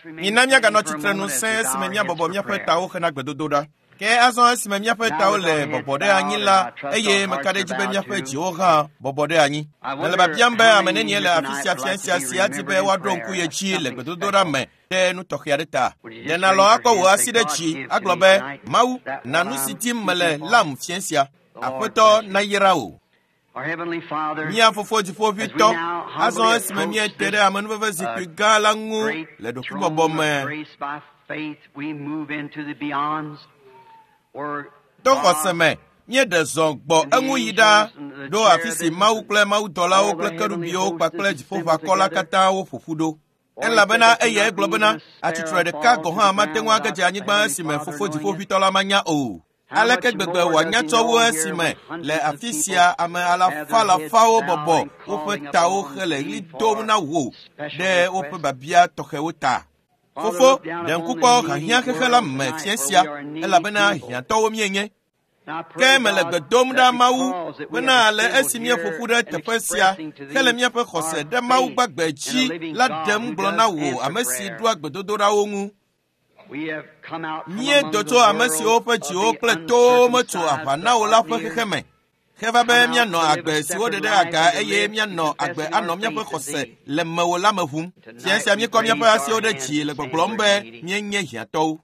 Mina míaganɔ tsitrenu sẽe esime míabɔbɔ míaƒe tawo hena gbedodoɖa. Ke azɔ esime míaƒe tawo le bɔbɔ ɖe anyi la, eye meka ɖe edzi be míaƒe dziwo hã bɔbɔ ɖe anyi. Mele biabiam be ame nenie le afi sia fia sia si adi be woaɖo ŋku ye dzi le gbedodoɖa me ɖe nu tɔxɛ aɖe ta. Ɖe nàlɔ̃ akɔ wò asi ɖe dzi agblɔ be, Mawu, na nu si dim mele lam fia sia. Aƒetɔ nayra wò. Mía Fofo Dziƒoʋĩtɔ, azɔ esime míete ɖe amenuveve zikpui gã la ŋu le ɖokuibɔbɔ me to xɔse me, míeɖe zɔ gbɔ eŋu yi ɖa ɖo afi si Mawu kple mawudɔlawo kple kerubiwo kpakple dziƒoʋakɔ la katã woƒo ƒu ɖo. Elabena eyae gblɔ bena, atsitre ɖeka gɔ̃ hã mate ŋu age dze anyigba esime Fofo Dziƒoʋĩtɔ la manya o. Aleke gbegbe wòanya tsɔ wu esime le afi sia ame alafa alafawo bɔbɔ woƒe tawo hele ɣli dom na wò ɖe woƒe biabia tɔxɛwo ta. Fofo, ɖe ŋku kpɔ hiahiã xexe la me fia sia, elabena hiãtɔwo míenye. Ke mele gbe dom ɖa Mawu bena le esi míeƒo ƒu ɖe teƒe sia hele míaƒe xɔse ɖe Mawu gbagbe dzi la ɖem gblɔ na wò ame si ɖoa gbedodoɖawo ŋu. Míedo tso ame siwo ƒe dziwo kple towo metso aʋa na wo la ƒe xexe me heva be míanɔ agbe si woɖe ɖe aga eye míanɔ agbe anɔ míaƒe xɔse le mewò la me ʋum. Fia sia míekɔ míaƒe asiwo ɖe dzi le gbɔgblɔm be míenye hiãtɔwo.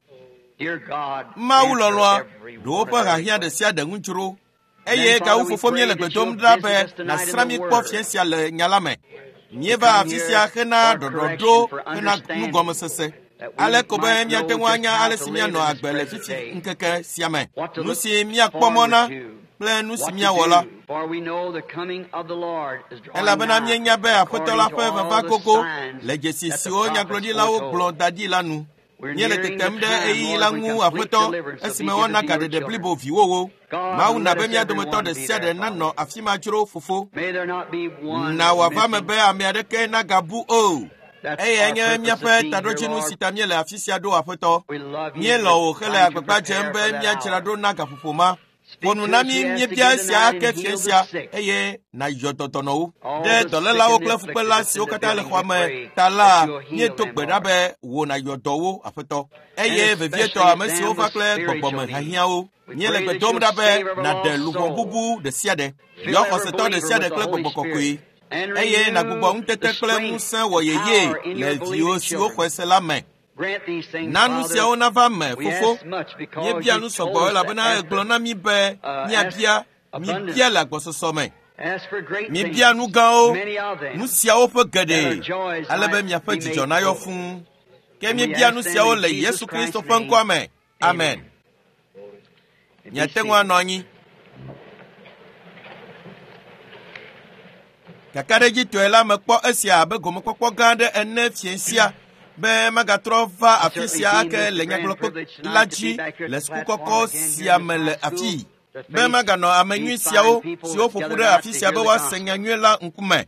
Mawu lɔlɔ̃a ɖo woƒe hiahiã ɖe sia ɖe ŋu dzro eye gawu fofo míele gbe dom ɖa be nàsrã mí kpɔ fia sia le nya la me. Míeva afi sia hena ɖɔɖɔɖo hena nugɔmesese. Ale ko be míate ŋu anya ale si míanɔ agbe le fifi ŋkeke sia me. Nu si míakpɔ mɔ na kple nu si míawɔ la. Elabena míenya be Aƒetɔ la ƒe vava gogo le dzesi siwo nyagblɔɖilawo gblɔ da ɖi la nu. Míele tetem ɖe ɣeyiɣi la ŋu, Aƒetɔ, esime woana gaɖeɖe blibo viwòwo. Mawu na be mía dometɔ ɖe sia ɖe nanɔ afi ma dzro, Fofo. Na wòava eme be ame aɖeke nagabu o. Eyae nye míaƒe taɖodzinu si ta míele afi sia ɖo, Aƒetɔ. Míelɔ̃ wò hele agbagba dzem be míadzra ɖo na gaƒoƒo ma. Ƒo nu na mí míebia esia ake fiẽ sia eye nàyɔ dɔ dɔnɔwo. Ɖe dɔlélawo kple fukpela siwo katã le xɔa me ta la, míedo gbe ɖa be wò nàyɔ dɔ wo, Aƒetɔ. Eye vevietɔ ame siwo va kple gbɔgbɔme hiahiãwo. Míele gbe dom ɖa be nàɖe luʋɔ bubu ɖe sia ɖe, yɔ xɔsetɔ ɖe sia ɖe kple gbɔgbɔ kɔkɔe eye nàgbugbɔ ŋutete kple ŋusẽ wɔ yeye le viwò siwo xɔe se la me. Na nu siawo nava me, Fofo. Míebia nu sɔgbɔ elabena ègblɔ na mí be míabia, míbia le agbɔsɔsɔ me. Míbia nu gãwo, nu siawo ƒe geɖe, ale be miaƒe dzidzɔ nayɔ fũu. Ke míebia nu siawo le Yesu Kristo ƒe ŋkɔa me. Amen. Miate ŋu anɔ anyi. Kakaɖedzitɔe la mekpɔ esia abe gomekpɔkpɔ gã aɖe ene fiẽ sia be magatrɔ va afi sia ake le nyagblɔkpe la dzi le sukukɔkɔ sia me le afii be maganɔ ame nyui siawo siwo ƒo ƒu ɖe afi sia be woase nya nyui la ŋkume.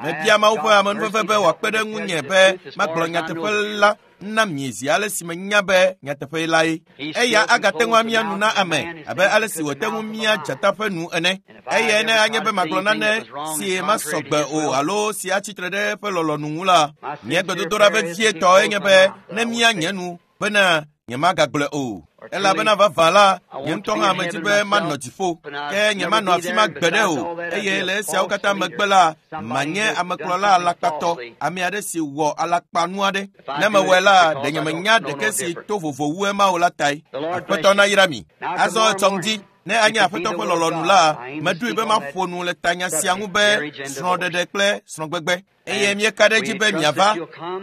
Mebia Mawu ƒe amenuveve be wòakpe ɖe ŋunye be magblɔ nyateƒe la na mi zi ale si menya be nyateƒe lae. Eya agate ŋu amia nu na ame abe ale si wòte ŋu mia dzata ƒe nu ene. Eye ne anye be magblɔ nane si masɔ gbe o alo si atsi tre ɖe eƒe lɔlɔ̃nu ŋu la, nye gbedodoɖa vevietɔe nye be ne mia nye nu bena nyemagagblɔe o. Elabena vavã la, nye ŋutɔ hã medi be manɔ dziƒo, ke nyemanɔ afi ma gbeɖe o, eye le esiawo katã megbe la, manye amekplɔla alakpatɔ, ame aɖe si wɔ alakpanu aɖe. Ne mewɔe la, ɖe nyemenya ɖeke si to vovo wu ema o la tae. Aƒetɔ nayra mi. Azɔ etsɔ ŋdi, ne anye Aƒetɔ ƒe lɔlɔ̃nu la, meɖoe be maƒo nu le tanya sia ŋu be srɔ̃ɖeɖe kple srɔ̃gbegbe. Eye míeka ɖe edzi be miava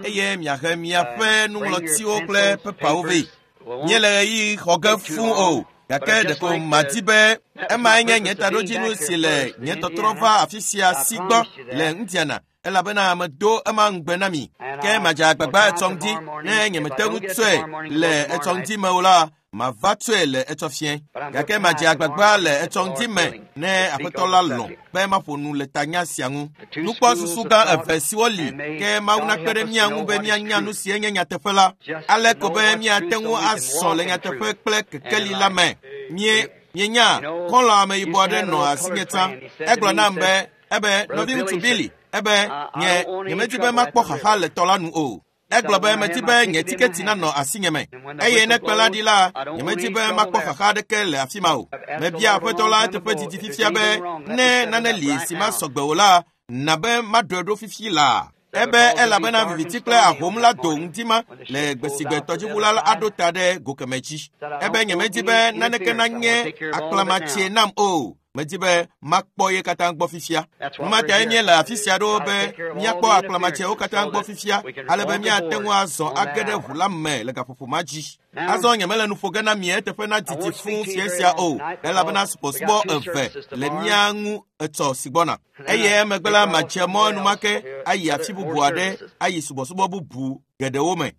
eye miahe miaƒe nuŋlɔtiwo kple pepawo vɛ. Míele ɣeyiɣi xɔ ge fũu o, gake ɖeko madi be emae nye nye taɖodzinu si le nye tɔtrɔ va afi sia si gbɔ le Indiana, elabena medo ema ŋugbe na mi. Ke madze agbagba etsɔ ŋdi, ne nyemete ŋu tsɔe le etsɔ ŋdi me o la, mava tsɔe le etsɔ fiẽ. Gake madze agbagba le etsɔ ŋdi me ne Aƒetɔ la lɔ̃ be maƒo nu le tanya sia ŋu. Nukpɔsusu gã eve siwo li ke Mawu nakpe ɖe mía ŋu be míanya nu si enye nyateƒe la, ale ko be míate ŋu azɔ le nyateƒe kple kekeli la me. Mie, mienya, xɔlɔ̃ ameyibɔ aɖe nɔ asinye tsã. Egblɔ nam be, ebe, nɔviŋutsu Billy, ebe, nye, nyemedi be makpɔ xaxa le tɔ la nu o. Egblɔ be medi be nye tiketi nanɔ asinye me eye ne kpẽ la ɖi la, nyemedi be makpɔ xaxa aɖeke le afi ma o. Mebia Aƒetɔ la eteƒe didi fifia be ne nane li si masɔ gbe o la, na be maɖɔe ɖo fifi laa. Ebe elabena viviti kple ahom la do ŋdi ma le gbe si gbe tɔdziʋu la aɖo ta ɖe go keme dzi. Ebe nyemedi be naneke nanye akplamatse nam o. Medi be makpɔ ye katã gbɔ fifia. Nu ma tae míele afi sia ɖo be míakpɔ akplamatsewo katã gbɔ fifia ale be míate ŋu azɔ age ɖe ʋu la me le gaƒoƒo ma dzi. Azɔ nyemele nu ƒo ge na mi eteƒe na didi fũu fia sia o, elabena subɔsubɔ eve le mía ŋu etsɔ si gbɔna. Eye emegbe la madze mɔ enumake ayi afi bubu aɖe ayi subɔsubɔ bubu geɖewo me.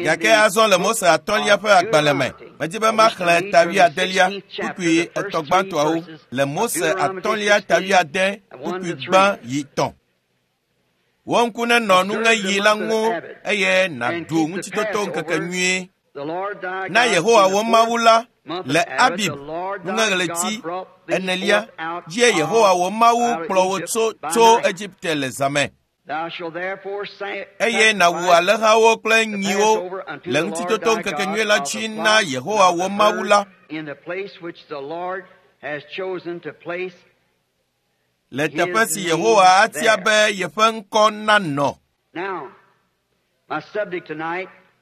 Gake azɔ le Mose atɔ̃lia ƒe agbalẽ me, medi be maxlẽ ta wuiadelia kpukpui etɔ̃ gbãtɔawo le Mose atɔ̃lia ta wuiade kpukpui gbã yi tɔ̃. Wò ŋku nenɔ nuŋeɣi la ŋu eye nàɖu ŋutitoto ŋkeke nyuie. Na Yehowa wò Mawu la le Abib nuŋeɣleti enelia dzie Yehowa wò Mawu kplɔ wò tso tso Egipte le zã me. Eye nàwu alẽhawo kple nyiwo le ŋutitoto ŋkekenyui la dzi na Yehowa wò Mawu la le teƒe si Yehowa atia be yeƒe ŋkɔ nanɔ.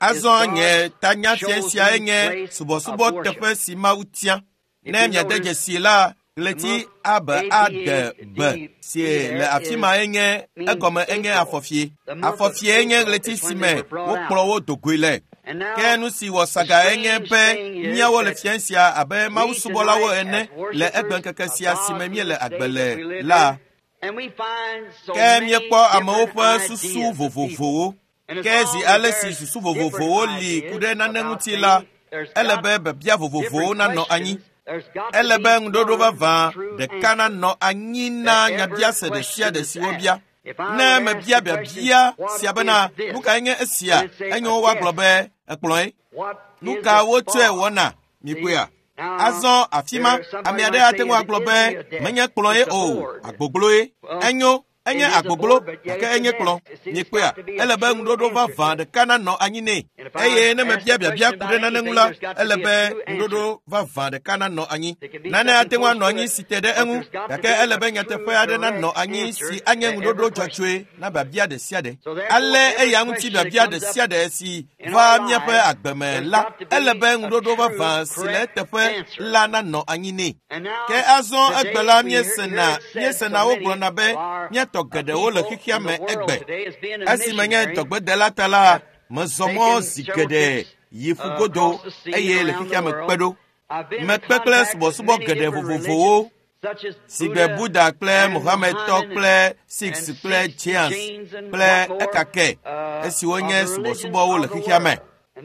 Azɔ nye tanya fia siae nye subɔsubɔ teƒe si Mawu tia. Ne miade dzesi la, ɣleti abe ade be si le afi ma enye egɔme enye afɔfie. Afɔfie nye ɣleti si me wokplɔ wo do goe le. Ke nu si wɔ saga enye be míawo le fia sia abe mawusubɔlawo ene le egbeŋkeke sia si me míele agbe le la. Ke míekpɔ amewo ƒe susu vovovowo. Ke zi ale si susu vovovowo li ku ɖe nane ŋuti la, ele be biabia vovovowo nanɔ anyi. Ele be ŋuɖoɖo vavã ɖeka nanɔ anyi na nyabiase ɖe sia ɖe si wobia. Ne mebia biabia sia bena nu kae nye esia, enyo woagblɔ be ekplɔe. Nu ka wotsɔe wɔna mikpɔea? Azɔ afi ma, ame aɖe ate ŋu agblɔ be menye kplɔe o, agbogloe. Enyo. Enye agboglo gake enye kplɔ. Mikpɔea, ele be ŋuɖoɖo vavã ɖeka nanɔ anyi nɛ. Eye ne mebia biabia ku ɖe nane ŋu la, ele be ŋuɖoɖo vavã ɖeka nanɔ anyi. Nane ate ŋu anɔ anyi si te ɖe eŋu, gake ele be nyateƒe aɖe nanɔ anyi si anye ŋuɖoɖo dzɔdzɔe na biabia ɖe sia ɖe. Ale eya ŋuti biabia ɖe sia ɖe si va míaƒe agbe me la, ele be ŋuɖoɖo vavã si le eteƒe la nanɔ anyi nɛ. Ke azɔ egbe la míesena wogblɔna be míatɔ geɖewo le xexea me egbe. Esi menye dɔgbedela ta la, mezɔ mɔ zi geɖe yi ƒugodo eye le xexea me kpe ɖo. Mekpe kple subɔsubɔ geɖe vovovowo si gbe Buddha kple Mohamedtɔ kple Sikhs kple Jains kple ekake esiwo nye subɔsubɔwo le xexea me.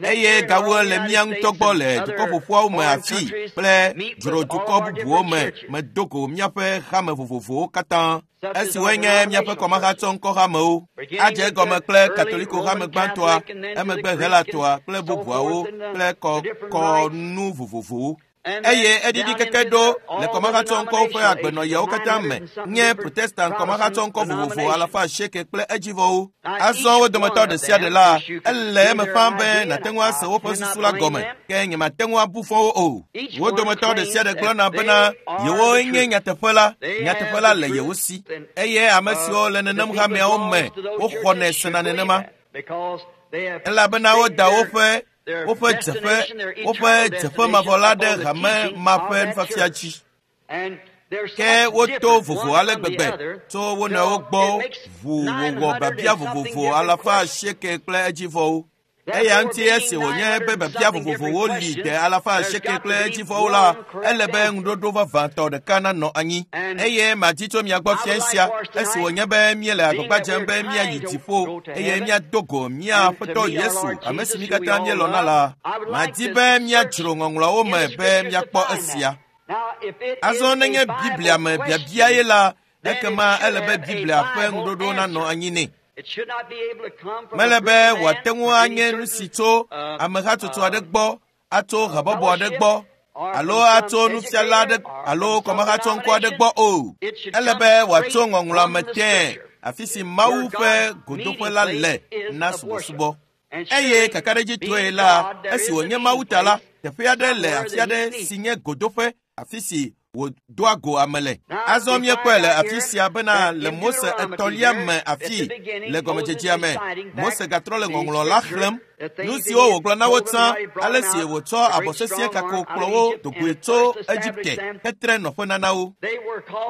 Eye gawu le mía ŋutɔ gbɔ le dukɔ ƒoƒuawo me afi kple dzrodukɔ bubuwo me medo go míaƒe hame vovovowo katã esiwoe nye míaƒe kɔmahatsɔŋkɔhamewo. Adze egɔme kple Katoliko hame gbãtɔa, emegbe Helatɔa kple bubuawo kple kɔnu vovovowo. Eye eɖiɖi keke ɖo le kɔmahatsɔŋkɔwo ƒe agbenɔɣiawo katã me nye Protestant kɔmahatsɔŋkɔ vovovo alafa asieke kple edzivɔwo. Azɔ wo dometɔ ɖe sia ɖe la, ele eme ƒãa be nàte ŋu ase woƒe susu la gɔme, ke nyemate ŋu abu fɔ wo o. Wo dometɔ ɖe sia ɖe gblɔna bena yewoe nye nyateƒe la, nyateƒe la le yewo si. Eye ame siwo le nenem hameawo me woxɔnɛ sena nenema, elabena woda woƒe dzeƒe mavɔ la ɖe hame ma ƒe nufiafia dzi. Ke woto vovo ale gbegbe tso wo nɔewo gbɔ ʋu wòwɔ biabia vovovo alafa asieke kple edzivɔwo. Eya ŋuti esi wònye be biabia vovovowo li de alafa asieke kple edzivɔwo la, ele be ŋuɖoɖo vavãtɔ ɖeka nanɔ anyi. Eye madi tso mia gbɔ fia sia, esi wònye be míele agbagba dzem be míayi dziƒo eye míado go mía Aƒetɔ Yesu, ame si mí katã míelɔ̃na la, madi be míadzro ŋɔŋlɔawo me be míakpɔ esia. Azɔ nenye Biblia me biabia ye la, ekema ele be Biblia ƒe ŋuɖoɖo nanɔ anyi nɛ. Mele be wòate ŋu anye nu si tso amehatsotso aɖe gbɔ, atso habɔbɔ aɖe gbɔ, alo atso nufiala aɖe alo kɔmahatsɔŋkɔ aɖe gbɔ o. Ele be wòatso ŋɔŋlɔa me tẽe, afi si Mawu ƒe godoƒe la le na subɔsubɔ. Eye kakaɖedzitɔe la, esi wònye Mawu ta la, teƒe aɖe le afi aɖe si nye godoƒe, afi si wòdoa go ame le. Azɔ míekpɔe le afi sia bena le Mose etɔ̃lia me afi le gɔmedzedzea me, Mose gatrɔ le ŋɔŋlɔ la xlẽm. Nu siwo wògblɔ na wo tsã, ale si wòtsɔ abɔ sesĩe kako kplɔ wo dogoe tso Egipte hetre nɔƒe nana wo.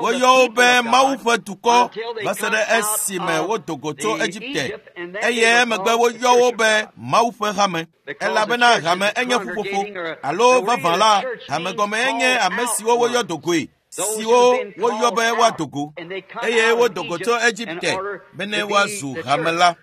Woyɔ wo be Mawu ƒe dukɔ va se ɖe esime wodo go tso Egipte, eye emegbe woyɔ wo be Mawu ƒe hame. Elabena hame enye ƒuƒoƒo, alo vavã la, hame gɔme enye ame siwo woyɔ dogoe, siwo woyɔ be woado go, eye wodo go tso Egipte bene woazu hame la.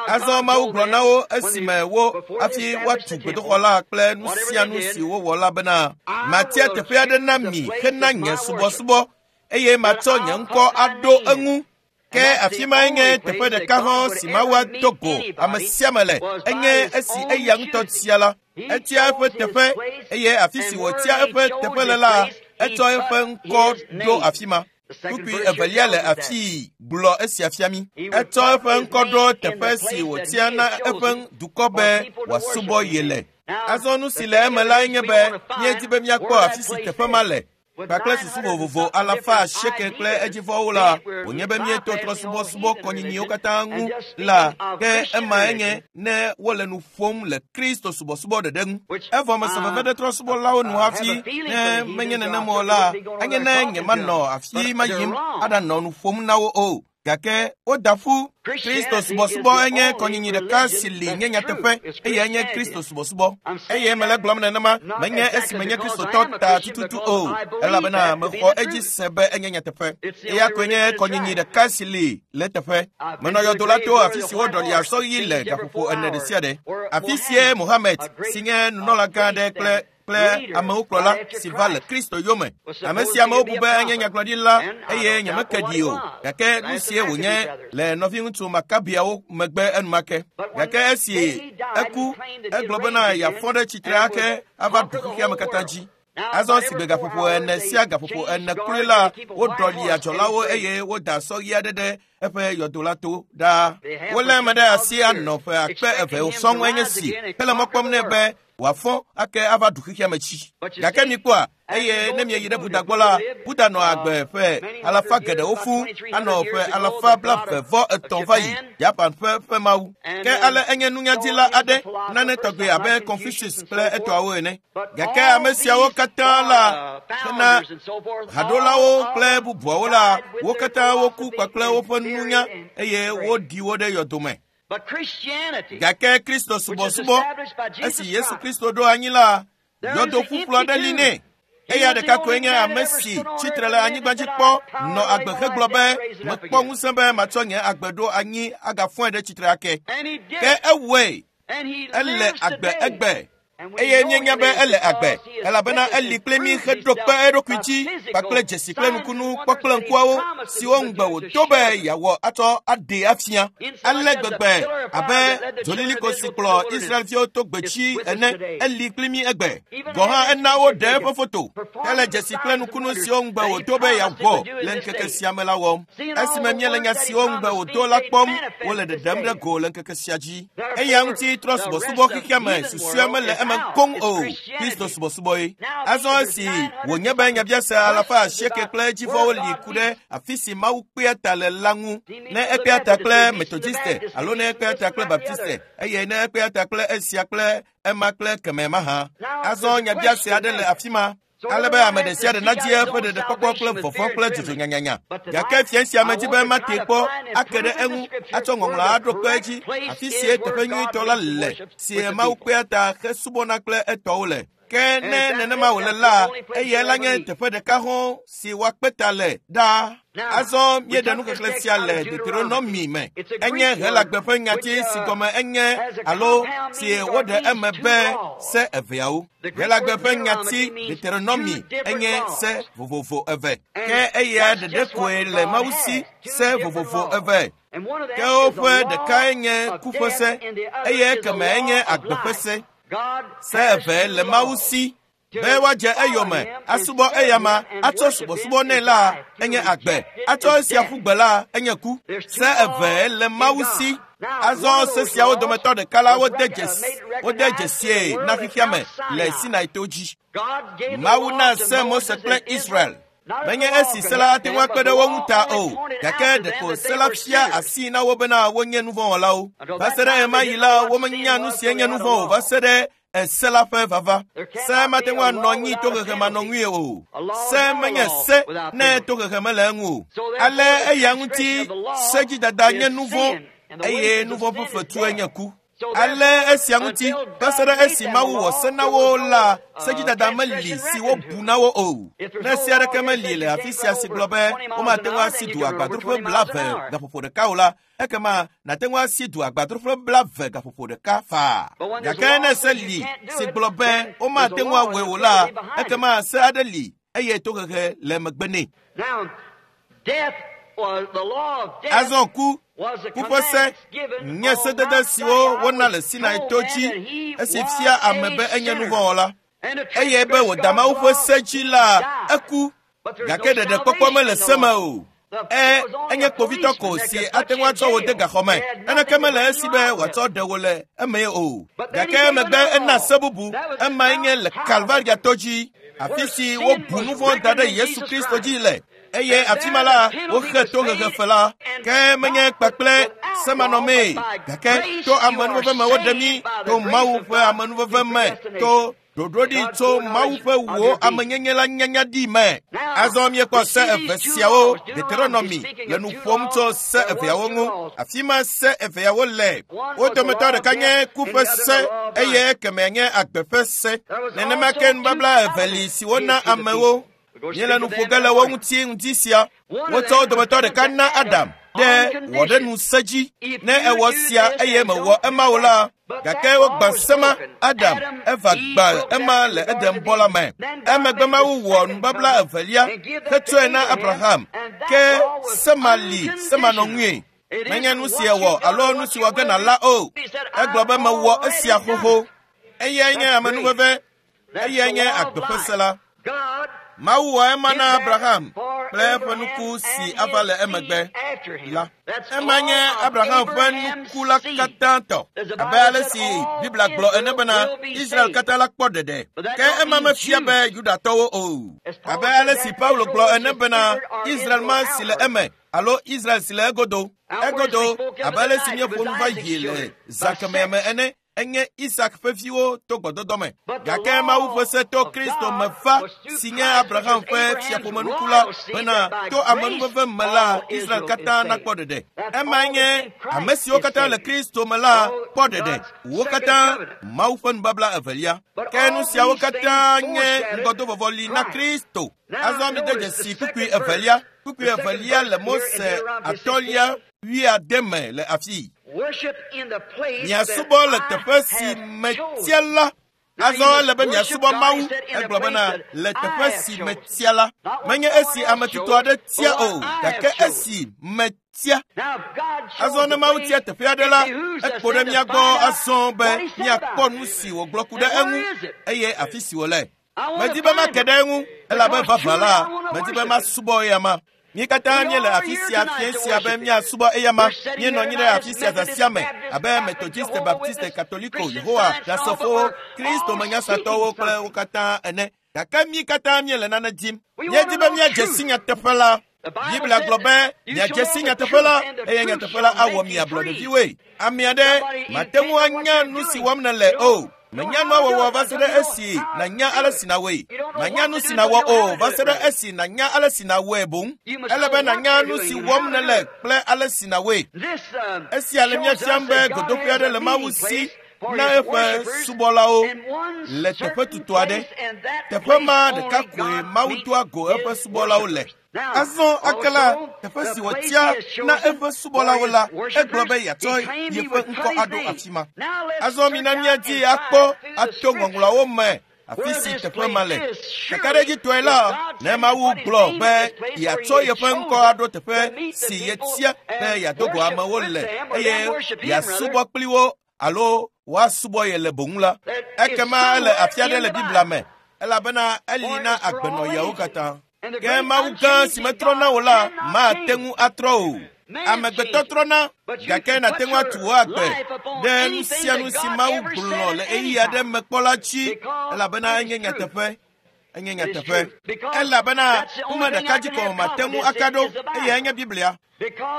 Azɔ Mawu gblɔ na wo esime wo hafi woatu gbedoxɔ la kple nu sia nu si wowɔ la bena, matia teƒe aɖe na mi hena nye subɔsubɔ, eye matsɔ nye ŋkɔ aɖo eŋu. Ke afi mae nye teƒe ɖeka hã si Mawu ado go ame sia ame le, enye esi eya ŋutɔ tia la. Etia eƒe teƒe, eye afi si wòtia eƒe teƒe le la, etsɔ eƒe ŋkɔ ɖo afi ma. Kpukpui evelia le afii gblɔ esia fia mí. Etsɔ eƒe ŋkɔ ɖo teƒe si wòtia na eƒe dukɔ be wòasubɔ ye le. Azɔ nu si le eme lae nye be míedi be míakpɔ afi si teƒe ma le. Kpakple susu vovovo alafa asieke kple edzivɔwo la, wònye be míeto trɔsubɔsubɔ kɔnyinyiwo katã ŋu la, ke ema enye ne wole nu ƒom le Kristo subɔsubɔ ɖeɖe ŋu. Evɔ mese veve ɖe trɔsubɔlawo nu hafi, ne menye nenema o la, anye ne nyemanɔ afi ma yim aɖanɔ nu ƒom na wo o. Gake woda ƒu. Kristo subɔsubɔ enye kɔnyinyi ɖeka si li nye nyateƒe, eye enye Kristo subɔsubɔ. Eye mele gblɔm nenema, menye esi menye Kristotɔ ta tututu o, elabena mexɔ edzi se be enye nyateƒe. Eya koe nye kɔnyinyi ɖeka si li le eteƒe. Menɔ yɔdo la to afi si woɖɔli asɔ ɣi le gaƒoƒo ene ɖe sia ɖe. Afi sie Mohammed, si nye nunɔlagã aɖe kple amewo kplɔla si va le Kristo yome. Ame sia amewo bu be enye nyagblɔɖila eye nyemeke ɖi o, gake nu sie wònye le nɔviŋutsu Makabiawo megbe enumake. Gake esi eku, egblɔ bena yeafɔ ɖe tsitre ake ava ɖu xexea me katã dzi. Azɔ si gbe gaƒoƒo ene sia gaƒoƒo ene kloe la, woɖɔli adzɔlawo eye woda sɔ ɣi aɖe ɖe eƒe yɔdo la to ɖaa. Wolé ame ɖe asi anɔ ƒe akpe eve sɔŋ enye si hele mɔ kpɔm nɛ be wòafɔ ake ava ɖu xexea me tsi. Gake mikpɔa, eye ne mieyi ɖe Buddha gbɔ la, Buddha nɔ agbe ƒe alafa geɖewo fũ, anɔ ƒe alafa 23 va yi, Japan ƒe mawu. Ke ale enye nunyadila aɖe, nane tɔgbe abe Confucius kple etɔawo ene. Gake ame siawo katã la, hena haɖolawo kple bubuawo la, wo katã woku kpakple woƒe nunya eye woɖi wo ɖe yɔdome. Gake Kristo subɔsubɔ, esi Yesu Kristo ɖo anyi la, yɔdo ƒuƒlu aɖe li nɛ. Eya ɖeka koe nye ame si tsitre le anyigba dzi kpɔ nɔ agbe hegblɔ be mekpɔ ŋusẽ be matsɔ nye agbe ɖo anyi agafɔe ɖe tsitre ake. Ke ewɔe, ele agbe egbe. Eye míenya be ele agbe, elabena eli kple mí heɖo kpe eɖokui dzi kpakple dzesi kple nukunu kpɔkple ŋkuawo siwo ŋugbe wòdo be yeawɔ atsɔ aɖee afia. Ale gbegbe abe dzoliliko si kplɔ Israelviwo to gbedzi ene, eli kpli mí egbe. Gɔ̃ hã ena woɖe eƒe foto hele dzesi kple nukunu siwo ŋugbe wòdo be yeawɔ le ŋkeke sia me la wɔm. Esime míele nya siwo ŋugbe wòdo la kpɔm, wole ɖeɖem ɖe go le ŋkeke sia dzi. Eya ŋuti trɔ subɔsubɔ xexea me susɔea mele eme koŋ o, Kristo subɔsubɔe. Azɔ esi wònye be nyabiase alafa asieke kple edzivɔwo li ku ɖe afi si Mawu kpea ta le la ŋu, ne ekpea ta kple Metodiste alo ne ekpea ta kple Baptiste, eye ne ekpea ta kple esia kple ema kple kemɛ mahã. Azɔ nyabiase aɖe le afi ma, ale be ame ɖe sia ɖe nadzi eƒe ɖeɖekpɔkpɔ kple vɔvɔ̃ kple dzodzo nyanyanya. Gake fia sia medzi be mate kpɔ ake ɖe eŋu atsɔ ŋɔŋlɔ aɖo kpe edzi afi sie teƒe nyuitɔ la le, si Mawu kpea ta hesubɔna kple etɔwo le. Ke ne nenema wòle la, eyae la nye teƒe ɖeka hɔ̃ si woakpe ta le ɖaa. Azɔ míeɖe nuxexlẽ sia le Deuteronomy me. Enye Helagbe ƒe nyati si gɔme enye alo si woɖe eme be se eveawo. Helagbe ƒe nyati Deuteronomy enye se vovovo eve. Ke eya ɖeɖe koe le Mawu si se vovovo eve. Ke woƒe ɖekae nye ku ƒe se, eye ekeme enye agbe ƒe se. Se eve le Mawu si be woadze eyome asubɔ eyama atsɔ subɔsubɔ nɛ la enye agbe, atsɔ esia ƒu gbe la enye ku. Se eve le Mawu si. Azɔ se siawo dometɔ ɖeka la wode dzesie na xexea me le Sinai to dzi. Mawu na se Mose kple Israel. Menye esi se la ate ŋu akpe ɖe wo ŋu ta o, gake ɖeko se la fia asi na wo bena wonye nuvɔ̃wɔlawo. Va se ɖe ɣemaɣi la, womenya nu si nye nuvɔ̃ o va se ɖe ese la ƒe vava. Se mate ŋu anɔ anyi tohehe manɔŋui o. Se menye se ne tohehe mele eŋu o. Ale eya ŋuti sedzidada nye nuvɔ̃ eye nuvɔ̃ ƒe fetue nye ku. Ale esia ŋuti va se ɖe esi Mawu wɔ se na wo la, sedzidada meli si wobu na wo o. Ne se aɖeke meli le afi sia si gblɔ be womate ŋu asi du agbadroƒe 20 gaƒoƒo ɖeka o la, ekema nàte ŋu asi du agbadroƒe 20 gaƒoƒo ɖeka faa. Gake ne se li si gblɔ be womate ŋu awɔe o la, ekema se aɖe li eye tohehe le megbe nɛ. Azɔ ku ƒe se nye sedede siwo wona le Sinai to dzi esi fia ame be enye nuvɔ̃wɔla eye be wòda Mawu ƒe se dzi la, eku. Gake ɖeɖekpɔkpɔ mele se me o. Enye kpovitɔ ko si ate ŋu atsɔ wò de gaxɔ me. Naneke mele esi be wòatsɔ ɖe wò le eme o. Gake emegbe ena se bubu, emae nye le Kalvaria to dzi, afi si wobu nuvɔ̃ da ɖe Yesu Kristo dzi le. Eye afi ma la, woxe tohehe fe la. Ke menye kpakple semanɔmee, gake to amenuveve me woɖe mí, to Mawu ƒe amenuveve me, to ɖoɖoɖi tso Mawu ƒe wò amenyenye la nyanya ɖi me. Azɔ míekpɔ se eve siawo, Deuteronomy le nu ƒom tso se eveawo ŋu. Afi ma se eveawo le. Wo dometɔ ɖeka nye ku ƒe se eye kemɛ nye agbe ƒe se. Nenema ke nubabla eve li si wona amewo. Míele nu ƒo ge le wo ŋuti ŋdi sia. Wotsɔ wo dometɔ ɖeka na Adam ɖe wɔɖenu se dzi. Ne ewɔ sia eye mewɔ ema o la, gake wogbã se ma. Adam eva gbã ema le Eden bɔ la me. Emegbe Mawu wɔ nubabla evelia hetsɔe na Abraham. Ke se ma li semanɔŋui. Menye nu si ewɔ alo nu si wɔ ge nàla o. Egblɔ be mewɔ esia xoxo. Eyae nye amenuveve. Eyae nye agbe ƒe se la. Mawu wɔ ema na Abraham kple eƒe nuku si ava le emegbe la. Ema nye Abraham ƒe nuku la katã tɔ, abe ale si Biblia gblɔ ene bena Israel katã la kpɔ ɖeɖe. Ke ema mefia be Yudatɔwo o. Abe ale si Paulo gblɔ ene bena Israel ma si le eme alo Israel si le egodo. Egodo abe ale si míeƒo nu va yi le zã kemɛ me ene. Enye Isak ƒe viwo to gbɔdɔdɔ me. Gake Mawu ƒe se to Kristo me va, si nye Abraham ƒe fiaƒomenuku la, bena to amenuveve me la, Israel katã nakpɔ ɖeɖe. Emae nye ame siwo katã le Kristo me la kpɔ ɖeɖe. Wo katã Mawu ƒe nubabla evelia. Ke nu siawo katã nye ŋgɔdovɔvɔli na Kristo. Azɔ mide dzesi kpukpui evelia. Kpukpui evelia le Mose atɔ̃lia 80 me le afii. Miasubɔ le teƒe si metia la. Azɔ ele be miasubɔ Mawu. Egblɔ bena le teƒe si metia la. Menye esi ame tutu aɖe tia o, gake esi metia. Azɔ ne Mawu tia teƒe aɖe la, ekpo ɖe mía gbɔ azɔ be míakpɔ nu si wògblɔ ku ɖe eŋu eye afi si wòle. Medi be make ɖe eŋu, elabe vavã la, medi be masubɔ eyama. Mí katã míele afi sia fiẽ sia be míasubɔ eyama. Míenɔ anyi ɖe afi sia zã sia me abe Methodiste, Baptiste, Katoliko, Yehowa Ɖasefowo, Kristo menyasatɔwo kple wo katã ene. Gake mí katã míele nane dim. Míedi be míadze si nyateƒe la. Biblia gblɔ be miadze si nyateƒe la eye nyateƒe la awɔ mi ablɔɖeviwoe. Ame aɖe mate ŋu anya nu si wɔm nèle o. Menya nua wɔwɔ va se ɖe esi nànya ale si nàwɔe. Manya nu si nàwɔ o va se ɖe esi nànya ale si nàwɔe boŋ. Ele be nànya nu si wɔm nèle kple ale si nàwɔe. Esia le mía fiam be godoƒe aɖe le Mawu si na eƒe subɔlawo le teƒe tutu aɖe. Teƒe ma ɖeka koe Mawu doa go eƒe subɔlawo le. Azɔ ake la, teƒe si wòtia na eƒe subɔlawo la, egblɔ be yeatsɔ yeƒe ŋkɔ aɖo afi ma. Azɔ mina míadi akpɔ ato ŋɔŋlɔawo me afi si teƒe ma le. Kakaɖedzitɔe la, ne Mawu gblɔ be yeatsɔ yeƒe ŋkɔ aɖo teƒe si yetia be yeado go amewo le eye yeasubɔ kpli wo alo woasubɔ ye le boŋ la, ekema ele afi aɖe le Biblia me, elabena eli na agbenɔɣiawo katã. Ke Mawu gã si metrɔ na wò la mate ŋu atrɔ o. Amegbetɔ trɔna, gake nàte ŋu atu wò agbe ɖe nu sia nu si Mawu gblɔ le ɣeyiɣi aɖe me kpɔ la dzi, elabena enye nyateƒe. Enye nyateƒe. Elabena nume ɖeka dzi ko mate ŋu aka ɖo, eyae nye Biblia.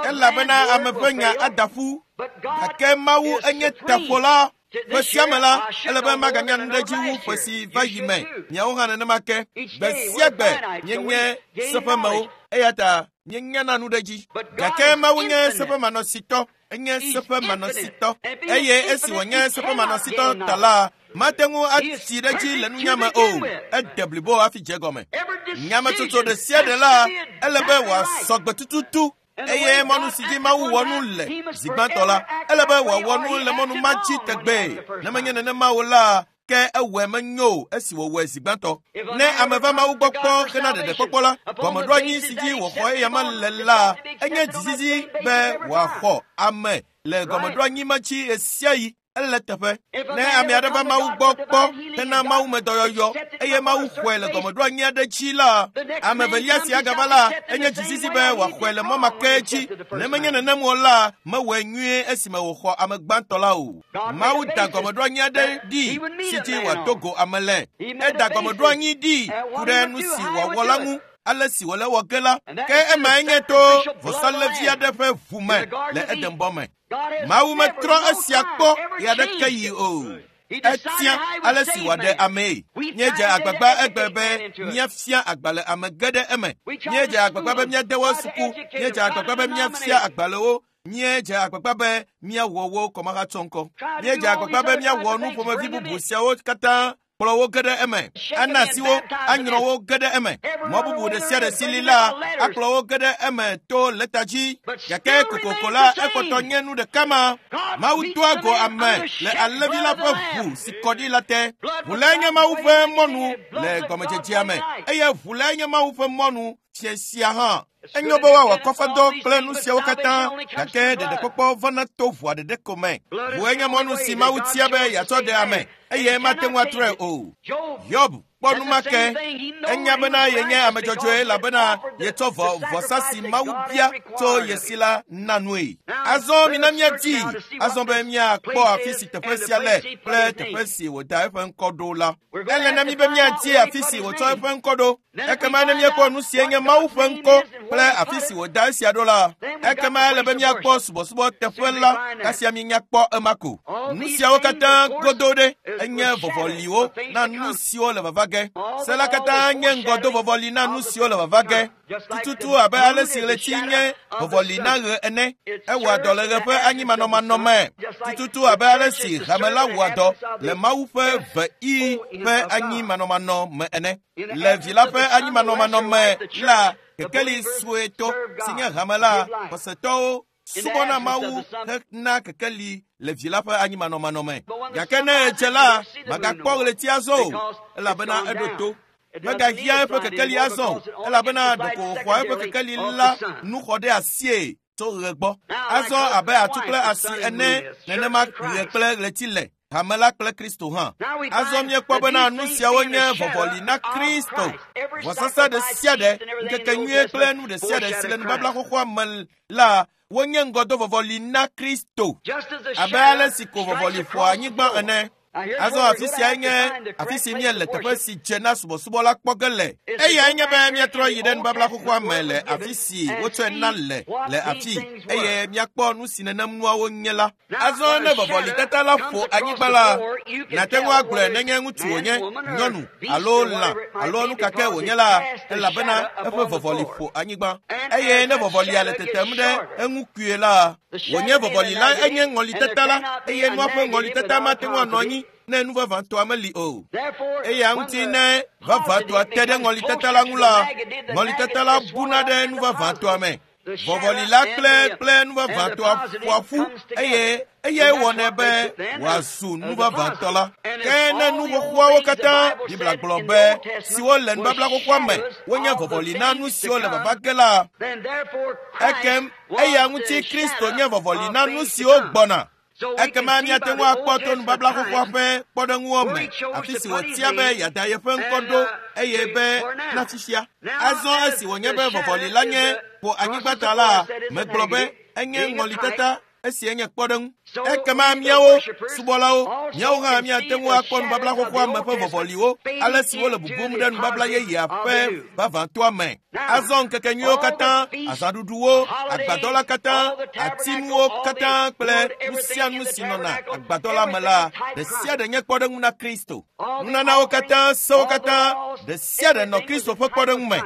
Elabena ame ƒe nya ada ƒu, gake Mawu enye taƒola. Ƒe sia me la, ele be maganya nu ɖe dzi wu ƒe si va yi me. Miawo hã nenema ke. Gbe sia gbe míenye seƒemewo, eya ta míenyana nu ɖe dzi. Gake Mawu nye seƒemanɔsitɔ. Enye seƒemanɔsitɔ. Eye esi wònye seƒemanɔsitɔ ta la, mate ŋu atsi ɖe dzi le nunya me o. Ede blibo hafi dze egɔme. Nyametsotso ɖe sia ɖe la, ele be wòasɔ gbe tututu. Eye mɔnu si dzi Mawu wɔ nu le zi gbãtɔ la, ele be wòawɔ nu le mɔnu ma dzi tegbee. Ne menye nenema o la, ke ewɔe menyo o esi wòwɔe zi gbãtɔ. Ne ame va Mawu gbɔ kpɔ hena ɖeɖekpɔkpɔ la, gɔmeɖoanyi si dzi wòxɔ eyama le la, enye dzizizi be wòaxɔ ame le gɔmeɖoanyi ma dzi ɣesiaɣi. Ele teƒe. Ne ame aɖe va Mawu gbɔ kpɔ hena mawumedɔyɔyɔ eye Mawu xɔe le gɔmeɖoanyi aɖe dzi la, ame evelia si agava la, enye dzizizi be wòaxɔe le mɔ ma ke dzi. Ne menye nenem o la, mewɔe nyuie esime wòxɔ ame gbãtɔ la o. Mawu da gɔmeɖoanyi aɖe ɖi si dzi wòado go ame le. Eda gɔmeɖoanyi ɖi ku ɖe nu si wòawɔ la ŋu. Ale si wòle wɔ ge la, ke emae nye to vɔsalẽvi aɖe ƒe ʋu me le Edenbɔ me. Mawu metrɔ esia kpɔ ɣeaɖeke yi o. Etia ale si wòaɖe amee. Míedze agbagba egbe be míafia agbalẽ ame ge ɖe eme. Míedze agbagba be míade wo suku. Míedze agbagba be míafia agbalẽwo. Míedze agbagba be míawɔ wo kɔmahatsɔŋkɔ. Míedze agbagba be míawɔ nu ƒomevi bubu siawo katã kplɔ wo ge ɖe eme, ana asi wo, anyrɔ wo ge ɖe eme. Mɔ bubu ɖe sia ɖe si li la, akplɔ wo ge ɖe eme to lɛta dzi. Gake kokoko la, ekpɔtɔ nye nu ɖeka ma. Mawu doa go ame le alẽvi la ƒe ʋu si kɔ ɖi la te. Ʋu lae nye Mawu ƒe mɔnu le gɔmedzedzea me, eye ʋu lae nye Mawu ƒe mɔnu fiẽ sia hã. Enyo be woawɔ akɔfadɔ kple nu siawo katã, gake ɖeɖekpɔkpɔ vana to ʋua ɖeɖe ko me. Ʋue nye mɔnu si Mawu tia be yeatsɔ ɖe ame, eye mate ŋu atrɔe o. Hiob kpɔ nu ma ke. Enya bena yenye ame dzɔdzɔe elabena yetsɔ vɔ vɔsa si Mawu bia tso ye si la na nue. Azɔ mina míadi azɔ be míakpɔ afi si teƒe sia le kple teƒe si wòda eƒe ŋkɔ ɖo la. Ele na mí be míadi afi si wòtsɔ eƒe ŋkɔ ɖo. Ekema ne míekpɔ nu si nye Mawu ƒe ŋkɔ kple afi si wòda esia ɖo la, ekema ele be míakpɔ subɔsubɔ teƒe la kasia míenya kpɔ ema ko. Nu siawo katã godo ɖe enye vɔvɔliwo na nu siwo le vava ge. Se la katã nye ŋgɔdovɔvɔli na nu siwo le vava ge. Tututu abe ale si ɣleti nye vɔvɔli na ɣe ene. Ewɔa dɔ le ɣe ƒe anyimanɔmanɔ me. Tututu abe ale si hame la wɔa dɔ le Mawu ƒe veɣi ƒe anyimanɔmanɔ me ene. Le vi la ƒe anyimanɔmanɔ me la, kekeli suetɔ si nye hame la, xɔsetɔwo subɔna Mawu hena kekeli le vi la ƒe anyimanɔmanɔ me. Gake ne edze la, magakpɔ ɣleti azɔ o, elabena eɖo to. Megahiã eƒe kekeli azɔ o, elabena ɖeko wòxɔa eƒe kekeli la nu xɔ ɖe asie tso ɣe gbɔ. Azɔ abe atu kple asi ene, nenema ɣe kple ɣleti le. Hame la kple Kristo hã. Azɔ míekpɔ bena nu siawo nye vɔvɔli na Kristo. Vɔsasa ɖe sia ɖe, ŋkekenyuie kple nu ɖe sia ɖe si le nubabla xoxoa me la, wonye ŋgɔdovɔvɔli na Kristo. Abe ale si ko vɔvɔli ƒoa anyigba ene. Azɔ afi siae nye afi si míele teƒe si dze na subɔsubɔ la kpɔ ge le. Eyae nye be míatrɔ yi ɖe nubabla xoxoa me le afi si wotsɔe na le le afi eye míakpɔ nu si nenem nuawo nye la. Azɔ ne vɔvɔlitata la ƒo anyigba la, nàte ŋu agblɔe nenye ŋutsu wònye, nyɔnu alo lã alo nu ka ke wònye la, elabena eƒe vɔvɔli ƒo anyigba. Eye ne vɔvɔlia le tetem ɖe eŋu kpuie la, wònye vɔvɔli la enye ŋɔlitata la, eye nua ƒe ŋɔlitata mate ŋu anɔ anyi ne nu vavãtɔa meli o. Eya ŋuti ne vavãtɔa te ɖe ŋɔlitata la ŋu la, ŋɔlitata la buna ɖe nu vavãtɔa me. Vɔvɔli la kple kple nu vavãtɔa ƒoa ƒu eye eyae wɔnɛ be wòazu nu vavãtɔ la. Ke ne nu xoxoawo katã, Biblia gblɔ be, siwo le nubabla xoxoa me, wonye vɔvɔli na nu siwo le vava ge la, ekem eya ŋuti Kristo nye vɔvɔli na nu siwo gbɔna. Ekema míate ŋu akpɔ to nubabla xoxoa ƒe kpɔɖeŋuwo me, afi si wòtia be yeada yeƒe ŋkɔ ɖo eye be na fifia. Azɔ esi wònye be vɔvɔli la nye ƒo anyigba ta la, megblɔ be enye ŋɔlitata esi enye kpɔɖeŋu. Ekema míawo subɔlawo, míawo hã míate ŋu akpɔ nubabla xoxoa me ƒe vɔvɔliwo, ale si wole bubum ɖe nubabla yeyea ƒe vavãtɔa me. Azɔ ŋkekenyuiwo katã, azãɖuɖuwo, agbadɔ la katã, atinuwo katã kple nu sia nu si nɔna agbadɔ la me la, ɖe sia ɖe nye kpɔɖeŋu na Kristo. Nunanawo katã, sewo katã, ɖe sia ɖe nɔ Kristo ƒe kpɔɖeŋu me.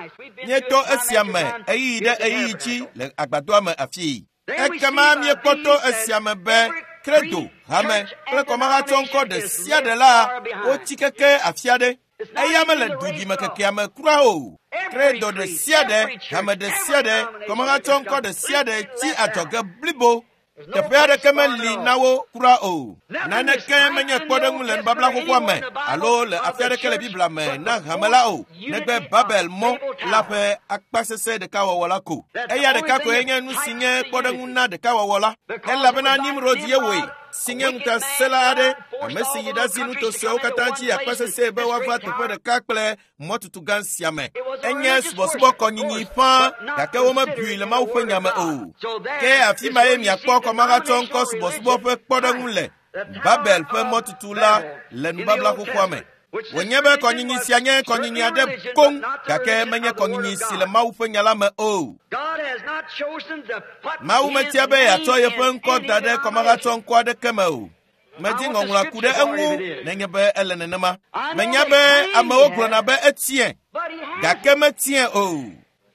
Míeto esia me ɣeyiɣi ɖe ɣeyiɣi dzi le agbadɔa me afii. Ekema míekpɔ to esia me be credo, hame kple kɔmahatsɔŋkɔ ɖe sia ɖe la wotsi keke afi aɖe. Eya mele duɖimekekea me kura o. Credo ɖe sia ɖe, hame ɖe sia ɖe, kɔmahatsɔŋkɔ ɖe sia ɖe tsi adzɔge blibo. Teƒe aɖeke meli na wo kura o. Naneke menye kpɔɖeŋu le nubabla xoxoa me alo le afi aɖeke le Biblia me na hame la o, negbe Babel mɔ la ƒe akpasesẽ ɖekawɔwɔ la ko. Eya ɖeka koe nye nu si nye kpɔɖeŋu na ɖekawɔwɔ la, elabena Nimrod ye wɔe, si nye ŋutasẽla aɖe, ame si yi ɖazi nuto siawo katã dzi akpasesẽe be woava teƒe ɖeka kple mɔtutu gã sia me. Enye subɔsubɔ kɔnyinyi ƒãa, gake womebui le Mawu ƒe nya me o. Ke afi ma ye miakpɔ kɔmahatsɔŋkɔ subɔsubɔ ƒe kpɔɖeŋu le Babel ƒe mɔtutu la le nubabla xoxoa me. Wònye be kɔnyinyi sia nye kɔnyinyi aɖe koŋ, gake menye kɔnyinyi si le Mawu ƒe nya la me o. Mawu metia be yeatsɔ yeƒe ŋkɔ da ɖe kɔmahatsɔŋkɔ aɖeke me o. Medi ŋɔŋlɔa ku ɖe eŋu nenye be ele nenema. Menya be amewo gblɔna be etie, gake metie o.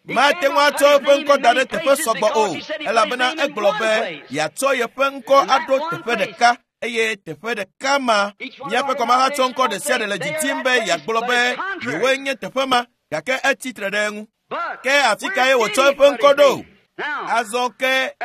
Mate ŋu atsɔ eƒe ŋkɔ da ɖe teƒe sɔgbɔ o, elabena egblɔ be yeatsɔ yeƒe ŋkɔ aɖo teƒe ɖeka eye teƒe ɖeka ma. Míaƒe kɔmahatsɔŋkɔ ɖe sia ɖe le didim be yeagblɔ be yewoe nye teƒe ma, gake etsi tre ɖe eŋu. Ke afi kae wòtsɔ eƒe ŋkɔ ɖo? Azɔ ke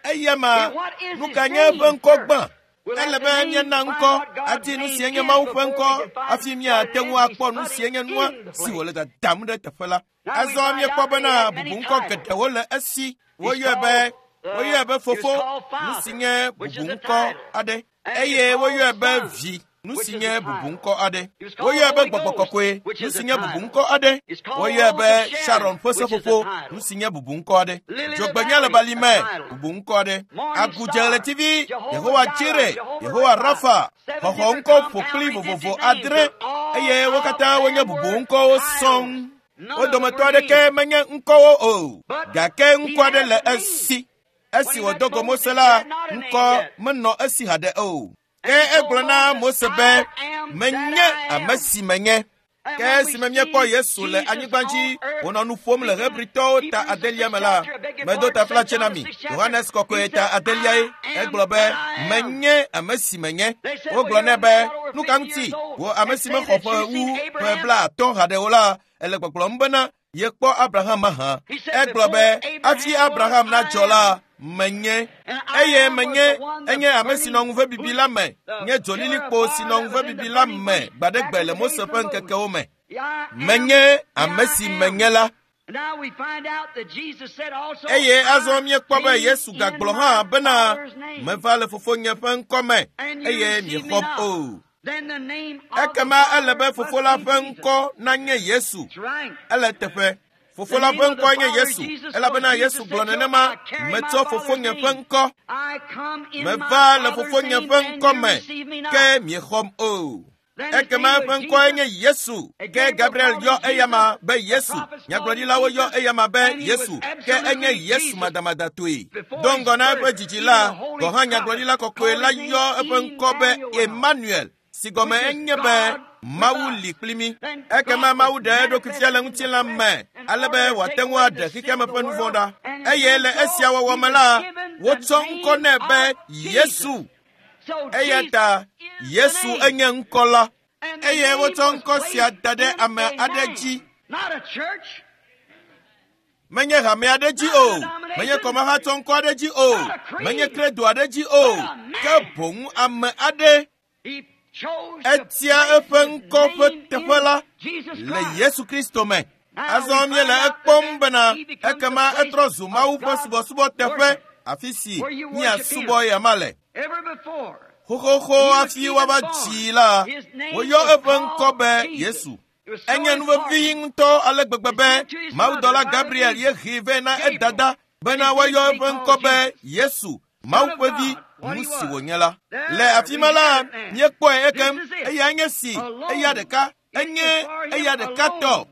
eya ma, nu ka nye eƒe ŋkɔ gbã? Ele be míana ŋkɔ adi nu si nye Mawu ƒe ŋkɔ hafi míate ŋu akpɔ nu si nye nua si wòle dadam ɖe teƒe la. Azɔ míekpɔ bena bubuŋkɔ geɖewo le esi. Woyɔe be fofo, nu si nye bubuŋkɔ aɖe, eye woyɔe be vi, nu si nye bubuŋkɔ aɖe. Woyɔe be gbɔgbɔ kɔkɔe, nu si nye bubuŋkɔ aɖe. Woyɔe be Sharon ƒe seƒoƒo, nu si nye bubuŋkɔ aɖe. Dzogbenya le bali me, bubuŋkɔ aɖe. Agudze ɣletivi, Yehowa Jire, Yehowa Rafa, xɔxɔ ŋkɔ ƒokpli vovovo 7, eye wo katã wonye bubuŋkɔwo sɔŋ. Wo dometɔ aɖeke menye ŋkɔwo o, gake ŋkɔ aɖe le esi. Esi wòdo go Mose la, ŋkɔ menɔ esi haɖe o. Ke egblɔ na Mose be, menye ame si menye. Ke esime míekpɔ Yesu le anyigba dzi wònɔ nu ƒom le Hebritɔwo ta 8 me la, medo taflatse na mi. Yohanes kɔkɔe ta 8 egblɔ be, menye ame si menye. Wogblɔ nɛ be, nu ka ŋuti wò ame si mexɔ ƒe wu ƒe 50 haɖe o la, ele gbɔgblɔm bena yekpɔ Abraham mahã. Egblɔ be, hafi Abraham nadzɔ la, menye. Eye menye enye ame si nɔ ŋuvebibi la me, nye dzolilikpo si nɔ ŋuvebibi la me gbaɖegbe le Mose ƒe ŋkekewo me. Menye ame si menye la. Eye azɔ míekpɔ be Yesu gagblɔ hã bena, meva le fofonye ƒe ŋkɔ me, eye miexɔm o. Ekema ele be fofo la ƒe ŋkɔ nanye Yesu. Ele teƒe. Fofo la ƒe ŋkɔe nye Yesu, elabena Yesu gblɔ nenema, metsɔ fofonye ƒe ŋkɔ. Meva le fofonye ƒe ŋkɔ me, ke miexɔm o. Ekema eƒe ŋkɔe nye Yesu. Ke Gabriel yɔ eyama be Yesu. Nyagblɔɖilawo yɔ eyama be Yesu. Ke enye Yesu madamadatɔe. Do ŋgɔ na eƒe dzidzi la, gɔ̃ hã nyagblɔɖila kɔkɔe la yɔ eƒe ŋkɔ be Emmanuel, si gɔme enye be Mawu li kpli mí. Ekema Mawu ɖe eɖokui fia le ŋutilã me, ale be wòate ŋu aɖe xexeame ƒe nu vɔ̃ ɖa. Eye le esia wɔwɔ me la, wotsɔ ŋkɔ nɛ be Yesu. Eya ta Yesu enye ŋkɔ la. Eye wotsɔ ŋkɔ sia da ɖe ame aɖe dzi. Menye hame aɖe dzi o, menye kɔmahatsɔ ŋkɔ aɖe dzi o, menye kredo aɖe dzi o, ke boŋ ame aɖe. Etia eƒe ŋkɔ ƒe teƒe la le Yesu Kristo me. Azɔ míele ekpɔm bena ekema etrɔ zu Mawu ƒe subɔsubɔ teƒe. Afi si míasubɔ eyama le. Xoxoxo hafi woava dzii la, woyɔ eƒe ŋkɔ be Yesu. Enye nu vevi ŋutɔ ale gbegbe be mawudɔla Gabriel ye hee vɛ na edada bena woayɔ eƒe ŋkɔ be Yesu, Mawu ƒe vi, nu si wònye la. Le afi ma la, míekpɔe ekem, eya nye si, eya ɖeka, enye eya ɖeka tɔ.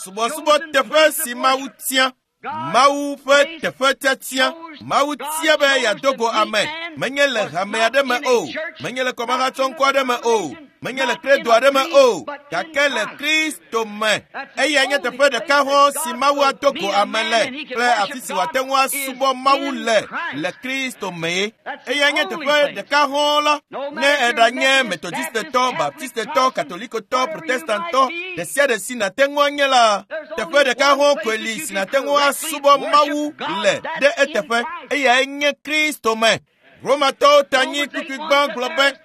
Subɔsubɔ teƒe si Mawu tia. Mawu ƒe teƒe tiatia. Mawu tia be yeado go ame. Menye le hame aɖe me o. Menye le kɔmahatsɔŋkɔ aɖe me o. Menye le kredo aɖe me o. Gake le Kristo me. Eya nye teƒe ɖeka hɔ̃ si Mawu ado go ame le kple afi si wòate ŋu asubɔ Mawu le le Kristo mee. Eya nye teƒe ɖeka hɔ̃ la. Ne eɖanye Metodistetɔ, Baptistetɔ, Katolikotɔ, Protestantɔ, ɖe sia ɖe si nàte ŋu anye la, teƒe ɖeka hɔ̃ koe li si nàte ŋu asubɔ Mawu le ɖe eteƒe. Eyae nye Kristo me. Romatɔwo ta nyi kpukpui gbã gblɔ be,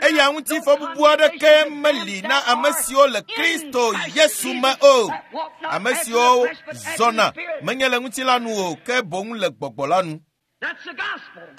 eya ŋuti fɔbubu aɖeke meli na ame siwo le Kristo Yesu me o. Ame siwo zɔna menye le ŋutilã nu o, ke boŋ le gbɔgbɔ la nu.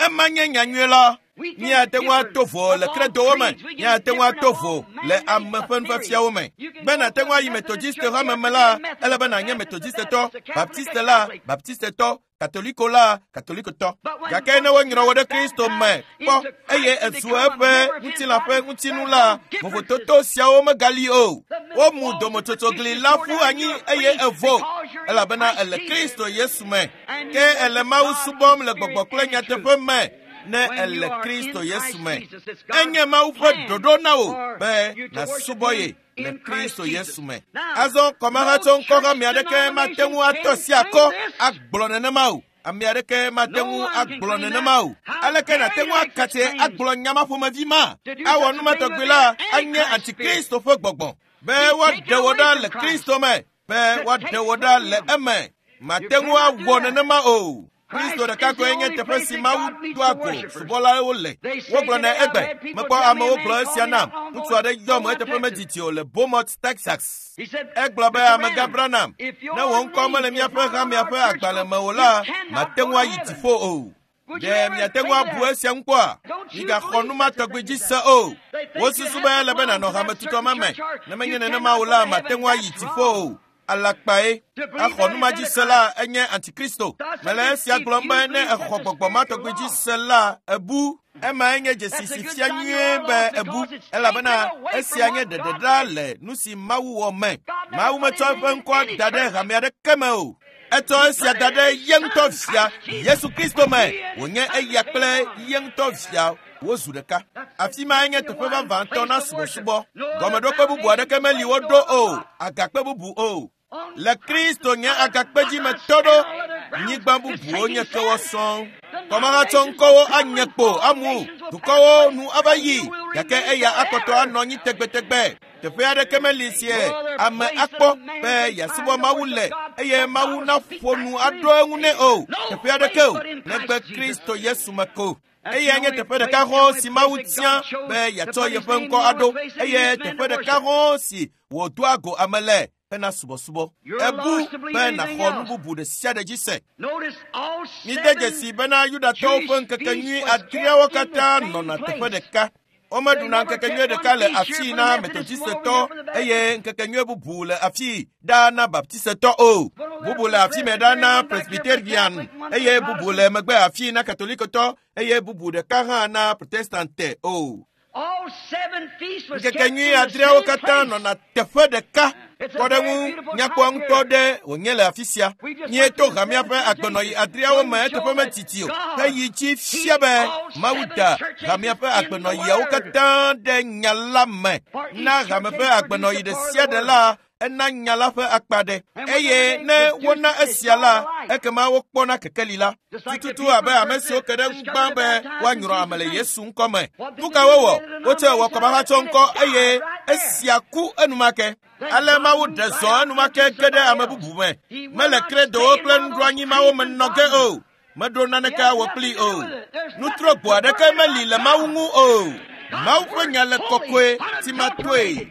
Ema nye nyanyui la. Míate ŋu ato vo le kredowo me. Míate ŋu ato vo le ame ƒe nufiafiawo me. Be nàte ŋu ayi Metodiste hame me la, ele be nànye Metodistetɔ, Baptiste la, Baptistetɔ, Katoliko la, Katolikotɔ. Gake ne wonyrɔ wò ɖe Kristo me kpɔ eye ezu eƒe ŋutilã ƒe ŋutinu la, vovototo siawo megali o. Womu dometsotso-gli la ƒu anyi eye evo, elabena ele Kristo Yesu me. Ke ele Mawu subɔm le gbɔgbɔ kple nyateƒe me ne ele Kristo Yesu me. Enye Mawu ƒe ɖoɖo na wò be nàsubɔ ye le Kristo Yesu me. Azɔ kɔmahatsɔŋkɔ hame aɖeke mate ŋu atɔ asi akɔ agblɔ nenema o. Ame aɖeke mate ŋu agblɔ nenema o. Aleke nàte ŋu akatse agblɔ nya ma ƒomevi ma? Awɔ nu ma tɔgbi la anye antikristo ƒe gbɔgbɔ be woaɖe wò ɖa le Kristo me, be woaɖe wò ɖa le eme. Mate ŋu awɔ nenema o. Kristo ɖeka koe nye teƒe si Mawu doa go subɔlawo le. Wogblɔnɛ egbe. Mekpɔ amewo gblɔ esia nam. Ŋutsu aɖe yɔm eteƒe medidi o le Beaumont, Texas. Egblɔ be amegã Branham, ne wò ŋkɔ mele míaƒe hamea ƒe agbalẽ me o la, mate ŋu ayi dziƒo o. Ɖe miate ŋu abu esia ŋu kpɔa? Migaxɔ nu ma tɔgbi dzi se o. Wosusu be ele be nànɔ hametutɔ ma me. Ne menye nenema o la, mate ŋu ayi dziƒo o. Alakpae. Axɔ nu ma dzi se la enye antikristo. Mele esia gblɔm be ne exɔ gbɔgbɔ ma tɔgbi dzi se la, ebu. Emae nye dzesi si fia nyuie be ebu, elabena esia nye ɖeɖeɖa le nu si Mawu wɔ me. Mawu metsɔ eƒe ŋkɔa da ɖe hame aɖeke me o. Etsɔ esia da ɖe ye ŋutɔ via, Yesu Kristo me. Wònye eya kple ye ŋutɔ via wozu ɖeka. Afi mae nye teƒe vavãtɔ na subɔsubɔ. Gɔmeɖokpe bubu aɖeke meli woɖo o, agakpe bubu o. Le Kristo nye agakpe dzi me tɔ ɖo, nyigba bubuwo nye kewɔ sɔŋ. Kɔmahatsɔŋkɔwo anye kpo amu, dukɔwo nu ava yi, gake eya akpɔtɔ anɔ anyi tegbetegbe. Teƒe aɖeke meli sie ame akpɔ be yeasubɔ Mawu le eye Mawu naƒo nu aɖo eŋu nɛ o. Teƒe aɖeke o, negbe Kristo Yesu me ko. Eya nye teƒe ɖeka hɔ̃ si Mawu tia be yeatsɔ yeƒe ŋkɔ aɖo eye teƒe ɖeka hɔ̃ si wòdoa go ame le hena subɔsubɔ. Ebu be nàxɔ nu bubu ɖe sia ɖe dzi se. Mide dzesi bena Yudatɔwo ƒe ŋkekenyui adreawo katã nɔna teƒe ɖeka. Womeɖuna ŋkekenyui ɖeka le afii na Metodistetɔ eye ŋkekenyui bubu le afii ɖaa na Baptistetɔ o. Bubu le afi me ɖaa na Presbyterian eye bubu le megbe afii na Katolikotɔ eye bubu ɖeka hã na Protestante o. Ŋkekenyui adreawo katã nɔna teƒe ɖeka. Kpɔɖeŋu nyakpɔ ŋutɔ ɖe wònye le afi sia. Míeto hamea ƒe agbenɔɣi adreawo me eteƒe medidi o. Heyi dzi fia be Mawu da hamea ƒe agbenɔɣiawo katã ɖe nya la me. Na hame ƒe agbenɔɣi ɖe sia ɖe la, ena nya la ƒe akpa ɖe. Eye ne wona esia la, ekema wokpɔna kekeli la. Tututu abe ame siwo ke ɖe ŋu gbã be woanyrɔ ame le Yesu ŋkɔ me. Nu ka wowɔ? Wotsɔe wɔ kɔmahatsɔ ŋkɔ eye esia ku enumake. Ale Mawu ɖe zɔ enumake ge ɖe ame bubu me. Mele kredowo kple nuɖoanyi mawo me nɔ ge o. Meɖo naneke awɔ kplii o. Nutrogbo aɖeke meli le Mawu ŋu o. Mawu ƒe nya le kɔkɔe timatoe.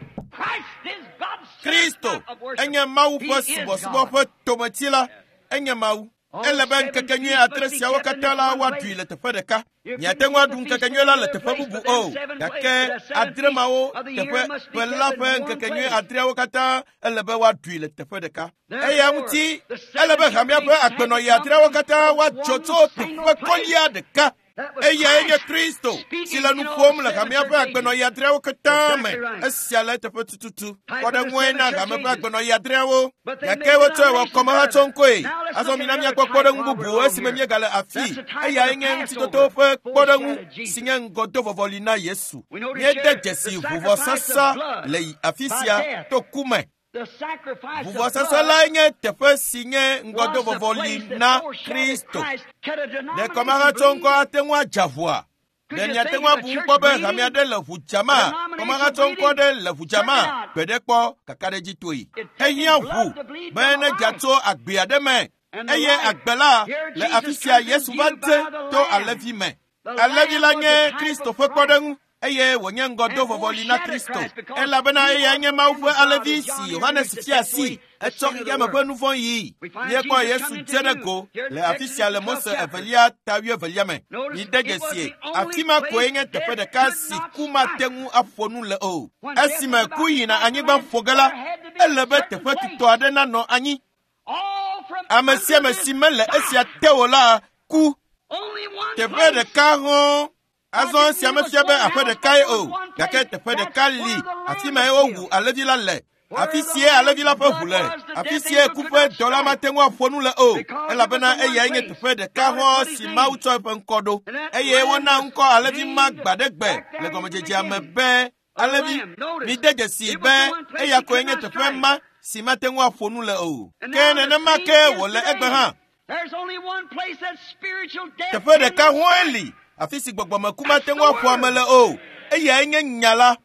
Kristo enye Mawu ƒe subɔsubɔ ƒe tometsi la. Enye Mawu. Ele be ŋkekenyui atre siawo katã la woaɖui le teƒe ɖeka. Miate ŋu aɖu ŋkekenyui la le teƒe bubu o, gake adre mawo teƒe ƒe la ƒe ŋkekenyui adreawo katã ele be woaɖui le teƒe ɖeka. Eya ŋuti ele be hamea ƒe agbenɔɣi adreawo katã woadzɔ tso teƒe kɔlia ɖeka. Eyae nye Kristo si le nu ƒom le hamea ƒe agbenɔɣi adreawo katã me. Esia le eteƒe tututu. Kpɔɖeŋue na hame ƒe agbenɔɣi adreawo. Gake wotsɔe wɔ kɔmehatsɔŋkɔe. Azɔ mina míakpɔ kpɔɖeŋu bubu esime míegale afii. Eyae nye ŋutitoto ƒe kpɔɖeŋu si nye ŋgɔdovɔvɔli na Yesu. Míede dzesi ʋuvɔsasa le afi sia to ku me. Ʋuvɔsasa lae nye teƒe si nye ŋgɔdovɔvɔli na Kristo. Ɖe kɔmahatsɔŋkɔ ate ŋu adza ʋua? Ɖe miate ŋu abu ŋu kpɔ be hame aɖe le ʋu dzama? Kɔmahatsɔŋkɔ aɖe le ʋu dzama? Gbe ɖe kpɔ kakaɖedzitoe. Ehiã ʋu be ne dza tso agbe aɖe me eye agbe la le afi sia Yesu va dze to alẽvi me. Alẽvi la nye Kristo ƒe kpɔɖeŋu eye wònye ŋgɔdovɔvɔli na Kristo elabena eyae nye Mawu ƒe alẽvi si Yohanes fia asi etsɔ xexeame ƒe nu vɔ̃ yii. Míekpɔ Yesu dze ɖe go le afi sia le Mose evelia ta wuievelia me. Mide dzesie, afi ma koe nye teƒe ɖeka si ku mate ŋu aƒo nu le o. Esime ku yina anyigba ƒo ge la, ele be teƒe tutɔ aɖe nanɔ anyi. Ame sia ame si mele esia te o la ku. Teƒe ɖeka hɔ̃. Azɔ esia mefia be aƒe ɖekae o, gake teƒe ɖeka li afi mae wowu alẽvi la le. Afi sie alẽvi la ƒe ʋu le. Afi sie ku ƒe dɔla mate ŋu aƒo nu le o, elabena eyae nye teƒe ɖeka hɔ̃ si Mawu tsɔ eƒe ŋkɔ ɖo. Eye wona ŋkɔ alẽvi ma gbaɖegbe le gɔmedzedzea me be alẽvi. Mide dzesii be eya koe nye teƒe ma si mate ŋu aƒo nu le o. Ke nenema ke wòle egbe hã. Teƒe ɖeka hɔ̃e li afi si gbɔgbɔmeku mate ŋu aƒo ame le o. Eyae nye nya la.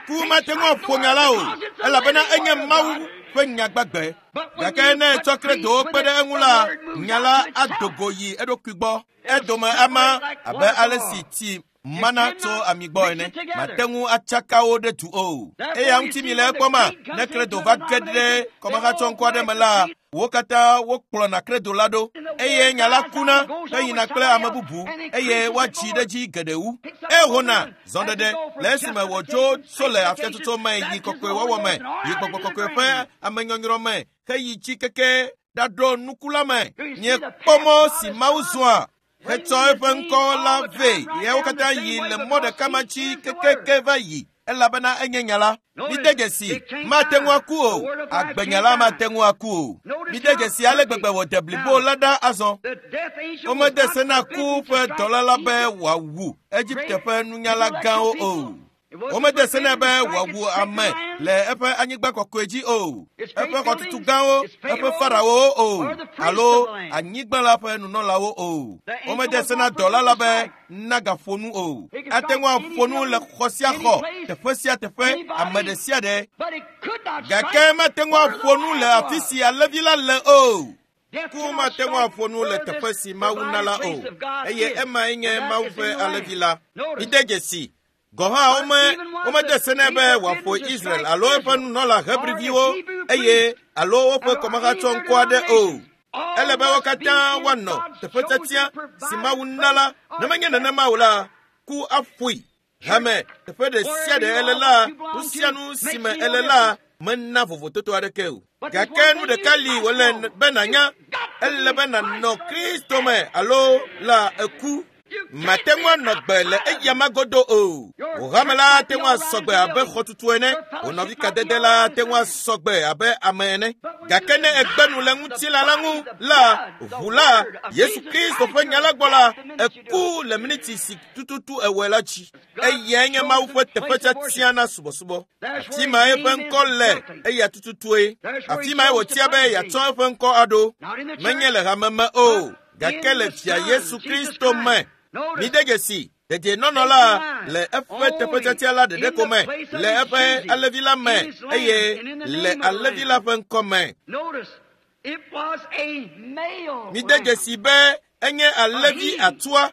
Ku mate ŋu aƒo nya la o, elabena enye Mawu ƒe nya gbagbe. Gake ne etsɔ kredowo kpe ɖe eŋu la, nya la ado go yi eɖokui gbɔ. Edome ama abe ale si tsi mana tso ami gbɔ ene. Mate ŋu atsaka wo ɖe du o. Eya ŋuti mi le ekpɔma, ne kredo va ge ɖe kɔmehatsɔŋkɔ aɖe me la, wo katã wokplɔna kredo la ɖo eye nya la kuna heyina kple ame bubu eye woatsi ɖe dzi geɖe wu. Ehona zɔɖeɖe le esime wòdzo tso le afiatsotso me yi kɔkɔewɔwɔ me, yi gbɔgbɔ kɔkɔe ƒe amenyɔnyrɔ me heyi tsi keke ɖaɖo nuku la me. Miekpɔ mɔ si Mawu zɔa hetsɔ eƒe ŋkɔ la vɛ. Yewo katã yi le mɔ ɖeka ma dzi kekeke va yi elabena enye nya la. Mide dzesi, mate ŋu aku o. Agbenya la mate ŋu aku o. Mide dzesi ale gbegbe wòde blibo la ɖa azɔ. Womede se na ku ƒe dɔla la be wòawu Egipte ƒe nunyala gãwo o. Womede se nɛ be wòawu ame le eƒe anyigba kɔkɔe dzi o, eƒe xɔtutu gãwo, eƒe farawowo o, alo anyigba la ƒe nunɔlawo o. Womede se na dɔla la be nagaƒo nu o. Ate ŋu aƒo nu le xɔ sia xɔ, teƒe sia teƒe, ame ɖe sia ɖe. Gake mate ŋu aƒo nu le afi si alẽvi la le o. Ku mate ŋu aƒo nu le teƒe si Mawu na la o, eye emae nye Mawu ƒe alẽvi la. Mide dzesi. Gɔ̃ hã womede se nɛ be wòaƒo Israel alo eƒe nunɔla Hebriviwo eye alo woƒe kɔmehatsɔŋkɔ aɖe o. Ele be wo katã woanɔ teƒe tiatia si Mawu na la. Ne menye nenema o la, ku aƒoe. Hame teƒe ɖe sia ɖe ele la, nu sia nu si me ele la mena vovototo aɖeke o. Gake nu ɖeka li wòle be nànya, ele be nànɔ Kristo me alo la eku. Mate ŋu anɔ gbe le eya magodo o. Wò hame la ate ŋu asɔ gbe abe xɔtutu ene. Wò nɔvi kadede la ate ŋu asɔ gbe abe ame ene. Gake ne egbe nu le ŋutilã la ŋu la, ʋu la, Yesu Kristo ƒe nya la gbɔ la, eku le miniti si tututu ewɔe la dzi. Eyae nye Mawu ƒe teƒe tiatia na subɔsubɔ. Afi ma eƒe ŋkɔ le eya tututue. Afi mae wòtia be yeatsɔ eƒe ŋkɔ aɖo. Menye le hame me o, gake le Fia Yesu Kristo me. Mide dzesi, dedienɔnɔ la le eƒe teƒe tiatia la ɖeɖe ko me, le eƒe alẽvi la me eye le alẽvi la ƒe ŋkɔ me. Mide dzesi be enye alẽvi atua,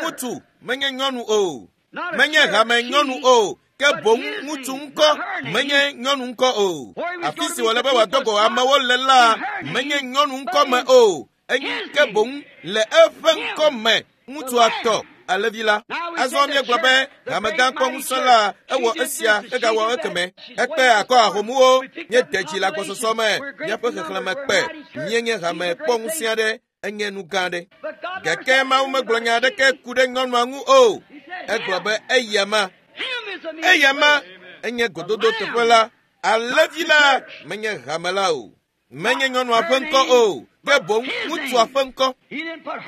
ŋutsu menye nyɔnu o, menye hame nyɔnu o, ke boŋ ŋutsu ŋkɔ menye nyɔnu ŋkɔ o. Afi si wòle be wòado go amewo le la menye nyɔnu ŋkɔ me o. Ke boŋ le eƒe ŋkɔ me ŋutsua tɔ alẽvi la. Azɔ míegblɔ be hamegã kpɔ ŋusẽ la ewɔ esia hegawɔ ekeme. Ekpe akɔ ahomuwo, míede dzi le agbɔsɔsɔ me, míaƒe xexlẽme kpe, míenye hame kpɔ ŋusẽ aɖe, enye nu gã aɖe. Gake Mawu megblɔ nya aɖeke ku ɖe nyɔnua ŋu o. Egblɔ be eyama. Eyama enye gododo teƒe la. Alẽvi la menye hame la o. Menye nyɔnua ƒe ŋkɔ o, ke boŋ ŋutsua ƒe ŋkɔ.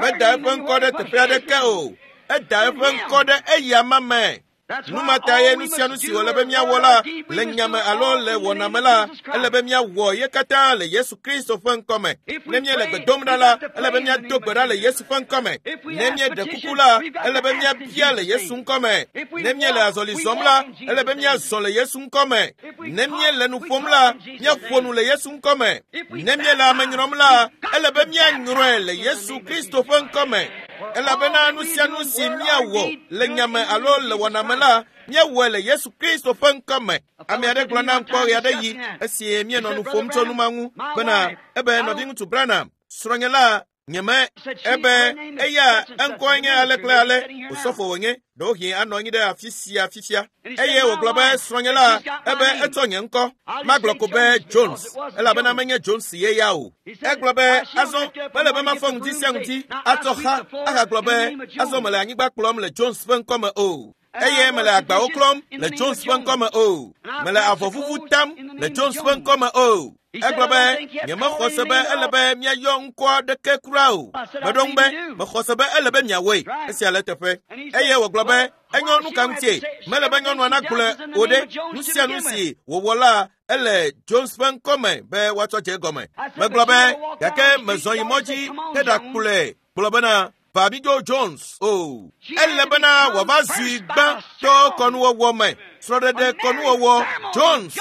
Meda eƒe ŋkɔ ɖe teƒe aɖeke o. Eda eƒe ŋkɔ ɖe eyama me. Nu ma ta ye nu sia nu si wòle be míawɔ la le nyame alo le wɔna me la, ele be míawɔ ye katã le Yesu Kristo ƒe ŋkɔ me. Ne míele gbe dom ɖa la, ele be míado gbe ɖa le Yesu ƒe ŋkɔ me. Ne míeɖe kuku la, ele be míabia le Yesu ŋkɔ me. Ne míele azɔli zɔm la, ele be míazɔ le Yesu ŋkɔ me. Ne míele nu ƒom la, míaƒo nu le Yesu ŋkɔ me. Ne míele ame nyrɔm la, ele be míanyrɔe le Yesu Kristo ƒe ŋkɔ me. Elabena nu sia nu si míawɔ le nyame alo le wɔna me la, míawɔe le Yesu Kristo ƒe ŋkɔ me. Ame aɖe gblɔ nam kpɔ ɣe aɖe yi esi míenɔ nu ƒom tso nu ma ŋu bena ebe nɔviŋutsu Branham, srɔ̃nye la, nyeme ebe eya eŋkɔe nye ale kple ale, osɔfo wònye, ɖewohĩ anɔ anyi ɖe afi sia fifia. Eye wògblɔ be srɔ̃nye la ebe etsɔ nye ŋkɔ. Magblɔ ko be Jones, elabena menye Jones ye ya o. Egblɔ be azɔ mele be mafɔ ŋdi sia ŋdi atsɔ xa ahagblɔ be azɔ mele anyigba kplɔm le Jones ƒe ŋkɔ me o. Eye mele agbawo klɔm le Jones ƒe ŋkɔ me o. Mele avɔvuvu tam le Jones ƒe ŋkɔ me o. Egblɔ be nyemexɔ se be ele be míayɔ ŋkɔ aɖeke kura o. Meɖo ŋu be mexɔ se be ele be miawɔe. Esia le teƒe. Eye wògblɔ be enyo nu ka ŋutie mele be nyɔnua nagblɔe o ɖe nu sia nu si wòwɔ la ele Jones ƒe ŋkɔ me be woatsɔ dze egɔme. Megblɔ be gake mezɔ yi mɔ dzi heɖakplɔe gblɔ bena Babijo Jones o. Ele bena wòava zui gbã to kɔnuwɔwɔ me, srɔ̃ɖeɖe kɔnuwɔwɔ Jones.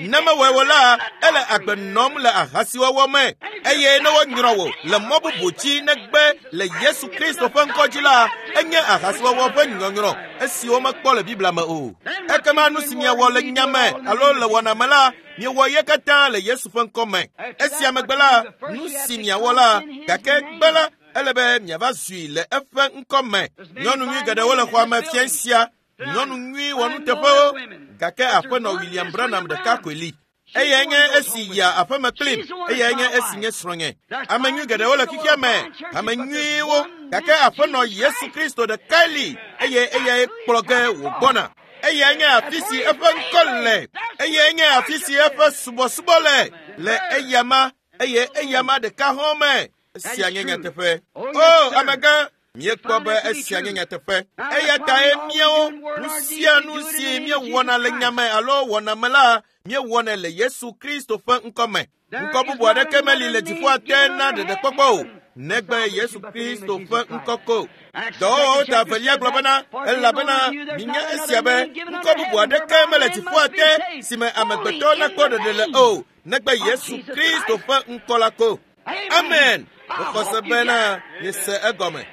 Ne mewɔe o la, ele agbe nɔm le ahasiwɔwɔ me eye ne wonyrɔ wò le mɔ bubu dzi negbe le Yesu Kristo ƒe ŋkɔ dzi la, enye ahasiwɔwɔ ƒe nyɔnyrɔ esi womekpɔ le Biblia me o. Ekema nu si miawɔ le nya me alo le wɔna me la, miewɔ ye katã le Yesu ƒe ŋkɔ me. Esia megbe la, nu si miawɔ la, gake gbe la, ele be miava zui le eƒe ŋkɔ me. Nyɔnu nyui geɖewo le xɔa me fia sia, nyɔnu nyui wɔnuteƒewo, gake aƒenɔ William Branham ɖeka koe li. Eyae nye esi yia aƒeme kplim, eyae nye esi nye srɔ̃nye. Ame nyui geɖewo le xexea me, ame nyuiwo, gake aƒenɔ Yesu Kristo ɖekae li eye eyae kplɔ ge wògbɔna. Eyae nye afi si eƒe ŋkɔ le, eyae nye afi si eƒe subɔsubɔ le, le eyama eye eyama ɖeka hã me. Esia nye nyateƒe. O, amegã, míekpɔ be esia nye nyateƒe. Eya tae míawo nu sia nu si míewɔna le nyame alo wɔna me la, míewɔnɛ le Yesu Kristo ƒe ŋkɔ me. Ŋkɔ bubu aɖeke meli le dziƒoa te na ɖeɖekpɔkpɔ o, negbe Yesu Kristo ƒe ŋkɔ ko. Dɔwɔwɔwo ta evelia gblɔ bena, elabena minya esia be ŋkɔ bubu aɖeke mele dziƒoa te si me amegbetɔ nakpɔ ɖeɖe le o, negbe Yesu Kristo ƒe ŋkɔ la ko. Amen. Mexɔ se bena miese egɔme.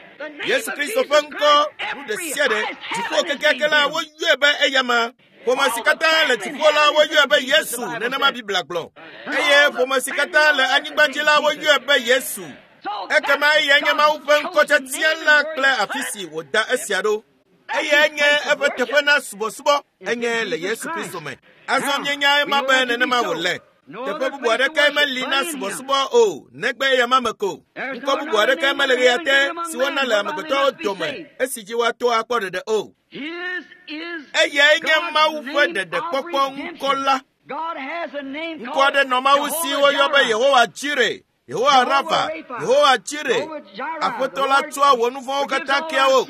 Yesu Kristo ƒe ŋkɔ nu ɖe sia ɖe dziƒo kekeake la woyɔe be eyama. Ƒome si katã le dziƒo la woyɔe be Yesu nenema Biblia gblɔ. Eye ƒome si katã le anyigba dzi la woyɔe be Yesu. Ekema eyae nye Mawu ƒe ŋkɔtiatia la kple afi si wòda esia ɖo. Eyae nye eƒe teƒe na subɔsubɔ enye le Yesu Kristo me. Azɔ míenya ema be nenema wòle. Teƒe bubu aɖeke meli na subɔsubɔ o, negbe eyama me ko. Ŋkɔ bubu aɖeke mele ɣea te si wona le amegbetɔwo dome esi dzi woato akpɔ ɖeɖe o. Eyae nye Mawu ƒe ɖeɖekpɔkpɔ ŋkɔ la. Ŋkɔ aɖe nɔ Mawu si woyɔ be Yehowa Jire, Yehowa Rafa, Yehowa Jire. Aƒetɔ la tsɔa wò nu vɔ̃wo katã kea wò.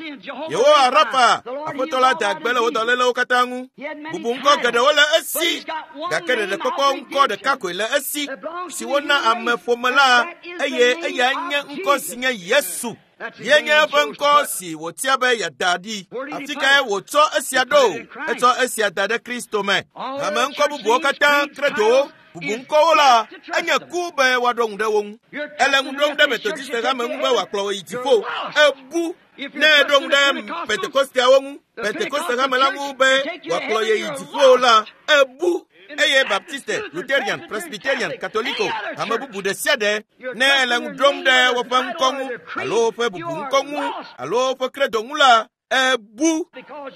Yehowa Rafa, Aƒetɔ la da gbe le wò dɔlélewo katã ŋu. Bubu ŋkɔ geɖewo le esi, gake ɖeɖekpɔkpɔ ŋkɔ ɖeka koe le esi, si wona ameƒome la, eye eyae nye ŋkɔ si nye Yesu. Ye nye eƒe ŋkɔ si wòtia be yeada ɖi. Afi kae wòtsɔ esia ɖo? Etsɔ esia da ɖe Kristo me. Hame ŋkɔ bubuwo katã kredowo, bubu ŋkɔwo la, enye ku be woaɖo ŋu ɖe wo ŋu. Ele ŋu ɖom ɖe Metodiste hame ŋu be wòakplɔ wò yi dziƒo. Ebu ne eɖo ŋu ɖe Pentekosteawo ŋu, Pentekoste hame la ŋu be wòakplɔ ye yi dziƒo la, ebu. Eye Baptiste, Lutherian, Presbyterian, Katoliko, hame bubu ɖe sia ɖe, ne ele ŋu ɖom ɖe woƒe ŋkɔ ŋu alo woƒe bubu ŋkɔ ŋu alo woƒe kredo ŋu la, ebu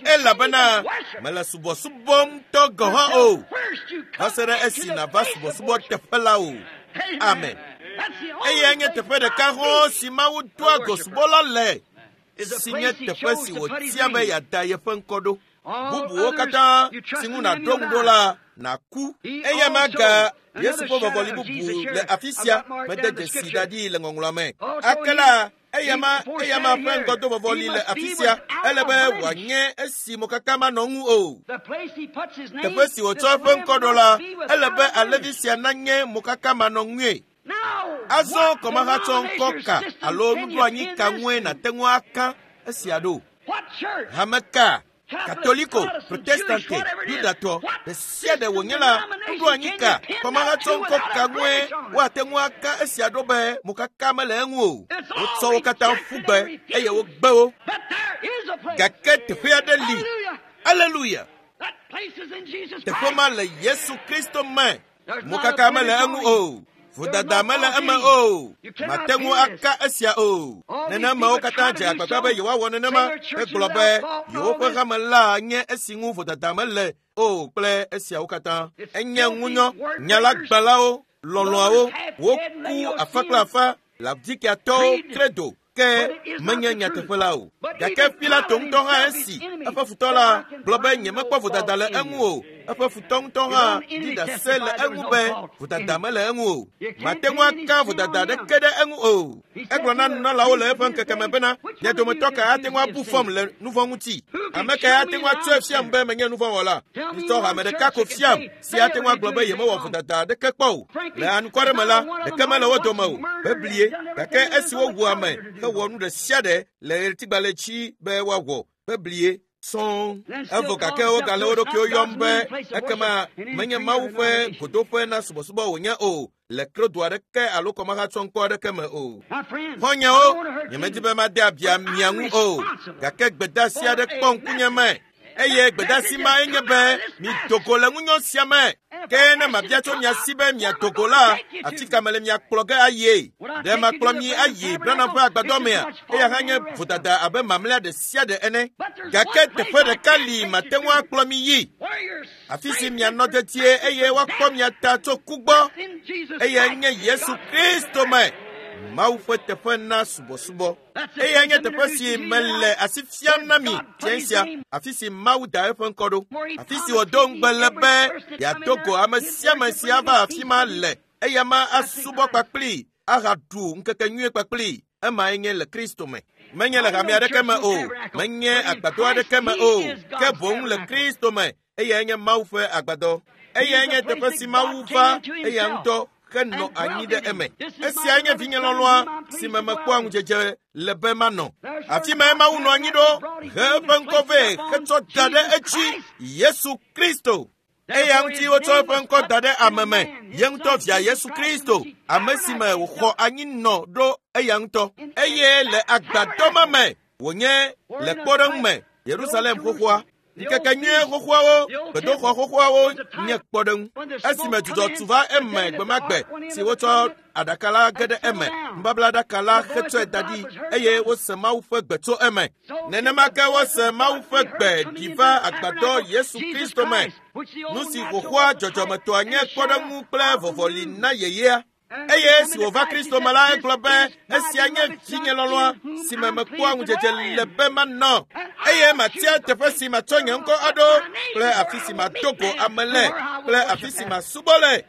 elabena mele subɔsubɔm ŋutɔ gɔ̃ hã o va se ɖe esi nàva subɔsubɔ teƒe la o. Amen. Eyae nye teƒe ɖeka hɔ̃ si Mawu doa go subɔla le, si nye teƒe si wòtia be yeada yeƒe ŋkɔ ɖo. Bubuwo katã si ŋu nàɖo ŋu ɖo la, nàku. Eya maga Yesu ƒe vɔvɔli bubu le afi sia mede dzesi da ɖi le ŋɔŋlɔa me. Ake la, eyama ƒe ŋgɔdovɔvɔli le afi sia ele be wòanye esi mokaka manɔ ŋu o. Teƒe si wòtsɔ eƒe ŋkɔ ɖo la, ele be alẽvi sia nanye mokaka manɔ ŋue. Azɔ kɔmahatsɔ ŋkɔ ka alo nuɖoanyi ka ŋue nàte ŋu aka esia ɖo? Hame ka? Katoliko, Protestante, Yudatɔ, ɖe sia ɖe wònye la, nuɖoanyi ka, kɔmahatsɔ ŋkɔ ka ŋue woate ŋu aka esia ɖo be mokaka mele eŋu o? Wotsɔ wo katã ƒu gbe eye wogbe wo. Gake teƒe aɖe li. Aleluya! Teƒe ma le Yesu Kristo me. Mokaka mele eŋu o. Vodada mele eme o. Mate ŋu aka esia o. Nenemewo katã dze agbagba be yewoawɔ nenema hegblɔ be yewoƒe hame la nye esi ŋu vodada mele o kple esiawo katã. Enye ŋunyɔ, nyalagbalawo, lɔlɔ̃awo, woku afa kple afa, Laodikiatɔwo kredo ke menye nyateƒe la o. Gake Pilato ŋutɔ hã esi eƒe futɔ la gblɔ be nyemekpɔ vodada le eŋu o. Eƒe futɔ ŋutɔ hã ɖi ɖase le eŋu be vodada mele eŋu o. Mate ŋu aka vodada aɖeke ɖe eŋu o. Egblɔ na nunɔlawo le eƒe ŋkeke me bena, mia dometɔ ka ate ŋu abu fɔm le nu vɔ̃ ŋuti? Ame kae ate ŋu atsɔe fiam be menye nu vɔ̃ wɔla? Mitsɔ hame ɖeka ko fiam si ate ŋu agblɔ be yemewɔ vodada aɖeke kpɔ o. Le anukware me la, ɖeke mele wo dome o. Beblie, gake esi wowu ame hewɔ nu ɖe sia ɖe le ɣletigbalẽ dzi be woawɔ beblie sɔŋ. Evɔ gake wogale wo ɖokuiwo yɔm be ekema menye Mawu ƒe godoƒe na subɔsubɔ wònye o le krodo aɖeke alo kɔmahatsɔŋkɔ aɖeke me o. Xɔ̃nyewo, nyemedi be made abia mia ŋu o, gake gbedeasi aɖe kpɔ ŋkunye me. Eye gbedeasi mae nye be mido go le ŋunyɔ sia me. Ke ne mabia tso mia si be miado go la, afi ka mele miakplɔ ge ayie? Ɖe makplɔ mi ayi Branham ƒe agbadɔ mea? Eya hã nye vodada abe mamlɛa ɖe sia ɖe ene. Gake teƒe ɖeka li mate ŋu akplɔ mi yi. Afi si mianɔ dedie eye woakpɔ mia ta tso ku gbɔ. Eyae nye Yesu Kristo me, Mawu ƒe teƒe na subɔsubɔ. Eyae nye teƒe si mele asi fiam na mi fiẽ sia, afi si Mawu da eƒe ŋkɔ ɖo, afi si wòdo ŋugbe le be yeado go ame sia ame si ava afi ma le. Eya ma asubɔ kpakpli ahaɖu ŋkeke nyuie kpakpli. Emae nye le Kristo me. Menye le hame aɖeke me o, menye agbadɔ aɖeke me o, ke boŋ le Kristo me. Eyae nye Mawu ƒe agbadɔ. Eyae nye teƒe si Mawu va eya ŋutɔ henɔ anyi ɖe eme. Esiae nye vinye lɔlɔ̃a si me mekpɔa ŋudzedze le be manɔ. Afi mae Mawu nɔ anyi ɖo he eƒe ŋkɔ vɛ hetsɔ da ɖe edzi Yesu Kristo. Eya ŋuti wotsɔ eƒe ŋkɔ da ɖe ame me, ye ŋutɔ via Yesu Kristo, ame si me wòxɔ anyi nɔ ɖo eya ŋutɔ. Eye le agbadɔ ma me wònye le kpɔɖeŋu me Yerusalem xoxoa. Ŋkeke nyuie xoxoawo, gbedoxɔ xoxoawo nye kpɔɖeŋu. Esime dzudzɔ tu va eme gbe ma gbe si wotsɔ aɖaka la ge ɖe eme, nubablaɖaka la hetsɔe da ɖi eye wose Mawu ƒe gbe tso eme. Nenema ke wose Mawu ƒe gbe ɖi va agbadɔ Yesu Kristo me. Nu si xoxoa dzɔdzɔmetɔa nye kpɔɖeŋu kple vɔvɔli na yeyea. Eye esi wòva Kristo me la, egblɔ be esia nye vinye lɔlɔ̃a si me mekpɔa ŋudzedze le be manɔ. Eye matia teƒe si matsɔ nye ŋkɔ aɖo kple afi si mado go ame le kple afi si masubɔ le.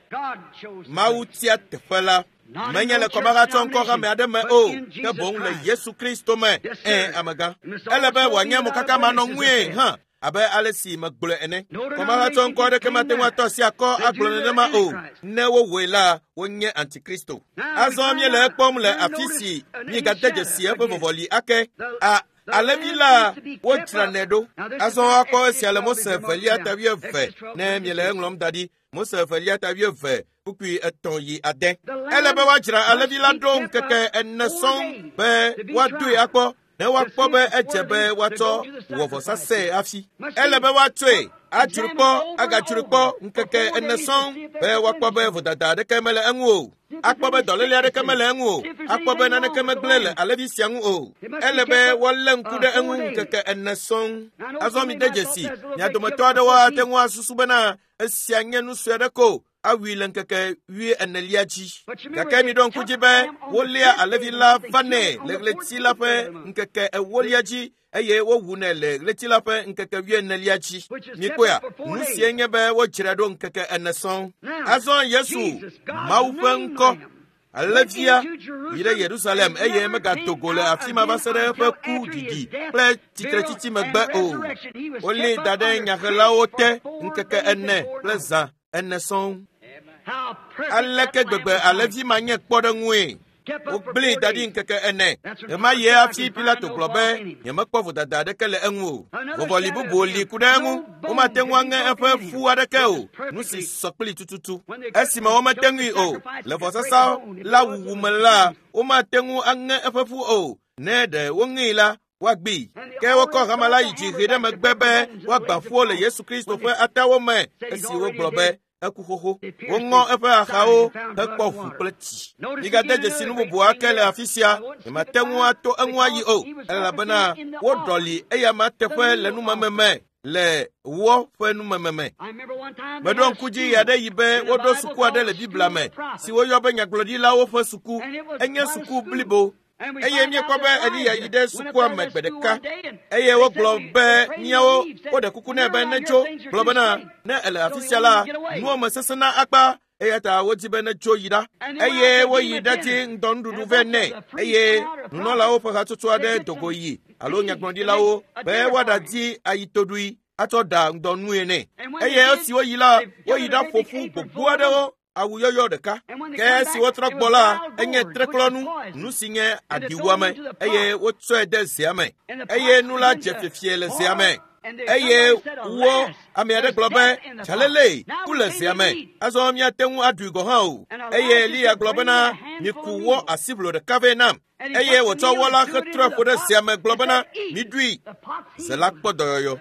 Mawu tia teƒe la. Menye le kɔmahatsɔ ŋkɔ hame aɖe me o, ke boŋ le Yesu Kristo me. Ẽ, amegã. Ele be wòanye mokaka manɔ ŋue hã abe ale si megblɔe ene. Kɔmahatsɔ ŋkɔ aɖeke mate ŋu atɔ asi akɔ agblɔ nenema o. Ne wowɔe la, wonye antikristo. Azɔ míele ekpɔm le afi si míegade dzesi eƒe vɔvɔli ake. A alẽvi la wodzranɛ ɖo. Azɔ woakpɔ esia le Mose evelia ta wuieve ne miele eŋlɔm da ɖi. Mose evelia ta wuieve kpukpui 3 yi 6. Ele be woadzra alẽvi la ɖo ŋkeke 4 sɔŋ be woadoe akpɔ. Ne woakpɔ be edze be woatsɔ wɔ vɔsasee hafi. Ele be woatsɔe adzro kpɔ agadzro kpɔ ŋkeke ene sɔŋ be woakpɔ be vodada aɖeke mele eŋu o. Akpɔ be dɔléle aɖeke mele eŋu o. Akpɔ be naneke megblẽ le alẽvi sia ŋu o. Ele be woalé ŋku ɖe eŋu ŋkeke ene sɔŋ. Azɔ mide dzesi, mia dometɔ aɖewo ate ŋu asusu bena esia nye nu sue aɖe ko awui le ŋkeke wuienelia dzi. Gake miɖo ŋku dzi be woléa alẽvi la vanɛ le ɣleti la ƒe ŋkeke ewolia dzi eye wowunɛ le ɣleti la ƒe ŋkeke wuienelia dzi. Mikpɔea, nu sie nye be wodzrae ɖo ŋkeke ene sɔŋ. Azɔ Yesu, Mawu ƒe ŋkɔ, alẽvia, yi ɖe Yerusalem eye megado go le afi ma va se ɖe eƒe ku ɖiɖi kple tsitretsitsi megbe o. Wolée da ɖe nyahelawo te ŋkeke ene kple zã ene sɔŋ. Aleke gbegbe alẽvi ma nye kpɔɖeŋue? Wogblẽe da ɖi ŋkeke ene. Ɣemaɣie hafi Pilato gblɔ be, Nyemekpɔ vodada aɖeke le eŋu o. Vɔvɔli bubu li ku ɖe eŋu. Womate ŋu aŋe eƒe ƒu aɖeke o, nu si sɔ kplii tututu. Esime womete ŋui o, le vɔsasa la wuwu me la, womate ŋu aŋe eƒe ƒu o. Ne ɖe woŋee la, woagbee. Ke wokɔ hama la yi dzi hee ɖe megbe be woagbã ƒuwo le Yesu Kristo ƒe atawo me esi wogblɔ be eku xoxo. Woŋɔ eƒe axawo hekpɔ ʋu kple tsi. Migade dzesi nu bubu ake le afi sia. Nyemate ŋu ato eŋu ayi o, elabena woɖɔli eyama teƒe le numeme me le wɔ ƒe numeme me. Meɖo ŋku dzi ɣeaɖeɣi be woɖo suku aɖe le Biblia me si woyɔ be nyagblɔɖilawo ƒe suku. Enye suku blibo. Eye míekpɔ be Eliya yi ɖe sukua me gbe ɖeka eye wogblɔ be míawo woɖe kuku nɛ be netso gblɔ bena ne ele afi sia la nuwo me sesẽna akpa eya ta wodi be netso yi ɖa eye woyi ɖadi ŋdɔnuɖuɖu vɛ nɛ eye nunɔlawo ƒe hatsotso aɖe do go yi alo nyagblɔɖilawo be woaɖadi ayitoɖui atsɔ ɖa ŋdɔnue nɛ eye esi woyi la woyi ɖaƒo ƒu gbogbo aɖewo awu yɔyɔ ɖeka. Ke esi wotrɔ gbɔ la, enye treklɔnu, nu si nye aɖiwuame, eye wotsɔe de zea me. Eye nu la dze fiefie le zea me. Eye wo ame aɖe gblɔ be, Dzalele, ku le zea me. Azɔ míate ŋu aɖui gɔ̃ hã o. Eye Eliya gblɔ bena, Miku wɔ asiʋlo ɖeka vɛ nam. Eye wòtsɔ wɔ la hetrɔe ƒo ɖe zea me gblɔ bena, Miɖui. Ze la kpɔ dɔyɔyɔ.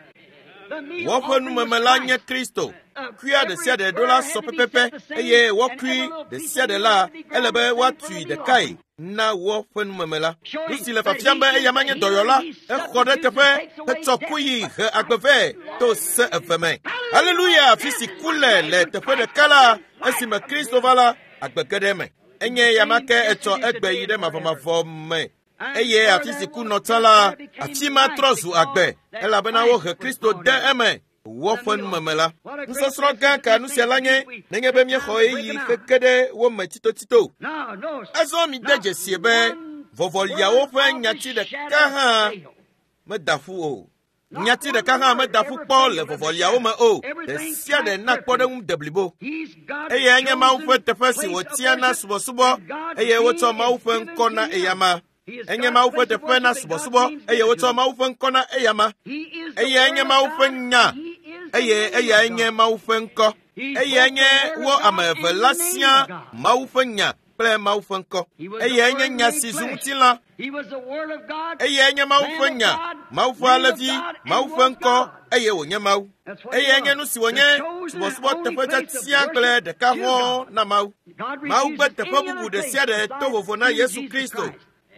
Woƒe numeme la nye Kristo. Kuia ɖe sia ɖe ɖo la sɔ pɛpɛpɛ eye wɔkui ɖe sia ɖe la ele be woatui ɖekae na woƒe numeme la. Nu si le fiafiam be eya ma nye dɔyɔla, exɔ ɖe teƒe hetsɔ ku yi he agbe vɛ to se eve me. Haleluya! Afi si ku le le teƒe ɖeka la, esime Kristo va la, agbe ge ɖe eme. Enye eya ma ke etsɔ egbe yi ɖe mavɔmavɔ me. Eye afi si ku nɔ tsã la, afi ma trɔ zu agbe, elabena wohe Kristo de eme woƒe numeme la. Nusɔsrɔ̃ gã ka nu sia la nye nenye be míexɔ ɣeyiɣi heke ɖe wo me tsitotsito. Azɔ mide dzesie be vɔvɔliawo ƒe nyati ɖeka hã meda ƒu o. Nyati ɖeka hã meda ƒu kpɔ le vɔvɔliawo me o. Ɖe sia ɖe na kpɔɖeŋu deblibo. Eyae nye Mawu ƒe teƒe si wòtia na subɔsubɔ eye wotsɔ Mawu ƒe ŋkɔ na eyama. Enye Mawu ƒe teƒe na subɔsubɔ eye wotsɔ Mawu ƒe ŋkɔ na eyama. Eyae nye Mawu ƒe nya eye eyae nye Mawu ƒe ŋkɔ. Eyae nye wo ame eve la siaa Mawu ƒe nya kple Mawu ƒe ŋkɔ. Eyae nye nya si zu ŋutilã. Eyae nye Mawu ƒe nya, Mawu ƒe alẽvi, Mawu ƒe ŋkɔ, eye wònye Mawu. Eyae nye nu si wònye subɔsubɔ teƒe tiatia kple ɖeka hɔ̃ɔ na Mawu. Mawu gbe teƒe bubu ɖe sia ɖe to vovo na Yesu Kristo.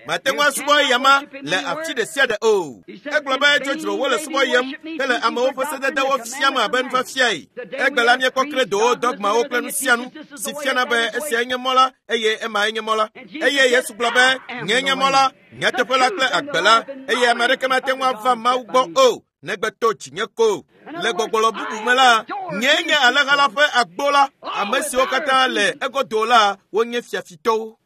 Mate ŋu asubɔ eyama le afi ɖe sia ɖe o. Egblɔ be dzodzro wole subɔ yem hele amewo ƒe sededewo fiam abe nufiafiae. Egbe la míekpɔ kredowo, dɔgmawo kple nu sia nu si fiana be esiae nye mɔ la eye emae nye mɔ la. Eye Yesu gblɔ be, Nyee nye mɔ la, nyateƒe la kple agbe la, eye ame aɖeke mate ŋu ava Mawu gbɔ o, negbe to dzinye ko. Le gbɔgblɔ bubu me la, nyee nye alẽha la ƒe agbo la. Ame siwo katã le egodo la, wonye fiafitɔwo.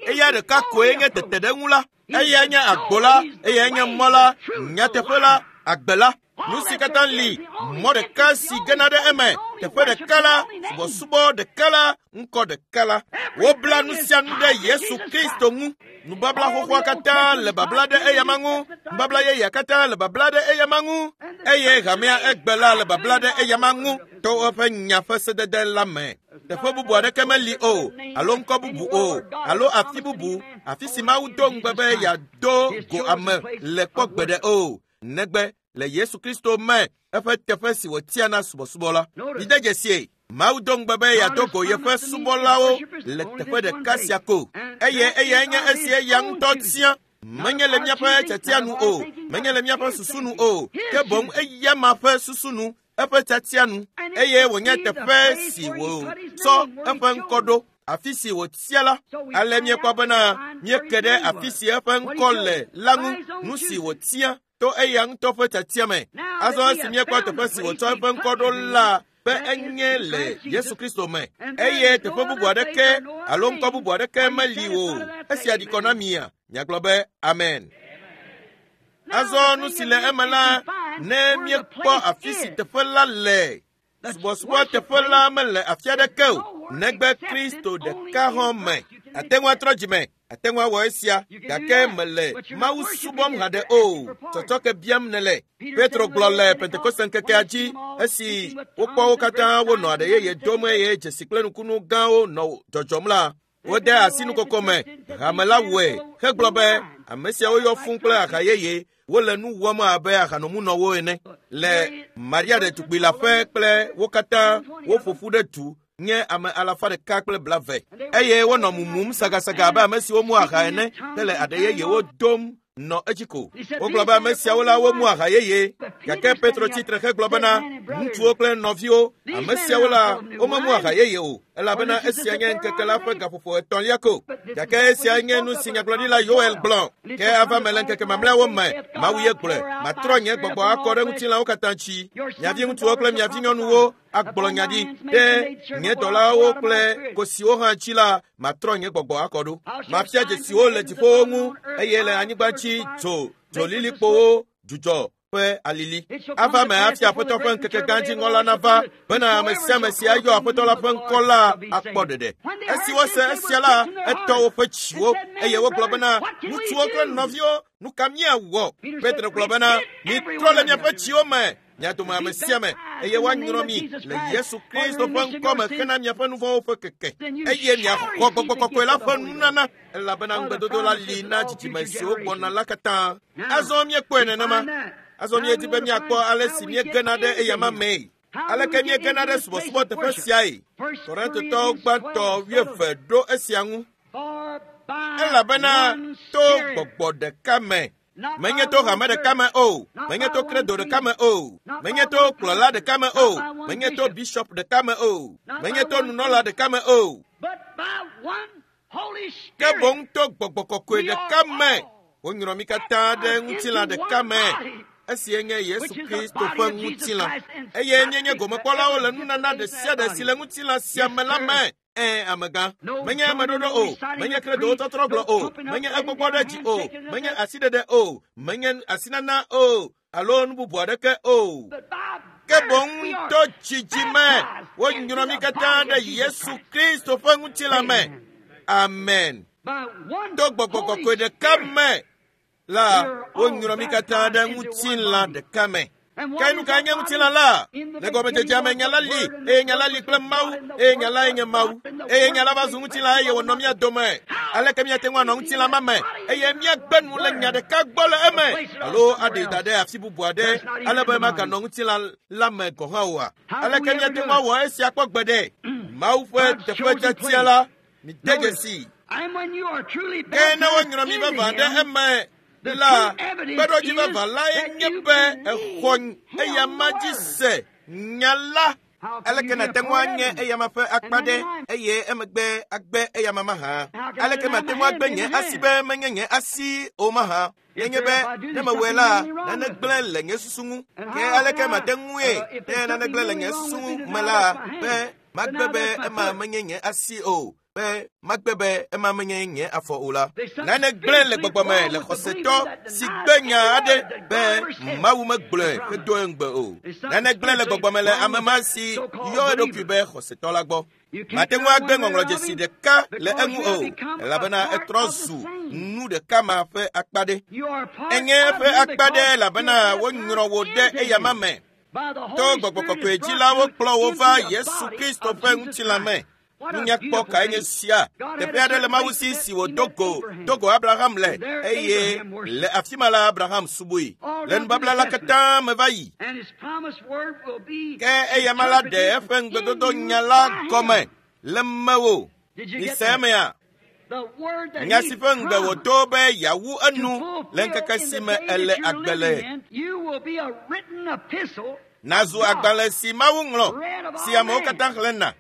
Eya ɖeka koe nye teteɖeŋu la. Eyae nye agbo la, eyae nye mɔ la, nyateƒe la, agbe la. Nu si katã li, mɔ ɖeka si gena ɖe eme, teƒe ɖeka la, subɔsubɔ ɖeka la, ŋkɔ ɖeka la. Wobla nu sia nu ɖe Yesu Kristo ŋu. Nubabla xoxoa katã le babla ɖe eyama ŋu. Nubabla yeyea katã le babla ɖe eyama ŋu. Eye hamea egbe la le babla ɖe eyama ŋu to eƒe nya ƒe sedede la me. Teƒe bubu aɖeke meli o, alo ŋkɔ bubu o, alo afi bubu, Afi si Mawu do ŋugbe be yeado go ame le kpɔ gbeɖe o, negbe le Yesu Kristo me eƒe teƒe si wòtia na subɔsubɔ la. Mide dzesie, Mawu do ŋugbe be yeado go yeƒe subɔlawo le teƒe ɖeka sia ko, eye eyae nye esi eya ŋutɔ tia. Menye le míaƒe tiatia nu o, menye le míaƒe susu nu o, ke boŋ eya ma ƒe susu nu, eƒe tiatia nu, eye wònye teƒe si wòtsɔ eƒe ŋkɔ ɖo, afi si wòtia la. Ale míekpɔ bena míeke ɖe afi si eƒe ŋkɔ le la ŋu, nu si wòtia to eya ŋutɔ ƒe tiatia me. Azɔ esi míekpɔ teƒe si wòtsɔ eƒe ŋkɔ ɖo la be enye le Yesu Kristo me, eye teƒe bubu aɖeke alo ŋkɔ bubu aɖeke meli o. Esia ɖi kɔ na mia, miagblɔ be amen. Azɔ nu si le eme la, ne míekpɔ afi si teƒe la le, subɔsubɔ teƒe la mele afi aɖeke o, negbe Kristo ɖeka hã me. Ate ŋu atrɔ dzime, ate ŋu awɔ esia, gake mele Mawu subɔm haɖe o, tsɔtsɔke biam nèle. Petro gblɔ le Pentekoste ŋkekea dzi esi wokpɔ wo katã wonɔ aɖe yeye dom eye dzesi kple nukunu gãwo nɔ dzɔdzɔm la, wode asi nukoko me. Hame la wɔe hegblɔ be ame siawo yɔ fũu kple aha yeye, wole nu wɔm abe ahanomunɔwo ene. Le Maria ɖetugbui la ƒe kple wo katã woƒo ƒu ɖe du nye ame 120, eye wonɔ mumum sagasaga abe ame siwo mu aha ene hele aɖe yeyewo dom nɔ edzi ko. Wogblɔ be ame siawo la womu aha yeye, gake Petro tsi tre hegblɔ bena ŋutsuwo kple nɔviwo, ame siawo la womemu aha yeye o, elabena esia nye ŋkeke la ƒe gaƒoƒo etɔ̃lia ko. Gake esia nye nu si nyagblɔɖila Yoel gblɔ, ke ava me le ŋkeke mamlɛawo me, Mawu ye gblɔe, matrɔ nye gbɔgbɔ akɔ ɖe ŋutilãwo katã dzi. Mia viŋutsuwo kple mia vinyɔnuwo agblɔ nya ɖi ɖe nye dɔlawo kple kosiwo hã dzi la, matrɔ nye gbɔgbɔ akɔ ɖo. Mafia dzesiwo le dziƒowo ŋu eye le anyigba dzi dzo, dzolilikpowo, dzudzɔ ƒe alili. Ava me hafi Aƒetɔ ƒe ŋkeke gã dziŋɔ la nava, bena ame sia ame si ayɔ Aƒetɔ la ƒe ŋkɔ la akpɔ ɖeɖe. Esi wose esia la, etɔ woƒe dziwo eye wogblɔ bena, ŋutsuwo kple nɔviwo, nu ka míawɔ? Petro gblɔ bena, mitrɔ le miaƒe dziwo me, mia dome ame sia ame, eye woanyrɔ mi le Yesu Kristo ƒe ŋkɔ me hena miaƒe nu vɔ̃wo ƒe keke, eye miaxɔ Gbɔgbɔ Kɔkɔe la ƒe nunana, elabena ŋugbedodo la li na dzidzime siwo gbɔna la katã. Azɔ míekpɔe nenema. Azɔ míedi be míakpɔ ale si míegena ɖe eyama mee. Aleke míegena ɖe subɔsubɔ teƒe siae? Korintotɔwo gbãtɔ 20 ɖo esia ŋu. Elabena to gbɔgbɔ ɖeka me, menye to hame ɖeka me o, menye to kredo ɖeka me o, menye to kplɔla ɖeka me o, menye to bishop ɖeka me o, menye to nunɔla ɖeka me o, ke boŋ to gbɔgbɔ kɔkɔe ɖeka me, wonyrɔ mí katã ɖe ŋutilã ɖeka me, esie nye Yesu Kristo ƒe ŋutilã, eye míenye gomekpɔlawo le nunana ɖe sia ɖe si le ŋutilã sia me la me. Amegã, menye ameɖoɖo o, menye kredowo tɔtrɔ gblɔ o, menye egbɔgbɔ ɖe dzi o, menye asiɖeɖe o, menye asinana o, alo nu bubu aɖeke o. Ke boŋ to dzidzime wonyrɔ mí katã ɖe Yesu Kristo ƒe ŋutilã me. Amen. To gbɔgbɔ kɔkɔe ɖeka me la wonyrɔ mí katã ɖe ŋutilã ɖeka me. Ke nu kae nye ŋutilã la? Le gɔmedzedzea me nya la li, eye nya la li kple Mawu, eye nya lae nye Mawu. Eye nya la va zu ŋutilã eye wònɔ mía dome. Aleke míate ŋu anɔ ŋutilã ma me eye míagbe nu le nya ɖeka gbɔ le eme alo aɖee da ɖe afi bubu aɖe ale be maganɔ ŋutilã la me gɔ̃ hã oa? Aleke míate ŋu awɔ esia kpɔ gbeɖe? Mawu ƒe teƒe tiatia la, mide dzesi. Ke ne wonyrɔ mi vavã ɖe eme la, kpeɖodzi vavã lae nye be exɔ eyama dzi se nya la. Aleke nàte ŋu anye eyama ƒe akpa ɖe eye emegbe agbe eyama mahã? Aleke mate ŋu agbe nye asi be menye nye asi o mahã? Nenye be ne mewɔe la, nane gblẽ le nye susu ŋu. Ke aleke mate ŋue ne nane gblẽ le nye susu ŋu me la be magbe be ema menye nye asi o, be magbe be ema menye nye afɔ o la? Nane gblẽ le gbɔgbɔ me le xɔsetɔ si gbe nya aɖe be Mawu megblɔe hedo eŋugbe o. Nane gblẽ le gbɔgbɔ me le ame ma si yɔ eɖokui be xɔsetɔ la gbɔ. Mate ŋu agbe ŋɔŋlɔdzesi ɖeka le eŋu o, elabena etrɔ zu nu ɖeka ma ƒe akpa ɖe. Enye eƒe akpa ɖe elabena wonyrɔ wò ɖe eyama me. To gbɔgbɔ kɔkɔe dzi la wokplɔ wo va Yesu Kristo ƒe ŋutilã me. Nunyakpɔ kae nye sia? Teƒe aɖe le Mawu si si wòdo go do go Abraham le eye le afi ma la Abraham subɔe. Le nubabla la katã me va yi. Ke eyama la ɖe eƒe ŋugbedodo nya la gɔme le mewò. Mise emea? Nya si ƒe ŋugbe wòdo be yeawu enu le ŋkeke si me èle agbe le. Nazu agbalẽ si Mawu ŋlɔ, si amewo katã xlẽna.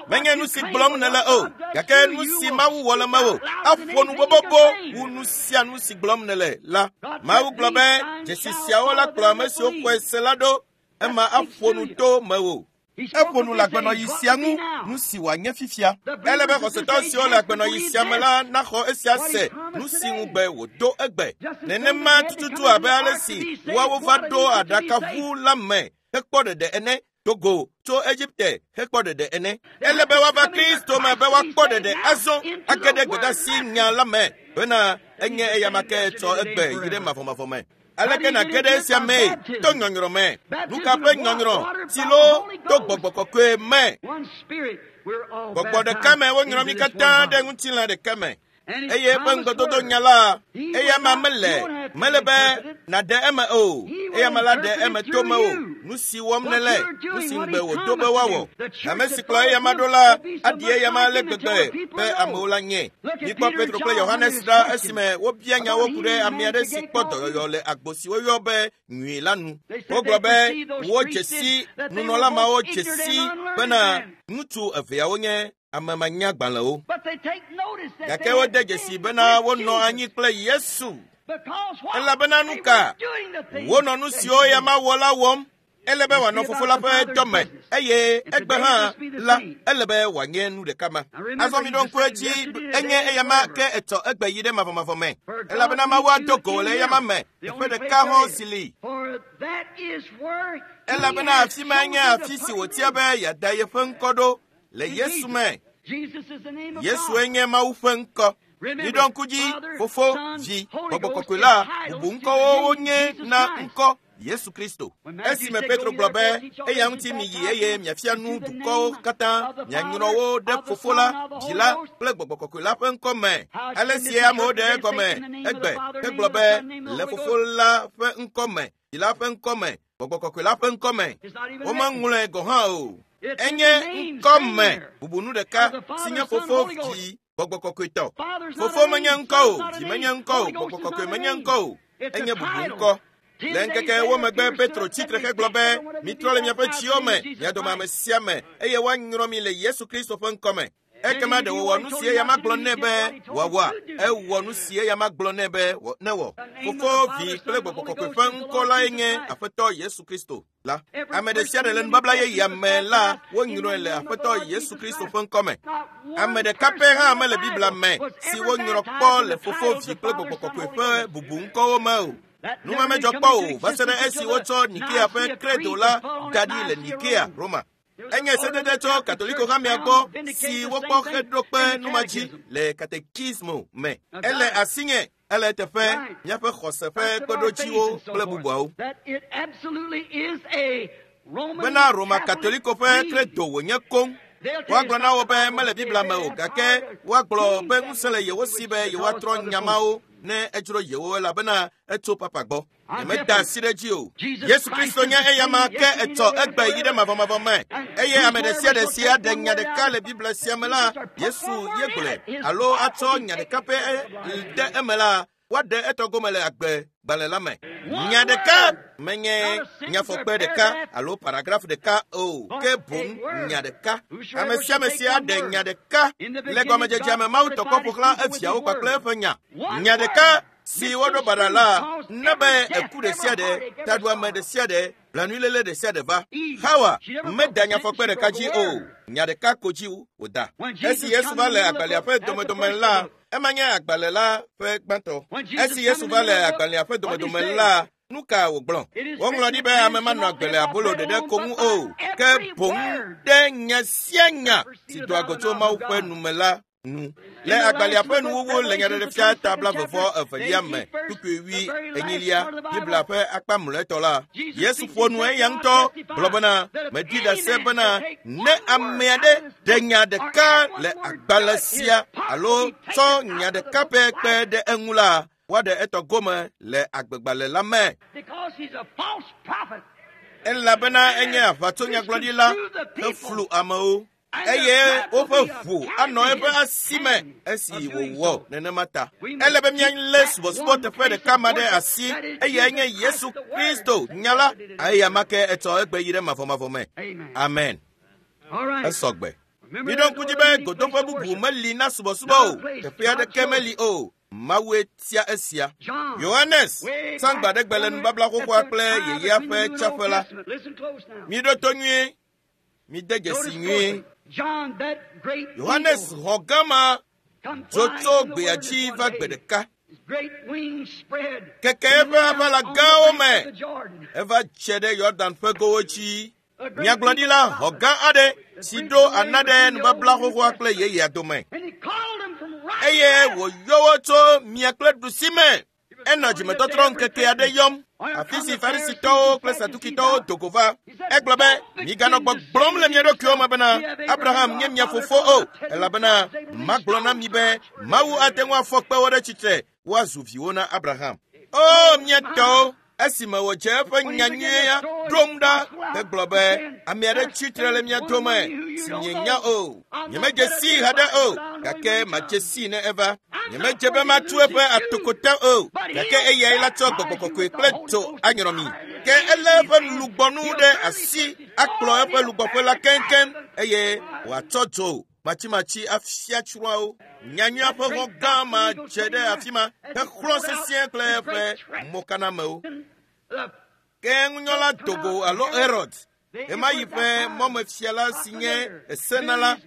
Menye nu si gblɔm nèle o, gake nu si Mawu wɔ le mewò aƒo nu bobobo wu nu sia nu si gblɔm nèle la. Mawu gblɔ be dzesi siawo la kplɔ ame siwo xɔe se la ɖo, ema aƒo nu to mewò. Eƒo nu le agbenɔɣi sia ŋu, nu si wòanye fifia. Ele be xɔsetɔ siwo le agbenɔɣi sia me la naxɔ esia se, nu si ŋugbe wòdo egbe. Nenema tututu abe ale si woawo va ɖo aɖakaʋu la me hekpɔ ɖeɖe ene, do go tso Egipte hekpɔ ɖeɖe ene. Ele be woava Kristo me be woakpɔ ɖeɖe azɔ age ɖe gbedeasi nya la me bena enye eyama ke tsɔ egbe yi ɖe mavɔmavɔ me. Aleke nàge ɖe esia mee? To nyɔnyrɔ me. Nu ka ƒe nyɔnyrɔ? Tsi loo to gbɔgbɔ kɔkɔe me. Gbɔgbɔ ɖeka me wonyrɔ mí katã ɖe ŋutilã ɖeka me. Eye eƒe ŋugbedodo nya la, eyama mele, mele be nàɖe eme o. Eyama la ɖe eme to mewò. Nu si wɔm nèle, nu si ŋugbe wòdo be woawɔ. Ame si kplɔ eyama ɖo la, aɖi eyama ale gbegbe be amewo la nyɛ. Mikpɔ Petro kple Yohanes ɖa esime wobia nyawo ku ɖe ame aɖe si kpɔ dɔyɔyɔ le agbo si woyɔ be nyui la nu. Wogblɔ be wodze si nunɔla mawo dze si bena ŋutsu eveawo nye ame manyagbalẽwo. Gake wode dzesi bena wonɔ anyi kple Yesu. Elabena nu ka? Wonɔ nu siwo eyama wɔ la wɔm. Ele be wòanɔ fofo la ƒe dɔme eye egbe hã la ele be wòanye nu ɖeka ma. Azɔ mi ɖo ŋku edzi enye eyama ke etsɔ egbe yi ɖe mavɔmavɔ me. Elabena Mawu ado go le eyama me teƒe ɖeka hɔ̃ si li. Elabena afi ma nye afi si wòtia be yeada yeƒe ŋkɔ ɖo le Yesu me. Yesue nye Mawu ƒe ŋkɔ. Miɖo ŋku dzi, Fofo, Vi, Gbɔgbɔ Kɔkɔe la, bubu ŋkɔwo wonye na ŋkɔ Yesu Kristo. Esime Petro gblɔ be, eya ŋuti miyi eye miafia nu dukɔwo katã, mianyrɔ wo ɖe Fofo la, Vi la kple Gbɔgbɔ Kɔkɔe la ƒe ŋkɔ me. Ale si amewo ɖe egɔme egbe hegblɔ be le Fofo la ƒe ŋkɔ me, Vi la ƒe ŋkɔ me, Gbɔgbɔ Kɔkɔe la ƒe ŋkɔ me. Womeŋlɔe gɔ̃ hã o. Enye ŋkɔ me bubu nu ɖeka si nye Fofo, Vi, Gbɔgbɔ Kɔkɔetɔ. Fofo menye ŋkɔ o, Vi menye ŋkɔ o, Gbɔgbɔ Kɔkɔe menye ŋkɔ o. Enye bubu ŋkɔ. Le ŋkeke wo megbe Petro tsi tre hegblɔ be, mitrɔ le miaƒe tsiwo me, mia dome ame sia ame, eye woanyrɔ mi le Yesu Kristo ƒe ŋkɔ me. Ekema ɖe wòwɔ nu si eyama gblɔ nɛ be wòawɔa? Ewɔ nu si eyama gblɔ nɛ be newɔ. Fofo, Vi kple Gbɔgbɔ Kɔkɔe ƒe ŋkɔ lae nye Aƒetɔ Yesu Kristo la. Ame ɖe sia ɖe le nubabla yeyea me la, wonyrɔe le Aƒetɔ Yesu Kristo ƒe ŋkɔ me. Ame ɖeka pɛ hã mele Biblia me si wonyrɔ kpɔ le Fofo, Vi kple Gbɔgbɔ Kɔkɔe ƒe bubu ŋkɔwo me o. Nu ma medzɔ kpɔ o va se ɖe esi wotsɔ Nikea ƒe credo la da ɖi le Nikea, Roma. Enye sedede tso Katoliko hamea gbɔ si wokpɔ heɖo kpe nu ma dzi le katekismo me. Ele asinye, ele teƒe míaƒe xɔse ƒe kpeɖodziwo kple bubuawo. Bena Roma Katoliko ƒe credo wònye koŋ. Woagblɔ na wo be mele Biblia me o, gake woagblɔ be ŋusẽ le yewo si be yewoatrɔ nya mawo ne edzro yewo elabena etso papa gbɔ. Nyemeda asi ɖe edzi o. Yesu Kristo nye eyama ke etsɔ egbe yi ɖe mavɔmavɔ me. Eye ame ɖe sia ɖe si aɖe nya ɖeka le Biblia sia me la, Yesu ye gblɔe, alo atsɔ nya ɖeka pɛ de eme la, woaɖe etɔ gome le agbe gbalẽ la me. Nya ɖeka menye nyafɔkpe ɖeka alo paragraf ɖeka o, ke boŋ nya ɖeka. Ame sia ame si aɖe nya ɖeka le gɔmedzedzea me Mawu tɔ kɔ ƒo xlã eviawo kpakple eƒe nya. Nya ɖeka si woɖo baɖa la ne be eku ɖe sia ɖe, taɖuame ɖe sia ɖe, blanuiléle ɖe sia ɖe va. Hawa meda nyafɔkpe ɖeka dzi o, nya ɖeka ko dzi wòda. Esi Yesu va le agbalẽa ƒe domedome la, ema nye agbalẽ la ƒe gbãtɔ. Esi Yesu va le agbalẽa ƒe domedome la, nu ka wògblɔ? Woŋlɔ ɖi be ame manɔ agbe le abolo ɖeɖe ko ŋu o, ke boŋ ɖe nya sia nya si doa go tso Mawu ƒe nu me la. nu. Le agbalẽa ƒe nuwuwu le Nyaɖeɖefia ta 22 me, kpukpui 24, Biblia ƒe akpa mlɔetɔ la, Yesu ƒo nu eya ŋutɔ gblɔ bena, meɖi ɖase bena ne ame aɖe ɖe nya ɖeka le agbalẽ sia alo tsɔ nya ɖeka pɛ kpe ɖe eŋu la, woaɖe etɔ gome le agbegbalẽ la me. Elabena enye aʋatsonyagblɔɖila heflu amewo. Eye woƒe ʋu anɔ eƒe asi me esi wòwɔ nenema ta. Ele be míalé subɔsubɔ teƒe ɖeka ma ɖe asi, eyae nye Yesu Kristo nya la, eya ma ke etsɔ egbe yi ɖe mavɔmavɔ me. Amen. Esɔ gbe. Miɖo ŋku dzi be godoƒe bubu meli na subɔsubɔ o, teƒe aɖeke meli o. Mawue tia esia. Yohanes tsã gbaɖegbe le nubabla xoxoa kple yeyea ƒe tsaƒe la. Miɖo to nyuie. Mide dzesi nyuie. Yohanes xɔ gama dzo tso gbea dzi va gbe ɖeka. Keke eƒe aʋala gãwo me eva dze ɖe Yɔdan ƒe gowo dzi. Nyagblɔɖila xɔ gã aɖe si ɖo ana ɖe nubabla xoxoa kple yeyea dome. Eye wòyɔ wo tso mia kple ɖusi me. Enɔ dzimetɔtrɔ ŋkeke aɖe yɔm, afi si Farisitɔwo kple Sadukitɔwo do go va. Egblɔ be, miganɔ gbɔgblɔm le mia ɖokuiwo me bena Abraham nye mia fofo o, elabena magblɔ na mi be Mawu ate ŋu afɔ kpewo ɖe tsitre woazu viwo na Abraham. O mia tɔwo, esime wòdze eƒe nyanyuia ɖom ɖa hegblɔ be ame aɖe tsitre le mia dome si mienya o. Nyemedze sii haɖe o, gake madze sii ne eva. Nyemedze be matu eƒe atokota o, gake eyae la tsɔ gbɔgbɔ kɔkɔe kple dzo anyrɔ mi. Ke elé eƒe lugbɔnu ɖe asi akplɔ eƒe lugbɔƒe la keŋkeŋ eye wòatsɔ dzo matsimatsi afia tsrɔ̃awo. Nyanyuia ƒe xɔ gã ma dze ɖe afi ma hexlɔ̃ sesĩe kple eƒe mokanamewo. Ke ŋunyɔla dogo alo Herod, ɣemaɣi ƒe mɔmefiala si nye esenala,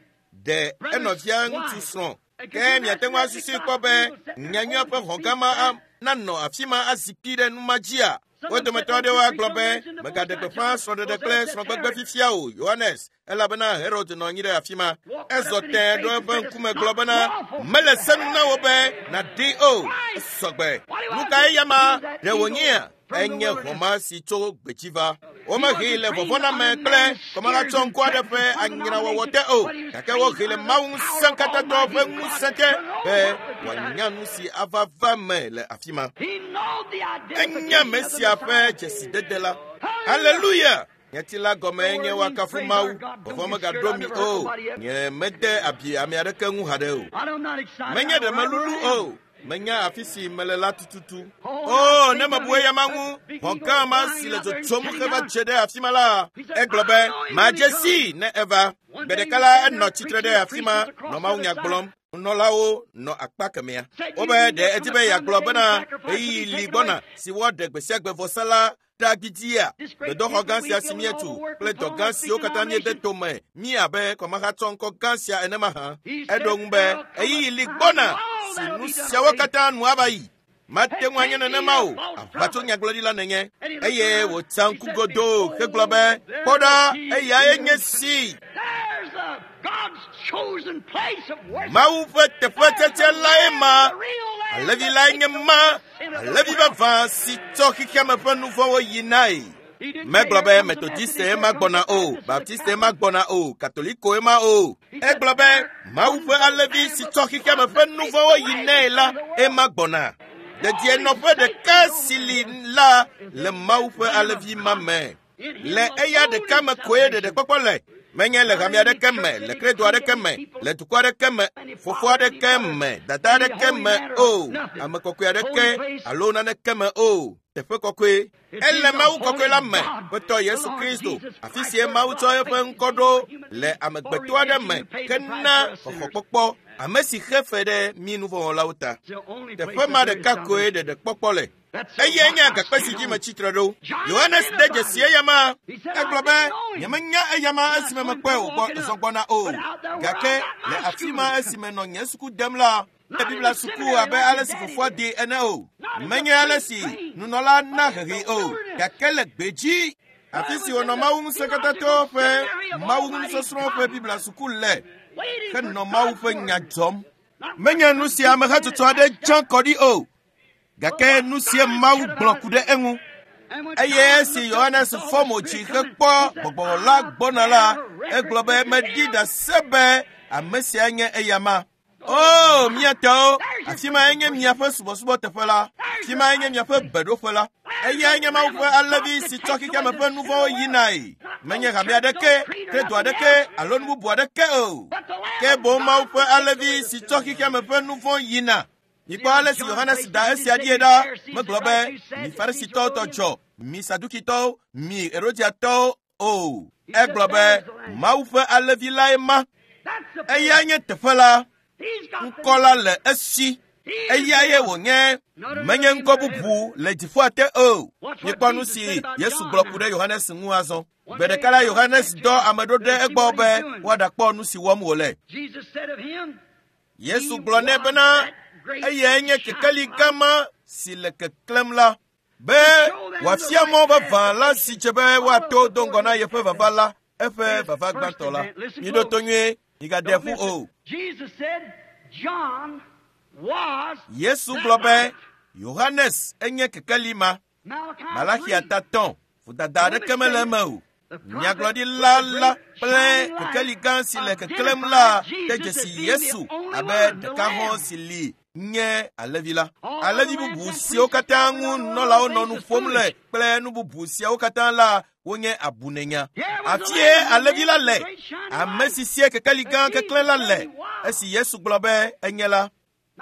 ɖe enɔvia ŋutsu srɔ̃. Ke miate ŋu asusui kpɔ be nyanyuia ƒe xɔ gã ma nanɔ afi ma azikpui ɖe nu ma dzia? Wo dometɔ aɖewo agblɔ be megaɖe gbeƒã srɔ̃ɖeɖe kple srɔ̃gbegbe fifia o, Yohanes, elabena Herod nɔ anyi ɖe afi ma. Ezɔ tẽe ɖo eƒe ŋkume gblɔ bena mele se nu na wo be nàɖee o. Esɔgbe. Nu kae ya ma ɖe wònyea? Enye xɔma si tso gbedzi va. Womehee le vɔvɔ̃name kple kɔmahatsɔŋku aɖe ƒe anyrawɔwɔ te o, gake wohee le Mawu ŋusẽkatãtɔ ƒe ŋusẽ te be wòanya nu si ava va me le afi ma. Enya Mesia ƒe dzesidede la. Haleluya! Nyati la gɔme nye woakafu Mawu. Vɔvɔ̃ megaɖo mi o. Nye mede abi ame aɖeke ŋu haɖe o. Menye ɖe melulu o. Menya afi si mele la tututu. O, ne mebu eya ma ŋu, xɔ gã ma si le dzodzom heva dze ɖe afi ma la, egblɔ be, madze sii ne eva. Gbe ɖeka la, enɔ tsitre ɖe afi ma nɔ mawunya gblɔm. Nunɔlawo nɔ akpa kemɛa. Wobe ɖe edi be yeagblɔ bena ɣeyiɣi li gbɔna si woaɖe gbe sia gbe vɔsa la ɖa gidia. Gbedoxɔ gã sia si míetu kple dɔ gã siwo katã míede tome mí abe kɔmahatsɔŋkɔ gã sia ene mahã. Eɖo ŋu be ɣeyiɣi li gbɔna si nu siawo katã nu ava yi. Mate ŋu anye nenema o, aʋatsonyagblɔɖila nenye. Eye wòtsa ŋku godoo hegblɔ be, kpɔ ɖa, eyae nye si. Mawu ƒe teƒe tsetse lae ma. Alevi lae nye ma. Alevi vavã si tsɔ xexeame ƒe nu vɔ̃wo yinae. Megblɔ be Metodiste ma gbɔna o, Baptiste ma gbɔna o, Katolikoe ma o. Egblɔ be Mawu ƒe alevi si tsɔ xexeame ƒe nu vɔ̃wo yinae la, ema gbɔna. Dedienɔƒe ɖeka si li la le Mawu ƒe alevi ma me. Le eya ɖeka me koe ɖeɖekpɔkpɔ le. Menye le hame aɖeke me, le kredo aɖeke me, le dukɔ aɖeke me, fofo aɖeke me, dada aɖeke me o, ame kɔkɔe aɖeke alo naneke me o. Teƒe kɔkɔe. Ele Mawu kɔkɔe la me, Ƒetɔ Yesu Kristo, afi sie Mawu tsɔ eƒe ŋkɔ ɖo le amegbetɔ aɖe me hena xɔxɔkpɔkpɔ, ame si xe fe ɖe mí nuvɔ̃wɔlawo ta. Teƒe ma ɖeka koe ɖeɖekpɔkpɔ le. Eyae nye agakpe si dzi metsitre ɖo. Yohanes de dzesi eya ma. Egblɔ be, nyemenya eya ma esime mekpɔe wògbɔ zɔ gbɔna o. Gake le afi ma esime nɔ nye suku dem la, le Biblia suku abe ale si fofoa dee ene o. Menye ale si nunɔla na hehee o, gake le gbedzi, afi si wònɔ Mawu ŋusẽkatãtɔwo ƒe Mawu ŋu nusɔsrɔ̃ ƒe Biblia suku le, henɔ Mawu ƒe nya dzɔm. Menye nu si amehatsotso aɖe tsã kɔ ɖi o, gake nu sie Mawu gblɔ ku ɖe eŋu. Eye esi Yohanes fɔ mo dzi hekpɔ gbɔgbɔ la gbɔna la, egblɔ be meɖi ɖase be ame sia nye eyama. O, mia tɔwo, afi mae nye miaƒe subɔsubɔteƒe la, afi mae nye miaƒe beɖoƒe la. Eyae nye Mawu ƒe alẽvi si tsɔ xexeame ƒe nu vɔ̃wo yinae. Menye hame aɖeke, kredo aɖeke alo nu bubu aɖeke o. Ke boŋ Mawu ƒe alẽvi si tsɔ xexeame ƒe nu vɔ̃ yina. Mikpɔ ale si Yohanes da esia ɖie ɖa. Megblɔ be, mi Farisitɔwo tɔ dzɔ, mi Sadukitɔwo, mi Herodiatɔwo o. Egblɔ be, Mawu ƒe alẽvi lae ma. Eyae nye teƒe la. Ŋkɔ la le esi. Eyae wònye. Menye ŋkɔ bubu le dziƒoa te o. Mikpɔ nu si Yesu gblɔ ku ɖe Yohanes ŋu azɔ. Gbe ɖeka la Yohanes dɔ ame ɖo ɖe egbɔ be woaɖakpɔ nu si wɔm wòle. Yesu gblɔ nɛ bena eyae nye kekeli gã ma si le keklẽm la, be wòafia mɔ vavã la si dze be woato do ŋgɔ na yeƒe vava la, eƒe vava gbãtɔ la. Miɖo to nyuie, migade ƒu o. Yesu gblɔ be Yohanes enye kekeli ma. Malaxia ta tɔ̃, vodada aɖeke mele eme o. Nyagblɔɖila la kple kekeli gã si le keklẽm la de dzesi Yesu abe ɖeka hɔ̃ si li nye alẽvi la. Alẽvi bubu siwo katã ŋu nunɔlawo nɔ nu ƒom le kple nu bubu siawo katã la wonye abunenya. Afie alẽvi la le, ame si sie kekeli gã keklẽ la le, esi Yesu gblɔ be enye la.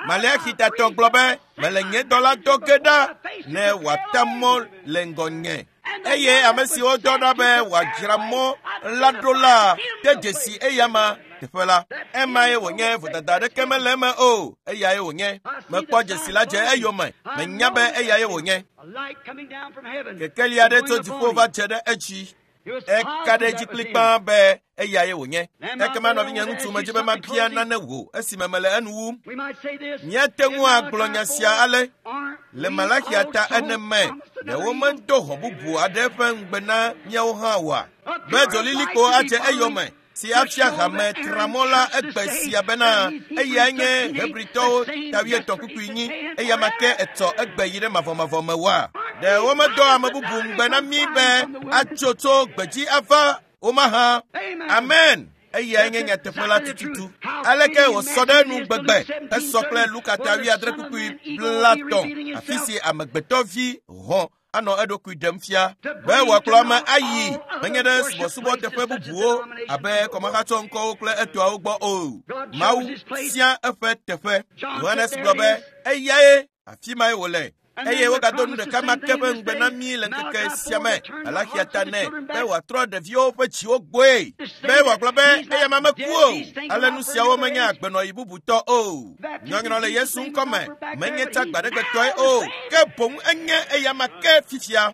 Maleaxi tatɔ gblɔ be, mele nye dɔla dɔ ge ɖa ne wòata mɔ le ŋgɔnye. Eye ame siwo dɔ ɖa be wòadzra mɔ la ɖo la de dzesi eyama teƒe la. Emae wònye, vodada aɖeke mele eme o, eyae wònye. Mekpɔ dzesi la dze eyome, menya be eyae wònye. Kekeli aɖe tso dziƒo va dze ɖe edzi. Eka ɖe edzi kplikpaa be eyae wònye. Ekema nɔvinye ŋutsu medzi be mabia nane wò esime mele enu wum. Míate ŋu agblɔ nya sia ale le Malaxia ta ene me, ɖe womedo hɔ̃ bubu aɖe ƒe ŋugbe na míawo hã oa? Be dzolilikpo adze eyome si afia hame tramɔ la egbe sia bena eyae nye Hebritɔwo ta wuietɔ̃ kpukpui nyi, eya ma ke etsɔ egbe yi ɖe mavɔmavɔ me oa? Ɖe womedɔ ame bubu ŋugbe na mí be atso tso gbedzi ava wo mahã? Amen. Eyae nye nyateƒe la tututu. Aleke wòsɔ ɖe nu gbegbe esɔ kple Luka ta wuiadre kpukpui blatɔ̃, afi si amegbetɔvi hɔ̃ anɔ eɖokui ɖem fia be wòakplɔ ame ayi menye ɖe subɔsubɔteƒe bubuwo abe kɔmahatsɔ ŋkɔwo kple etɔawo gbɔ o. Mawu sia eƒe teƒe. Yohanes gblɔ be eyae, afi mae wòle. Eye wogado nu ɖeka ma ke ƒe ŋugbe na mí le ŋkeke sia me, Malaxia ta nɛ be wòatrɔ ɖeviwo ƒe dziwo gbɔe, be wòagblɔ be eya ma meku o. Ale nu siawo menye agbenɔɣi bubutɔ o. Nyɔnyrɔ le Yesu ŋkɔ me menye tsa gbaɖegbetɔe o, ke boŋ enye eya ma ke fifia.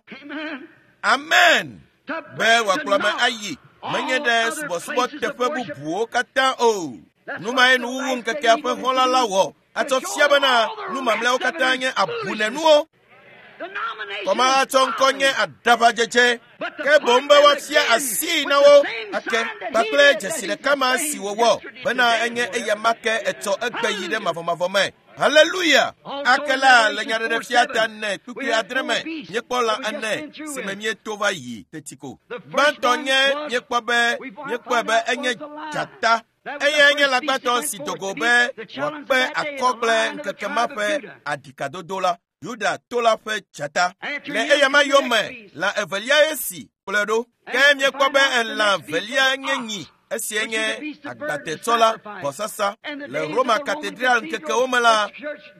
Amen. Be wòakplɔ ame ayi menye ɖe subɔsubɔteƒe bubuwo katã o. Nu mae nuwuwu ŋkekea ƒe xɔla la wɔ atsɔ fia bena nu mamlɛawo katã nye abunenuwo. Kɔmahatsɔ ŋkɔ nye aɖaʋadzedze, ke boŋ be woafia asii na wo ake kpakple dzesi ɖeka ma si wòwɔ bena enye eya ma ke etsɔ egbe yi ɖe mavɔmavɔ me. Haleluya! Ake la le nyaɖeɖefia ta ne kpukpui adre me míekpɔ lã ene si me míeto va yi teti ko. Gbãtɔ nye míekpɔ be míekpɔe be enye dzata. Eyae nye lãgbãtɔ si do go be wòakpe akɔ kple ŋkeke ma ƒe aɖikadodo la, Yuda to la ƒe dzata. Le eya ma yome, lã eveliae si kplɔe ɖo. Ke míekpɔ be elã velia nye nyi, esie nye agbatetsɔ la, vɔsasa. Le Roma katedral ŋkekewo me la,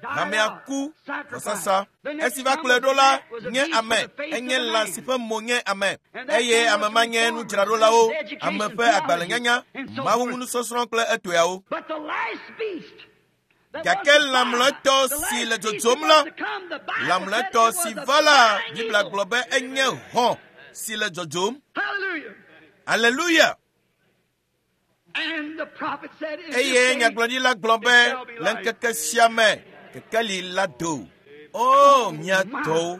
hamea ku vɔsasa. Esi va kplɔe ɖo la nye ame, enye lã si ƒe mo nye ame, eye ame ma nye nudzraɖolawo, ame ƒe agbalẽnyanya, Mawu ŋu nusɔsrɔ̃ kple etɔeawo. Gake lã mlɔetɔ si le dzodzom la, lã mlɔetɔ si va la, Biblia gblɔ be enye hɔ̃ si le dzodzom. Haleluya! Eye nyagblɔɖila gblɔ be le ŋkeke sia me kekeli la do. O, mia tɔwo,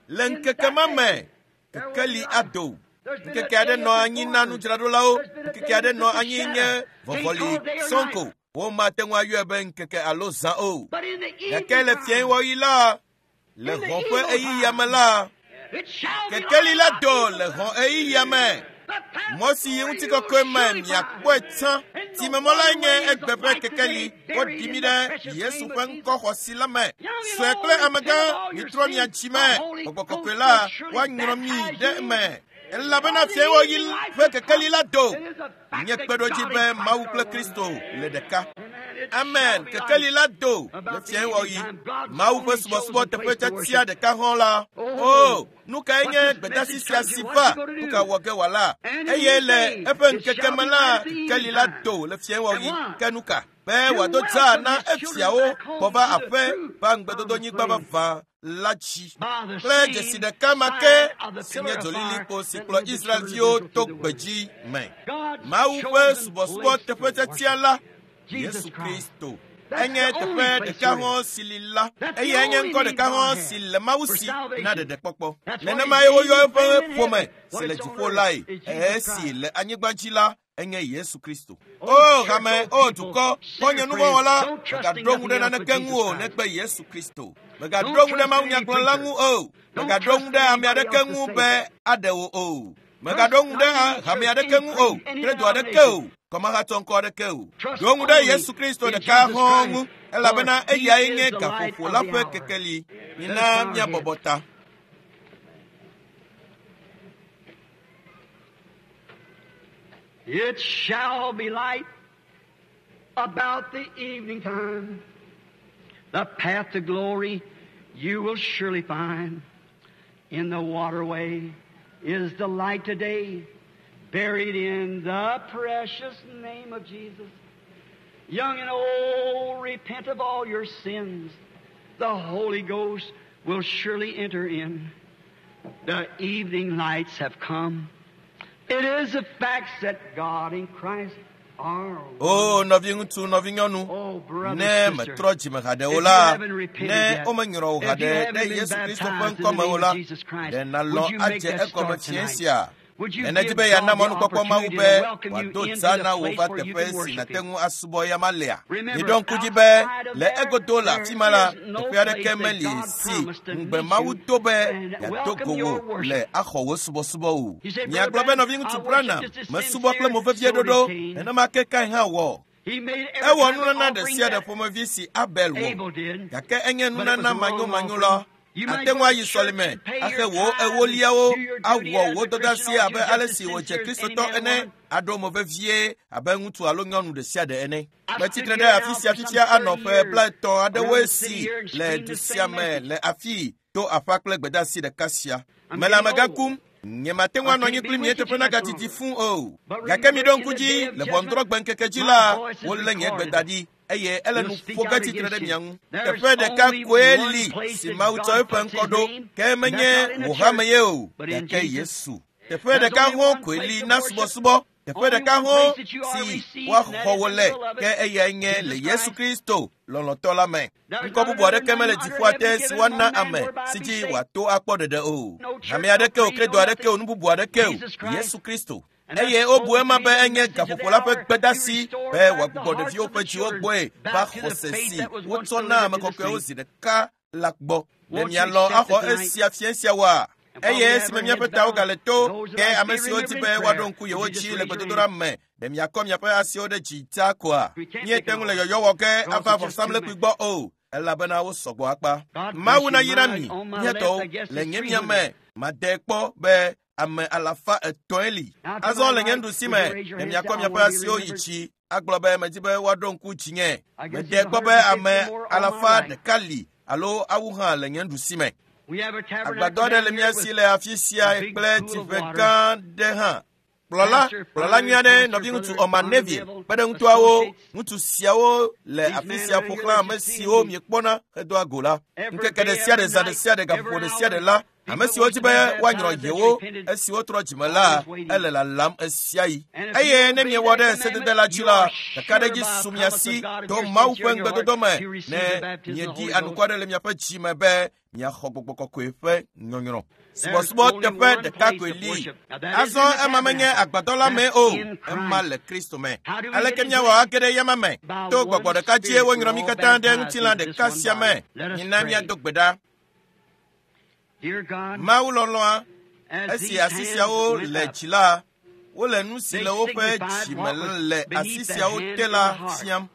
le ŋkeke ma me kekeli ado. Ŋkeke aɖe nɔ anyi na nudzraɖolawo, ŋkeke aɖe nɔ anyi nye vɔvɔli sɔŋko. Womate ŋu ayɔe be ŋkeke alo zã o. Gake le fiẽwɔɣi la, le hɔ̃ ƒe ɣeyiɣia me la, kekeli la do le hɔ̃ ɣeyiɣia me. Mɔ si yi ŋutikɔkɔe me miakpɔe tsã. Tsimemɔ lae nye egbe ƒe kekeli. Woɖi mi ɖe Yesu ƒe ŋkɔxɔsi la me. Sue kple amegã, mitrɔ mia dzi me. Gbɔgbɔ kɔkɔe la, woanyrɔ mi ɖe eme. Elabena fiẽwɔɣi ƒe kekeli la do. Nye kpeɖodzi be Mawu kple Kristo le ɖeka. Amen. Kekeli la do le fiẽwɔɣi. Mawu ƒe subɔsubɔ teƒe tiatia ɖeka hã la. O, nu kae nye gbedeasi sia si va? Nu ka wɔ ge wòala? Eye le eƒe ŋkeke me la, kekeli la do le fiẽwɔɣi. Ke nu ka? Be wòado dzaa na efiawo gbɔ va aƒe va ŋugbedodonyigba vavã la dzi. Kple dzesi ɖeka ma ke si nye dzolilikpo si kplɔ Israelviwo to gbedzi me. Mawu ƒe subɔsubɔ teƒe tiatia la, Yesu Kristo. Enye teƒe ɖeka hã si li la, eye enye ŋkɔ ɖeka hã si le Mawu si na ɖeɖekpɔkpɔ. Nenemae woyɔ eƒe ƒome si le dziƒo lae, esi le anyigba dzi la, enye Yesu Kristo. O hame, o dukɔ, xɔ̃nye nuvɔ̃wɔla, mègaɖo ŋu ɖe naneke ŋu o negbe Yesu Kristo. Mègaɖo ŋu ɖe mawunyagblɔla ŋu o. Mègaɖo ŋu ɖe ame aɖeke ŋu be aɖe wò o. Mègaɖo ŋu ɖe hame aɖeke ŋu o, credo aɖeke o, kɔmahatsɔ ŋkɔ aɖeke o. Ɖo ŋu ɖe Yesu Kristo ɖeka hɔ̃ ŋu, elabena eyae nye gaƒoƒo la ƒe kekeli. Mina míabɔbɔ ta. It shall be light about the evening time. The path to glory you will surely find. In the waterway is the light today, buried in the precious name of Jesus. Young and old, repent of all your sins. The Holy Ghost will surely enter in. The evening lights have come. It is a fact that God and Christ are one. O nɔviŋutsu, nɔvinyɔnu, Oh, brother, ne sister, metrɔ dzime haɖe o if la, you haven't repented ne yet, womenyrɔ wò if you haɖe haven't ɖe been Yesu Kristo ƒe baptized in the ŋkɔme o name la, of Jesus Christ, ɖe would nalɔ̃ you make adze that egɔme start fiẽ tonight? sia. Would you Ne nedi give be yeana God the mɔnukpɔkpɔ Mawu opportunity be to welcome you wòado into dzaa the na wò place va where you teƒe can si worship nàte Him? ŋu asubɔ ya ma lea? Remember, Miɖo ŋku dzi be outside of le there, egodo le there afi ma la, is no teƒe place aɖeke that meli God si promised to ŋugbe meet Mawu you do be and yeado welcome go your wò worship. le axɔ wò subɔsubɔ o. He said, Miagblɔ Brother be Branham, nɔviŋutsu I worship Branham, just as mesubɔ kple sincere, mo vevie so did ɖoɖo, Cain. nenema ke Kain hã wɔ. He made every Ewɔ kind of nunana ɖe offering sia ɖe that ƒomevi si Abel wɔ. Abel did, Gake enye but it was nunana the wrong manyomanyo offering. la. You might Ate go ŋu to ayi church sɔlime, and pay axe your wò tithes and ewoliawo, do your duty awɔ as wò a Christian dɔdeasi ought abe to, just ale as si wòdze sincere as any Kristotɔ man or ene, woman. aɖo mo vevie abe ŋutsu alo nyɔnu ɖe sia ɖe ene. I've Metsi stood tre here ɖe afi now sia for some fifia anɔ 30 ƒe years blaetɔ̃ around aɖewoe the city si here and le screamed du the sia same me message. le afii to aƒa kple gbedeasi ɖeka sia. I'm Mele getting amegã old. kum. Nyemate ŋu I anɔ anyi can't be kpli mie with you teƒe too much nagadidi longer. fũu o. But Gake remember, miɖo in ŋku the dzi day of le judgment, ʋɔnudrɔ̃gbe ŋkeke dzi my la, voice is wolé nye gbe recorded. da ɖi eye ele You'll nu speak ƒo ge out tsitre ɖe against mia you. ŋu. There's Teƒe ɖeka only koe one li place si that Mawu tsɔ God eƒe puts ŋkɔ His ɖo, name, ke and that's menye not in a wò church, hame ye o, but in gake Jesus. Yesu. Teƒe There's ɖeka only hã one koe place li to na worship. subɔsubɔ. Teƒe Only ɖeka one hã place that you are si received, and that woaxɔ is wò in le, the beloved, ke eyae nye le Jesus Yesu Christ. Kristo lɔlɔ̃tɔ la me. There's Ŋkɔ not bubu another aɖeke name mele under dziƒoa heaven te si given woana among men ame whereby si be dzi saved. wòato akpɔ ɖeɖe o. No church, Hame no aɖeke o, creed, credo no aɖeke o, nothing. nu bubu aɖeke o. Jesus Christ. Yesu Kristo. And that's Eye wobu supposed ema to be be the enye message of the gaƒoƒo la ƒe hour to gbedeasi restore be back the wòagbugbɔ hearts ɖeviwo of ƒe the dziwo children gbɔe va back to the xɔse faith si that was once wotsɔ na delivered ame to the kɔkɔewo saints. zi ɖeka la gbɔ. Ɖe Won't you mialɔ̃ accept axɔ it tonight? esia fiẽ sia woa? And while Eye we have esime our míaƒe heads tawo bowed, gale to, those that ke like to ame be siwo di remembered be in woaɖo prayer, ŋku would yewo you just dzi le raise your gbedodoɖa hand? me, ɖe miakɔ miaƒe asiwo ɖe dzi ta koa? We can't Míete take ŋu it le all yɔyɔ wɔ ge because ava it's just too vɔsamlekpui many. gbɔ o, elabena wosɔgbɔ akpa. God bless Mawu you. nayra My, mi, on my mía left, I tɔwo, guess le it's nye mia 300. me, made kpɔ be ame alafa etɔ̃e li. Now to Azɔ my le nye right, nuɖusi would me, you raise your ɖe hand and say, miakɔ I miaƒe want to be asiwo yi remembered? dzi agblɔ be medi be woaɖo ŋku dzinye. I guess Mede there's kpɔ be 150 ame more on my alafa right. ɖeka li alo awu hã le nye nuɖusi me. We have a Agbadɔ tabernacle aɖe down le mía here si with le afi sia a big kple pool of tsiƒe water. gã ɖe hã. Kplɔla, Pastor, kplɔla nyui fine aɖe, pastor, nɔviŋutsu brother Orman Arnold Neville, Neville, kpe ɖe ŋutɔawo, associates. ŋutsu siawo le These afi men sia are ƒo here xlã that ame you see siwo in miekpɔna hedoa go la. every Ŋkeke ɖe day, sia ɖe, every zã ɖe night, sia ɖe, gaƒoƒo every ɖe sia ɖe hour. la, Ame siwo di be woanyrɔ yewo esi wotrɔ dzime la, ele lalam ɣesiaɣi. Eye ne miewɔ ɖe sedede la dzi la, kakaɖedzi su mia si to Mawu ƒe ŋugbedodo me ne mieɖi anukware le miaƒe dzi me be miaxɔ gbɔgbɔ kɔkɔe ƒe nyɔnyrɔ. Subɔsubɔ teƒe ɖeka koe li. Azɔ ema menye agbadɔ la mee o, ema le Kristo me. Aleke míawɔ age ɖe eyama me? To gbɔgbɔ ɖeka dzie wonyrɔ mí katã ɖe ŋutilã ɖeka sia me. Mina míado gbe ɖa. Mawu lɔlɔ̃a, esi asi siawo le dzi la, wole nu si le woƒe dzi me le asi siawo te la fiam.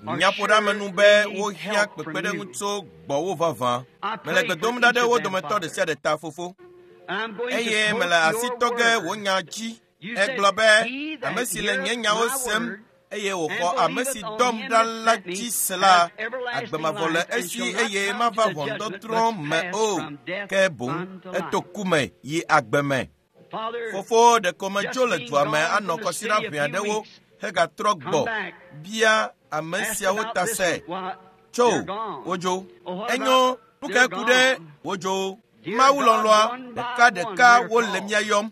Nyaƒoɖeamenu be wohiã kpekpeɖeŋu tso gbɔwò vavã. Mele gbe dom ɖa ɖe wo dometɔ ɖe sia ɖe ta, Fofo. Eye mele asi tɔ ge wò nya dzi. Egblɔ be, ame si le nye nyawo sem eye wòxɔ ame si dɔm ɖa la dzi se la, agbe mavɔ le esi eye mava ʋɔnudɔdrɔ̃ me o, ke boŋ eto ku me yi agbe me. Fofo, ɖeko medzo le dua me anɔ kɔsiɖa ʋɛ aɖewo hegatrɔ gbɔ bia ame siawo ta se. Tso, wodzo. Enyo, nu kae ku ɖe wodzo? Mawu lɔlɔ̃a, ɖekaɖeka wole mía yɔm.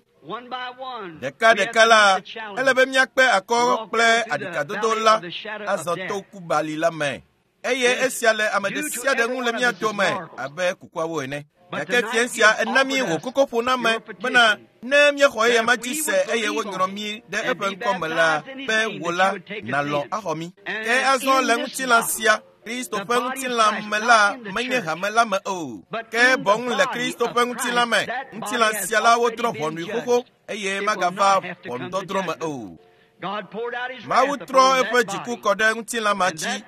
Ɖekaɖeka la, ele be míakpe akɔ kple aɖikadodo la azɔ to kubali la me. Eye esia le ame ɖe sia ɖe ŋu le mía dome abe kukuawo ene. Gake fia sia ena mí wò kokoƒoname bena ne míexɔ eyama dzi se eye wonyrɔ mí ɖe eƒe ŋkɔ me la, be wò la nàlɔ̃ axɔ mí. Ke azɔ le ŋutilã sia, Kristo ƒe ŋutilã me la menye hame la me o, ke boŋ le Kristo ƒe ŋutilã me. Ŋutilã sia la wodrɔ̃ ʋɔnui xoxo eye magava ʋɔnudɔdrɔ̃ me o. Mawu trɔ eƒe dziku kɔ ɖe ŋutilã ma dzi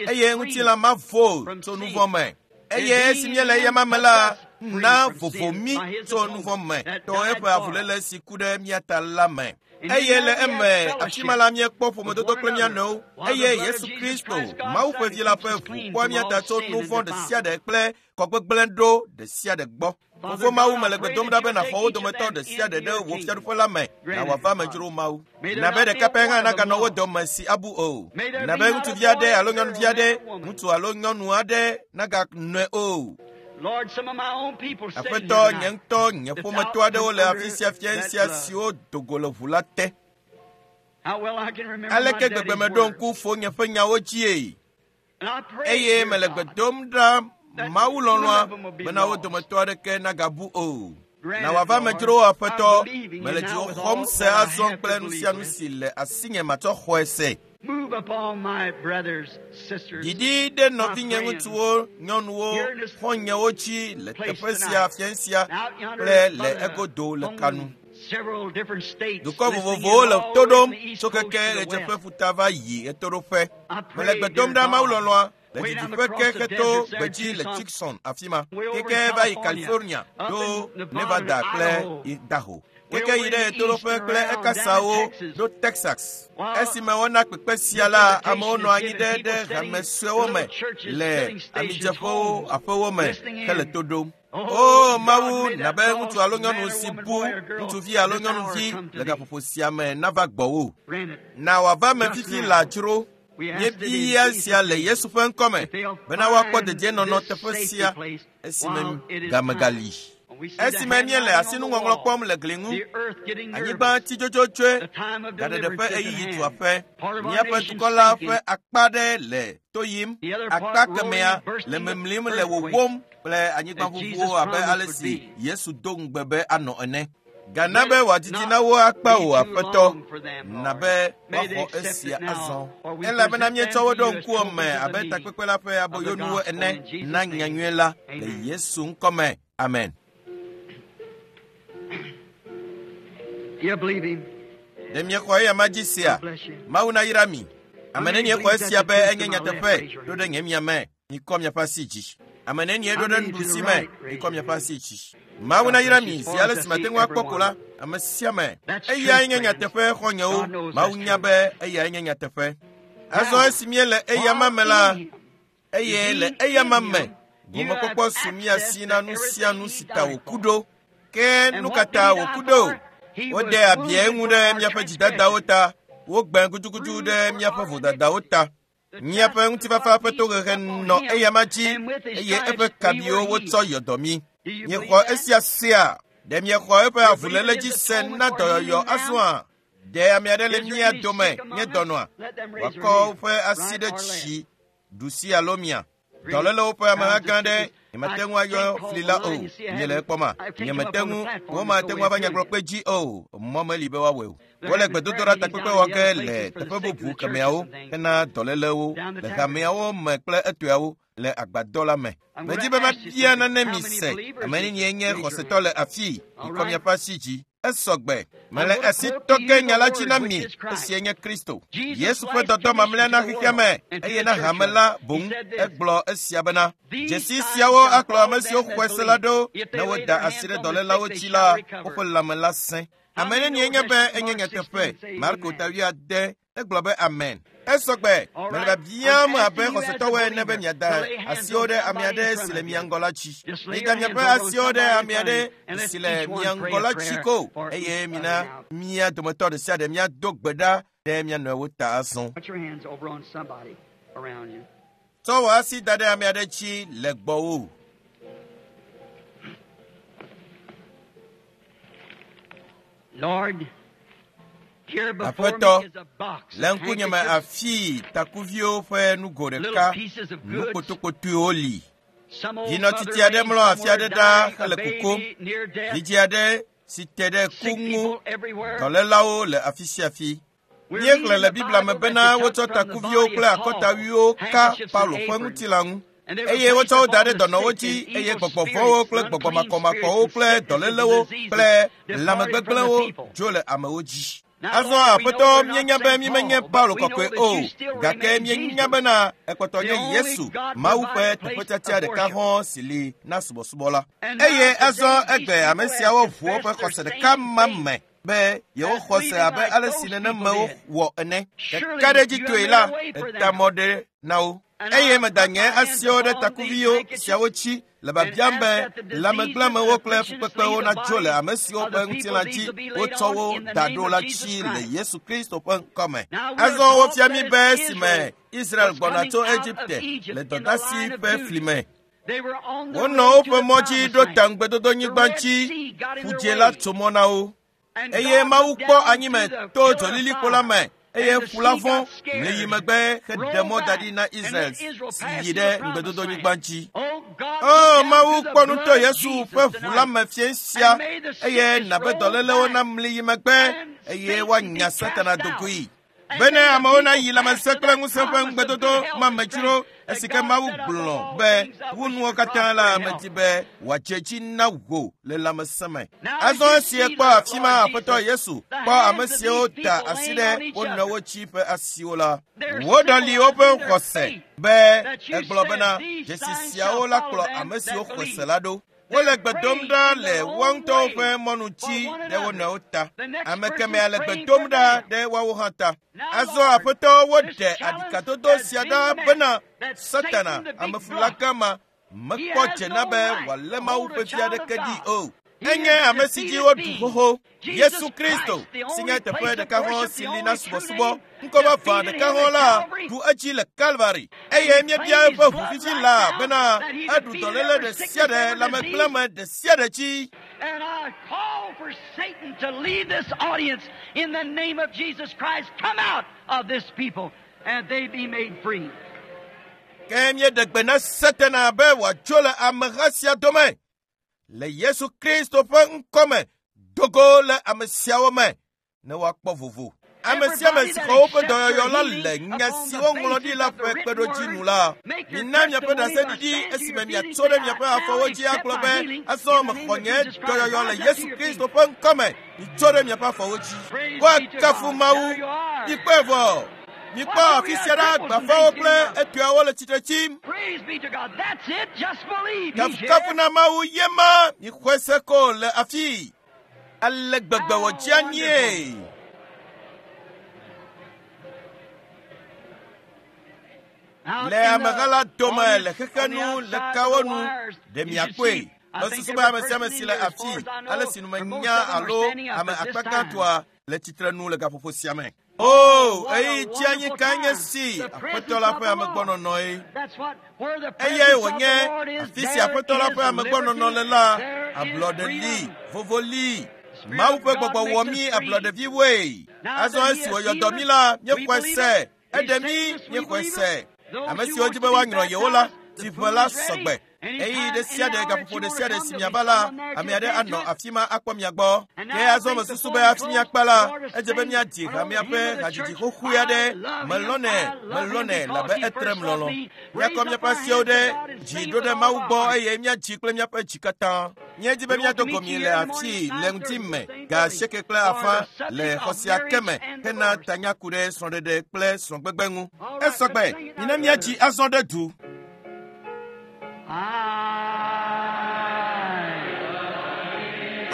eye ŋutilã ma vo tso nu vɔ̃ me. Eye esi míele eyama me la, na vovo mí tso nu vɔ̃ me to eƒe avuléle si ku ɖe mía ta la me. Eye le eme, afi ma la míekpɔ ƒomedodo kple mía nɔewo eye Yesu Kristo, Mawu ƒe Vi la ƒe ʋu kpɔa mía ta tso nu vɔ̃ ɖe sia ɖe kple kɔgbegblẽ ɖo ɖe sia ɖe gbɔ. Fofo Mawu, mele gbe dom ɖa be nàxɔ wo dometɔ ɖe sia ɖe ɖe wò fiaɖuƒe la me, na wòava amedzro Mawu. Na be ɖeka pɛ hã naganɔ wo dome si abu o. Na be ŋutsuvi aɖe alo nyɔnuvi aɖe, ŋutsu alo nyɔnu aɖe naganɔe o. Aƒetɔ, nye ŋutɔ nye ƒometɔ aɖewo le afi sia fia sia siwo do go le ʋu la te. Aleke gbegbe meɖo ŋku fonye ƒe nyawo dzie? Eye mele gbe dom ɖa Mawu lɔlɔ̃a bena wo dometɔ aɖeke nagabu o. Na wòava amedzrowo Aƒetɔ, mele dziwò xɔm se azɔ kple nu sia nu si le asinye matsɔ xɔe se. Didi ɖe nɔvinye ŋutsuwo, nyɔnuwo, xɔ̃nyewo dzi le teƒe sia fia sia kple le egodo le kanu. Dukɔ vovovowo le to ɖom tso keke ɣedzeƒe ƒuta va yi ɣetoɖoƒe. Mele gbe dom ɖa Mawu lɔlɔ̃a le didiƒe ke heto gbedzi le Tucson afi ma, keke va yi California ɖo Nevada kple Idaho, keke yi ɖe ɣetoɖoƒe kple ekasawo ɖo Texas. Esime wona kpekpe sia la, amewo nɔ anyi ɖe ɖe hame suewo me le amidzeƒewo, aƒewo me hele to ɖom. O Mawu, na be ŋutsu alo nyɔnu si bu ŋutsuvi alo nyɔnuvi le gaƒoƒo sia me nava gbɔwò. Na wòava me fifi lãdzro. Míebia sia le Yesu ƒe ŋkɔme bena woakpɔ dedienɔnɔ teƒe sia esime game gali. Esime míele asinuŋɔŋlɔ kpɔm le gli ŋu, anyigba tsi dzodzodzoe, gaɖeɖe ƒe ɣeyiɣi tu aƒe. Míaƒe dukɔ la ƒe akpa ɖe le to yim, akpa kemɛa le mimlim le wòwóm kple anyigbaʋuʋuwo abe ale si Yesu do ŋugbe be anɔ ene. Gana be wòadidi na wo akpa o, Aƒetɔ, na be woaxɔ esia azɔ. Elabena míetsɔ wo ɖo ŋkuwò me abe takpekpe la ƒe aboyonuwo ene na nyanyui la le Yesu ŋkɔme. Amen. Ɖe miexɔ eyama dzi sea? Mawu nayra mi. Ame nenie xɔ esia be enye nyateƒe ɖo ɖe nye mia me? Mikɔ miaƒe asi dzi. Ame nenie ɖo ɖe nuɖusi me? Mikɔ miaƒe asi dzi. Mawu nayra mi zi ale si mate ŋu akpɔ ko la, ame sia ame. Eyae nye nyateƒe xɔ̃nyewo. Mawu nya be eyae nye nyateƒe. Azɔ esi míele eyama me la, eye le eyama me, gomekpɔkpɔ su mía si na nu sia nu si ta wòku ɖo. Ke nu ka ta wòku ɖo? Wode abi eŋu ɖe míaƒe dzidadawo ta, wogbẽ gudugudu ɖe míaƒe vodadawo ta. Míaƒe ŋutifafa ƒe tohehe nɔ eyama dzi eye eƒe kabiwo wotsɔ yɔ dɔ mí. Miexɔ esia sea? Ɖe miexɔ eƒe avuléle dzi se na dɔyɔyɔ azɔa? Ɖe ame aɖe le mía dome nye dɔnɔa? Wòakɔ woƒe asi ɖe tsi, ɖusi alo mia. Dɔlélewo ƒe ameha gã aɖe nyemate ŋu ayɔ fli la o. Miele ekpɔma? Nyemete ŋu, womate ŋu ava nyagblɔkpe dzi o. Mɔ meli be woawɔe o. Wole gbedodoɖa takpekpe wɔ ge le teƒe bubu kemeawo hena dɔlélewo le hameawo me kple etɔeawo le agbadɔ la me. Medzi be mabia nane mi se. Ame nenie nye xɔsetɔ le afii? Mikɔ miaƒe asi dzi. Esɔ gbe. Mele asi tɔ ge nya la dzi na mi. Esia nye Kristo. Yesu ƒe dɔdɔ mamlɛa na xexea me eye na hame la boŋ. Egblɔ esia bena, dzesi siawo akplɔ ame siwo xɔe se la ɖo ne woda asi ɖe dɔlélawo dzi la, woƒe lãme la sẽ. Ame nenie nye be enye nyateƒe. Marko ta 8 egblɔ be amen. Esɔ gbe. Mele biabiam abe xɔsetɔwoe ene be miada asiwo ɖe ame aɖe si le mia ŋgɔ la dzi. Mida miaƒe asiwo ɖe ame aɖe si le mia ŋgɔ la dzi ko eye mina mía dometɔ ɖe sia ɖe míado gbe ɖa ɖe mía nɔewo ta azɔ. Put your hands over on somebody around you. Tsɔ wò asi da ɖe ame aɖe dzi le gbɔwò. Lord, here before Aƒetɔ, me is a box Le of ŋkunyeme handkerchiefs, afii takuviwo ƒe nugo little ɖeka, pieces of goods. nukpotokotoewo li. Some old Vinɔtiti mother aɖe laying mlɔ afi somewhere aɖe ɖaa dying, a hele kukum. baby near death, Vidzi aɖe si te ɖe ku sick ŋu. people everywhere. Dɔlélawo le afi sia afi. We're Míexlẽ reading le the Biblia me Bible that bena they took wotsɔ from the takuviwo body kple of Paul, akɔtawuiwo ka handkerchiefs and Paulo ƒe aprons. ŋutilã ŋu. And they were Eye placed wotsɔ wo da upon ɖe the dɔnɔwo sick dzi and eye evil gbɔgbɔvɔ̃wo spirits, kple unclean gbɔgbɔmakɔmakɔwo spirits kple and sicknesses and dɔlélewo diseases kple departed from the lãmegbegblẽwo people. dzo le amewo dzi. Now, Azɔ Lord, we know Aƒetɔ, we're not míenya be Saint mímenye Paul, but Paulo we know kɔkɔe that o, you still gake remain míenya Jesus, bena ekpɔtɔ the nye only Yesu, God Mawu ƒe provided place teƒetiatia of ɖeka worship. hɔ̃ si li na subɔsubɔ la. And now Eye azɔ today these egbe ame people have siawo ʋu woƒe confessed their xɔse ɖeka same ma faith me be yewoxɔ as se believing abe like ale si those nenemewo people did. wɔ ene. Surely Ɖeka ɖe dzi you have toe made la, a way for eta them. mɔ ɖe na wo. And Eye I meda put nye my hands asiwo ɖe upon these takuviwo handkerchiefs siawo dzi le and biabiam ask be that the diseases and lãmegblemewo kple afflictions fukpekpewo leave the natso le bodies ame siwo of ƒe the people ŋutilã these dzi will be laid wotsɔ on wo in the da name ɖo of la Jesus dzi le Christ. Yesu Kristo ƒe ŋkɔme. Now we are Azɔ taught wofia that mí as be esime Israel Israel was gbɔna coming tso out of Egipte le Egypt in the dɔdasi line of ƒe duty, fli me. they were on the Wonɔ road to woƒe the mɔ dzi promised ɖo ta land. The ŋugbedodonyigba Red dzi. Sea got in their Ƒudzĩ la way. tso mɔ na wo. And Eye God Mawu looked kpɔ down anyime through the to pillar of dzolilikpo la fire, me eye and the ƒu la sea vɔ̃ got mli yi scared, megbe heɖe rolled mɔ da back, ɖi na and Israel let Israel si pass yi to ɖe the promised ŋugbedodonyigba land. dzi. Oh God, O look down Mawu through the kpɔ nu to blood of Yesu Jesus ƒe ʋu la tonight, me fiẽ sia and may the eye sickness nabe roll dɔlélewo back namli yi megbe and eye Satan be woanya cast Satana out. dogoe. And Bene may the amewo people nayi pass lãmesẽ to kple that ŋusẽ ƒe promise of ŋugbedodo good health ma and me strength dzro that esi ke God Mawu set up gblɔ of all be things that wu wish nuwo to katã prosper la in health. medi be wòadze dzi na wò le lãmesẽ me. Now as Azɔ you esi see ekpɔ the afi ma Lord Aƒetɔ Jesus, Yesu the kpɔ ame hands of siwo these da people asi laying ɖe on each wo other, nɔewo dzi ƒe asiwo la, they're woɖɔli woƒe symbolizing their xɔse faith be that you egblɔ said bena these dzesi signs siawo shall la follow kplɔ them ame siwo that xɔ se believe. la ɖo. They're Wole gbe dom praying ɖa in le their woa own ŋutɔwo way ƒe mɔnu for dzi one ɖe wo another. nɔewo ta. The next Ame person's kemɛa le gbe praying dom for ɖa them. ɖe woawo hã ta. Now, Azɔ Lord, Aƒetɔ this woɖe challenge aɖikadodo has sia been ɖa met bena that Satana Satan, the big amefula block, gã ma he mekpɔ has dze na no be right wòalé to Mawu hold a ƒe vi child of aɖeke ɖi God. o. He Enye is a ame si dzi defeated woɖu being. xoxo. Jesus Yesu Kristo Christ, the si only nye teƒe place of ɖeka hɔ̃ worship, si the li na only true subɔsubɔ, name, ŋkɔ vavã defeated ɖeka him hɔ̃ at la Calvary ɖu edzi le Kalvari eye and claimed míebia his eƒe ʋu blood fifi right la now bena that he eɖu defeated dɔléle every ɖe sia sickness, ɖe every disease. lãmegblẽme ɖe sia ɖe dzi. And I call for Satan to leave this audience in the name of Jesus Christ. Come out of this people and they be made free. Ke míeɖe gbe na Satana be wòatso le ameha sia dome le Yesu Kristo ƒe ŋkɔme dogo le ame siawo me ne woakpɔ vovo. Ame sia ame Everybody si that xɔ woƒe accepts dɔyɔyɔ their la healing le nya upon si the woŋlɔ ɖi basis la of the ƒe written kpeɖodzi word, nu la, make your mina miaƒe testimony by ɖaseɖiɖi stand to esime your feet and miatso say, ɖe I miaƒe now afɔwo dzi accept agblɔ my be healing azɔ in the name mexɔ of nye Jesus Christ. dɔyɔyɔ le Rise up to Yesu your Kristo feet. ƒe ŋkɔme. Mitso ɖe miaƒe afɔwo dzi. Praise be to Woakafu God. Mawu. There you are. Mikpɔe vɔ. Mikpɔ What do afi we sia have ɖa cripples and gbafawo things kple getting up? etɔeawo le tsitre tsim. Praise be to God. That's it. Just believe. He's here. Kafukafu na Mawu ye ma mixɔe se ko le afii. Ale gbegbe How wòdze anyie. wonderful. Out Le in ameha the la dome le audience, xexe on the nu le outside of kawo the nu wires, ɖe you should miakpɔe. see. I think Mesusu be every ame sia person ame in si le here, as far afii as I ale know, si nu or most menya of them are alo standing up ame at this akpa time. gãtɔa le tsitre nu le gaƒoƒo sia me. O, ɣeyiɣi tsianyi kae nye si Aƒetɔ la ƒe amegbɔnɔnɔe. Eyae wònye afi si Aƒetɔ la ƒe amegbɔnɔnɔ le la, ablɔɖe li, vovo li. Mawu ƒe gbɔgbɔ wɔ mí ablɔɖeviwoe. Azɔ esi wòyɔ dɔ mí la, míexɔe se. Eɖe mí, míexɔe se. Ame siwo di be woanyrɔ yewo la, tsiʋe la sɔgbe. Ɣeyiɣi ɖe sia ɖe, gaƒoƒo ɖe sia ɖe si miava la, ame aɖe anɔ afi ma akpɔ mia gbɔ. Ke azɔ mesusu be hafi míakpa la, edze be míadzi hamea ƒe hadzidzi xoxoe aɖe. Melɔ̃nɛ, melɔ̃nɛ labe etrem lɔlɔ̃. Míakɔ míaƒe asiwo ɖe dzi ɖo ɖe Mawu gbɔ eye míadzi kple míaƒe dzi katã. Míedi be míado go mi le afii le ŋdi me ga 8:30 le xɔ sia ke me hena tanya ku ɖe srɔ̃ɖeɖe kple srɔ̃gbegbe ŋu. Esɔgbe, mina míadzi azɔ ɖe du.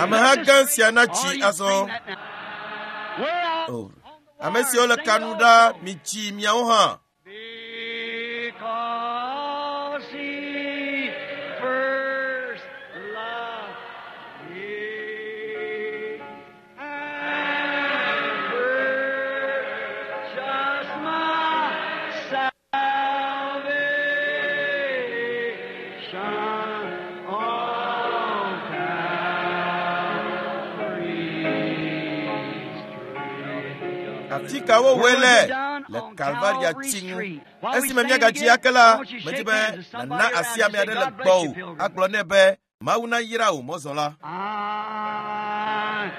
Ameha gã sia natsi azɔ. O, ame siwo le ka nu ɖa, mitsi miawo hã. Because he first loved me and purchased my salvation on Calvary's tree. Afi ka wowɔe le le Kalvaria tsi ŋu. Esime míagadzi ake la, medi be nàna asi ame aɖe le gbɔwò agblɔ nɛ be Mawu nayra wò mɔzɔla. I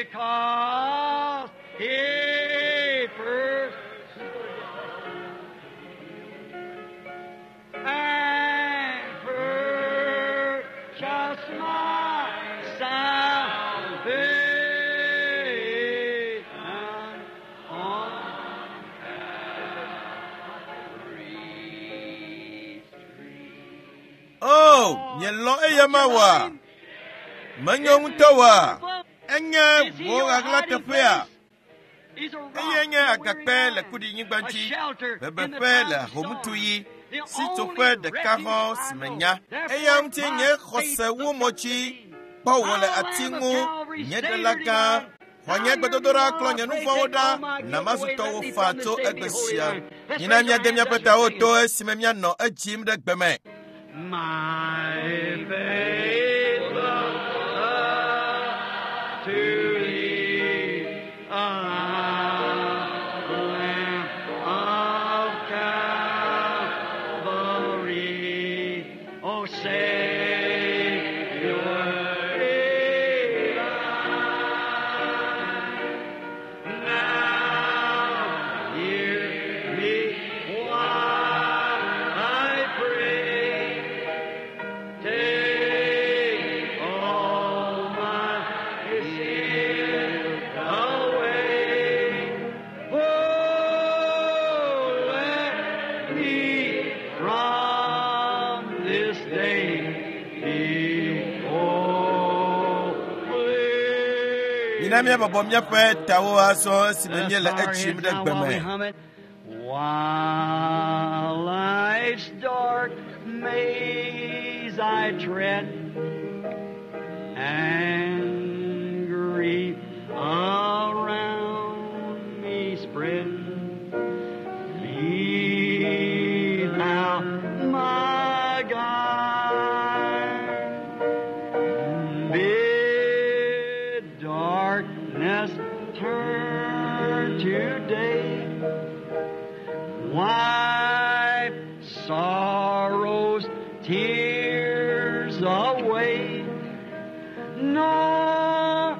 because he first and purchased my salvation on Calvary's tree. O, mielɔ̃ eyama oa? Menyo ŋutɔ oa? Enye wò ɣaɣlateƒea. Eyae nye agakpe le kuɖinyigba dzi, bebeƒe le ahomutuɣi, sitsoƒe ɖeka hɔ̃ si menya. Eya ŋuti nye xɔse wu mɔ dzi, kpɔ wò le ati ŋu, nye ɖela gã. Xɔ nye gbedodoɖa klɔ nye nu vɔ̃wo ɖa, na mazu tɔwò faa tso egbe sia. Mina míade míaƒe tawo to esime míanɔ edzim ɖe gbe me. My faith looks up to thee, Lamb of Calvary, O Savior divine. Now hear me while I pray. Take all my sin away. Oh, let me from this day be holy. Mina míabɔbɔ míaƒe tawo azɔ esime míele edzim ɖe gbe me. While life's dark maze I tread, and grief around me spread, be thou my guide. Bid darkness turn to day. Wipe sorrow's tears away. Nor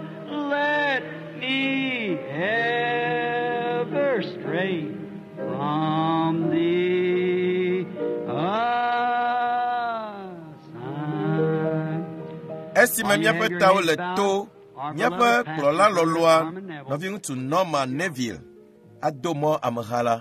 let me ever stray from thee aside. Esime míaƒe tawo le to, míaƒe kplɔla lɔlɔa, nɔviŋutsu Norman Neville, ado mɔ ameha la.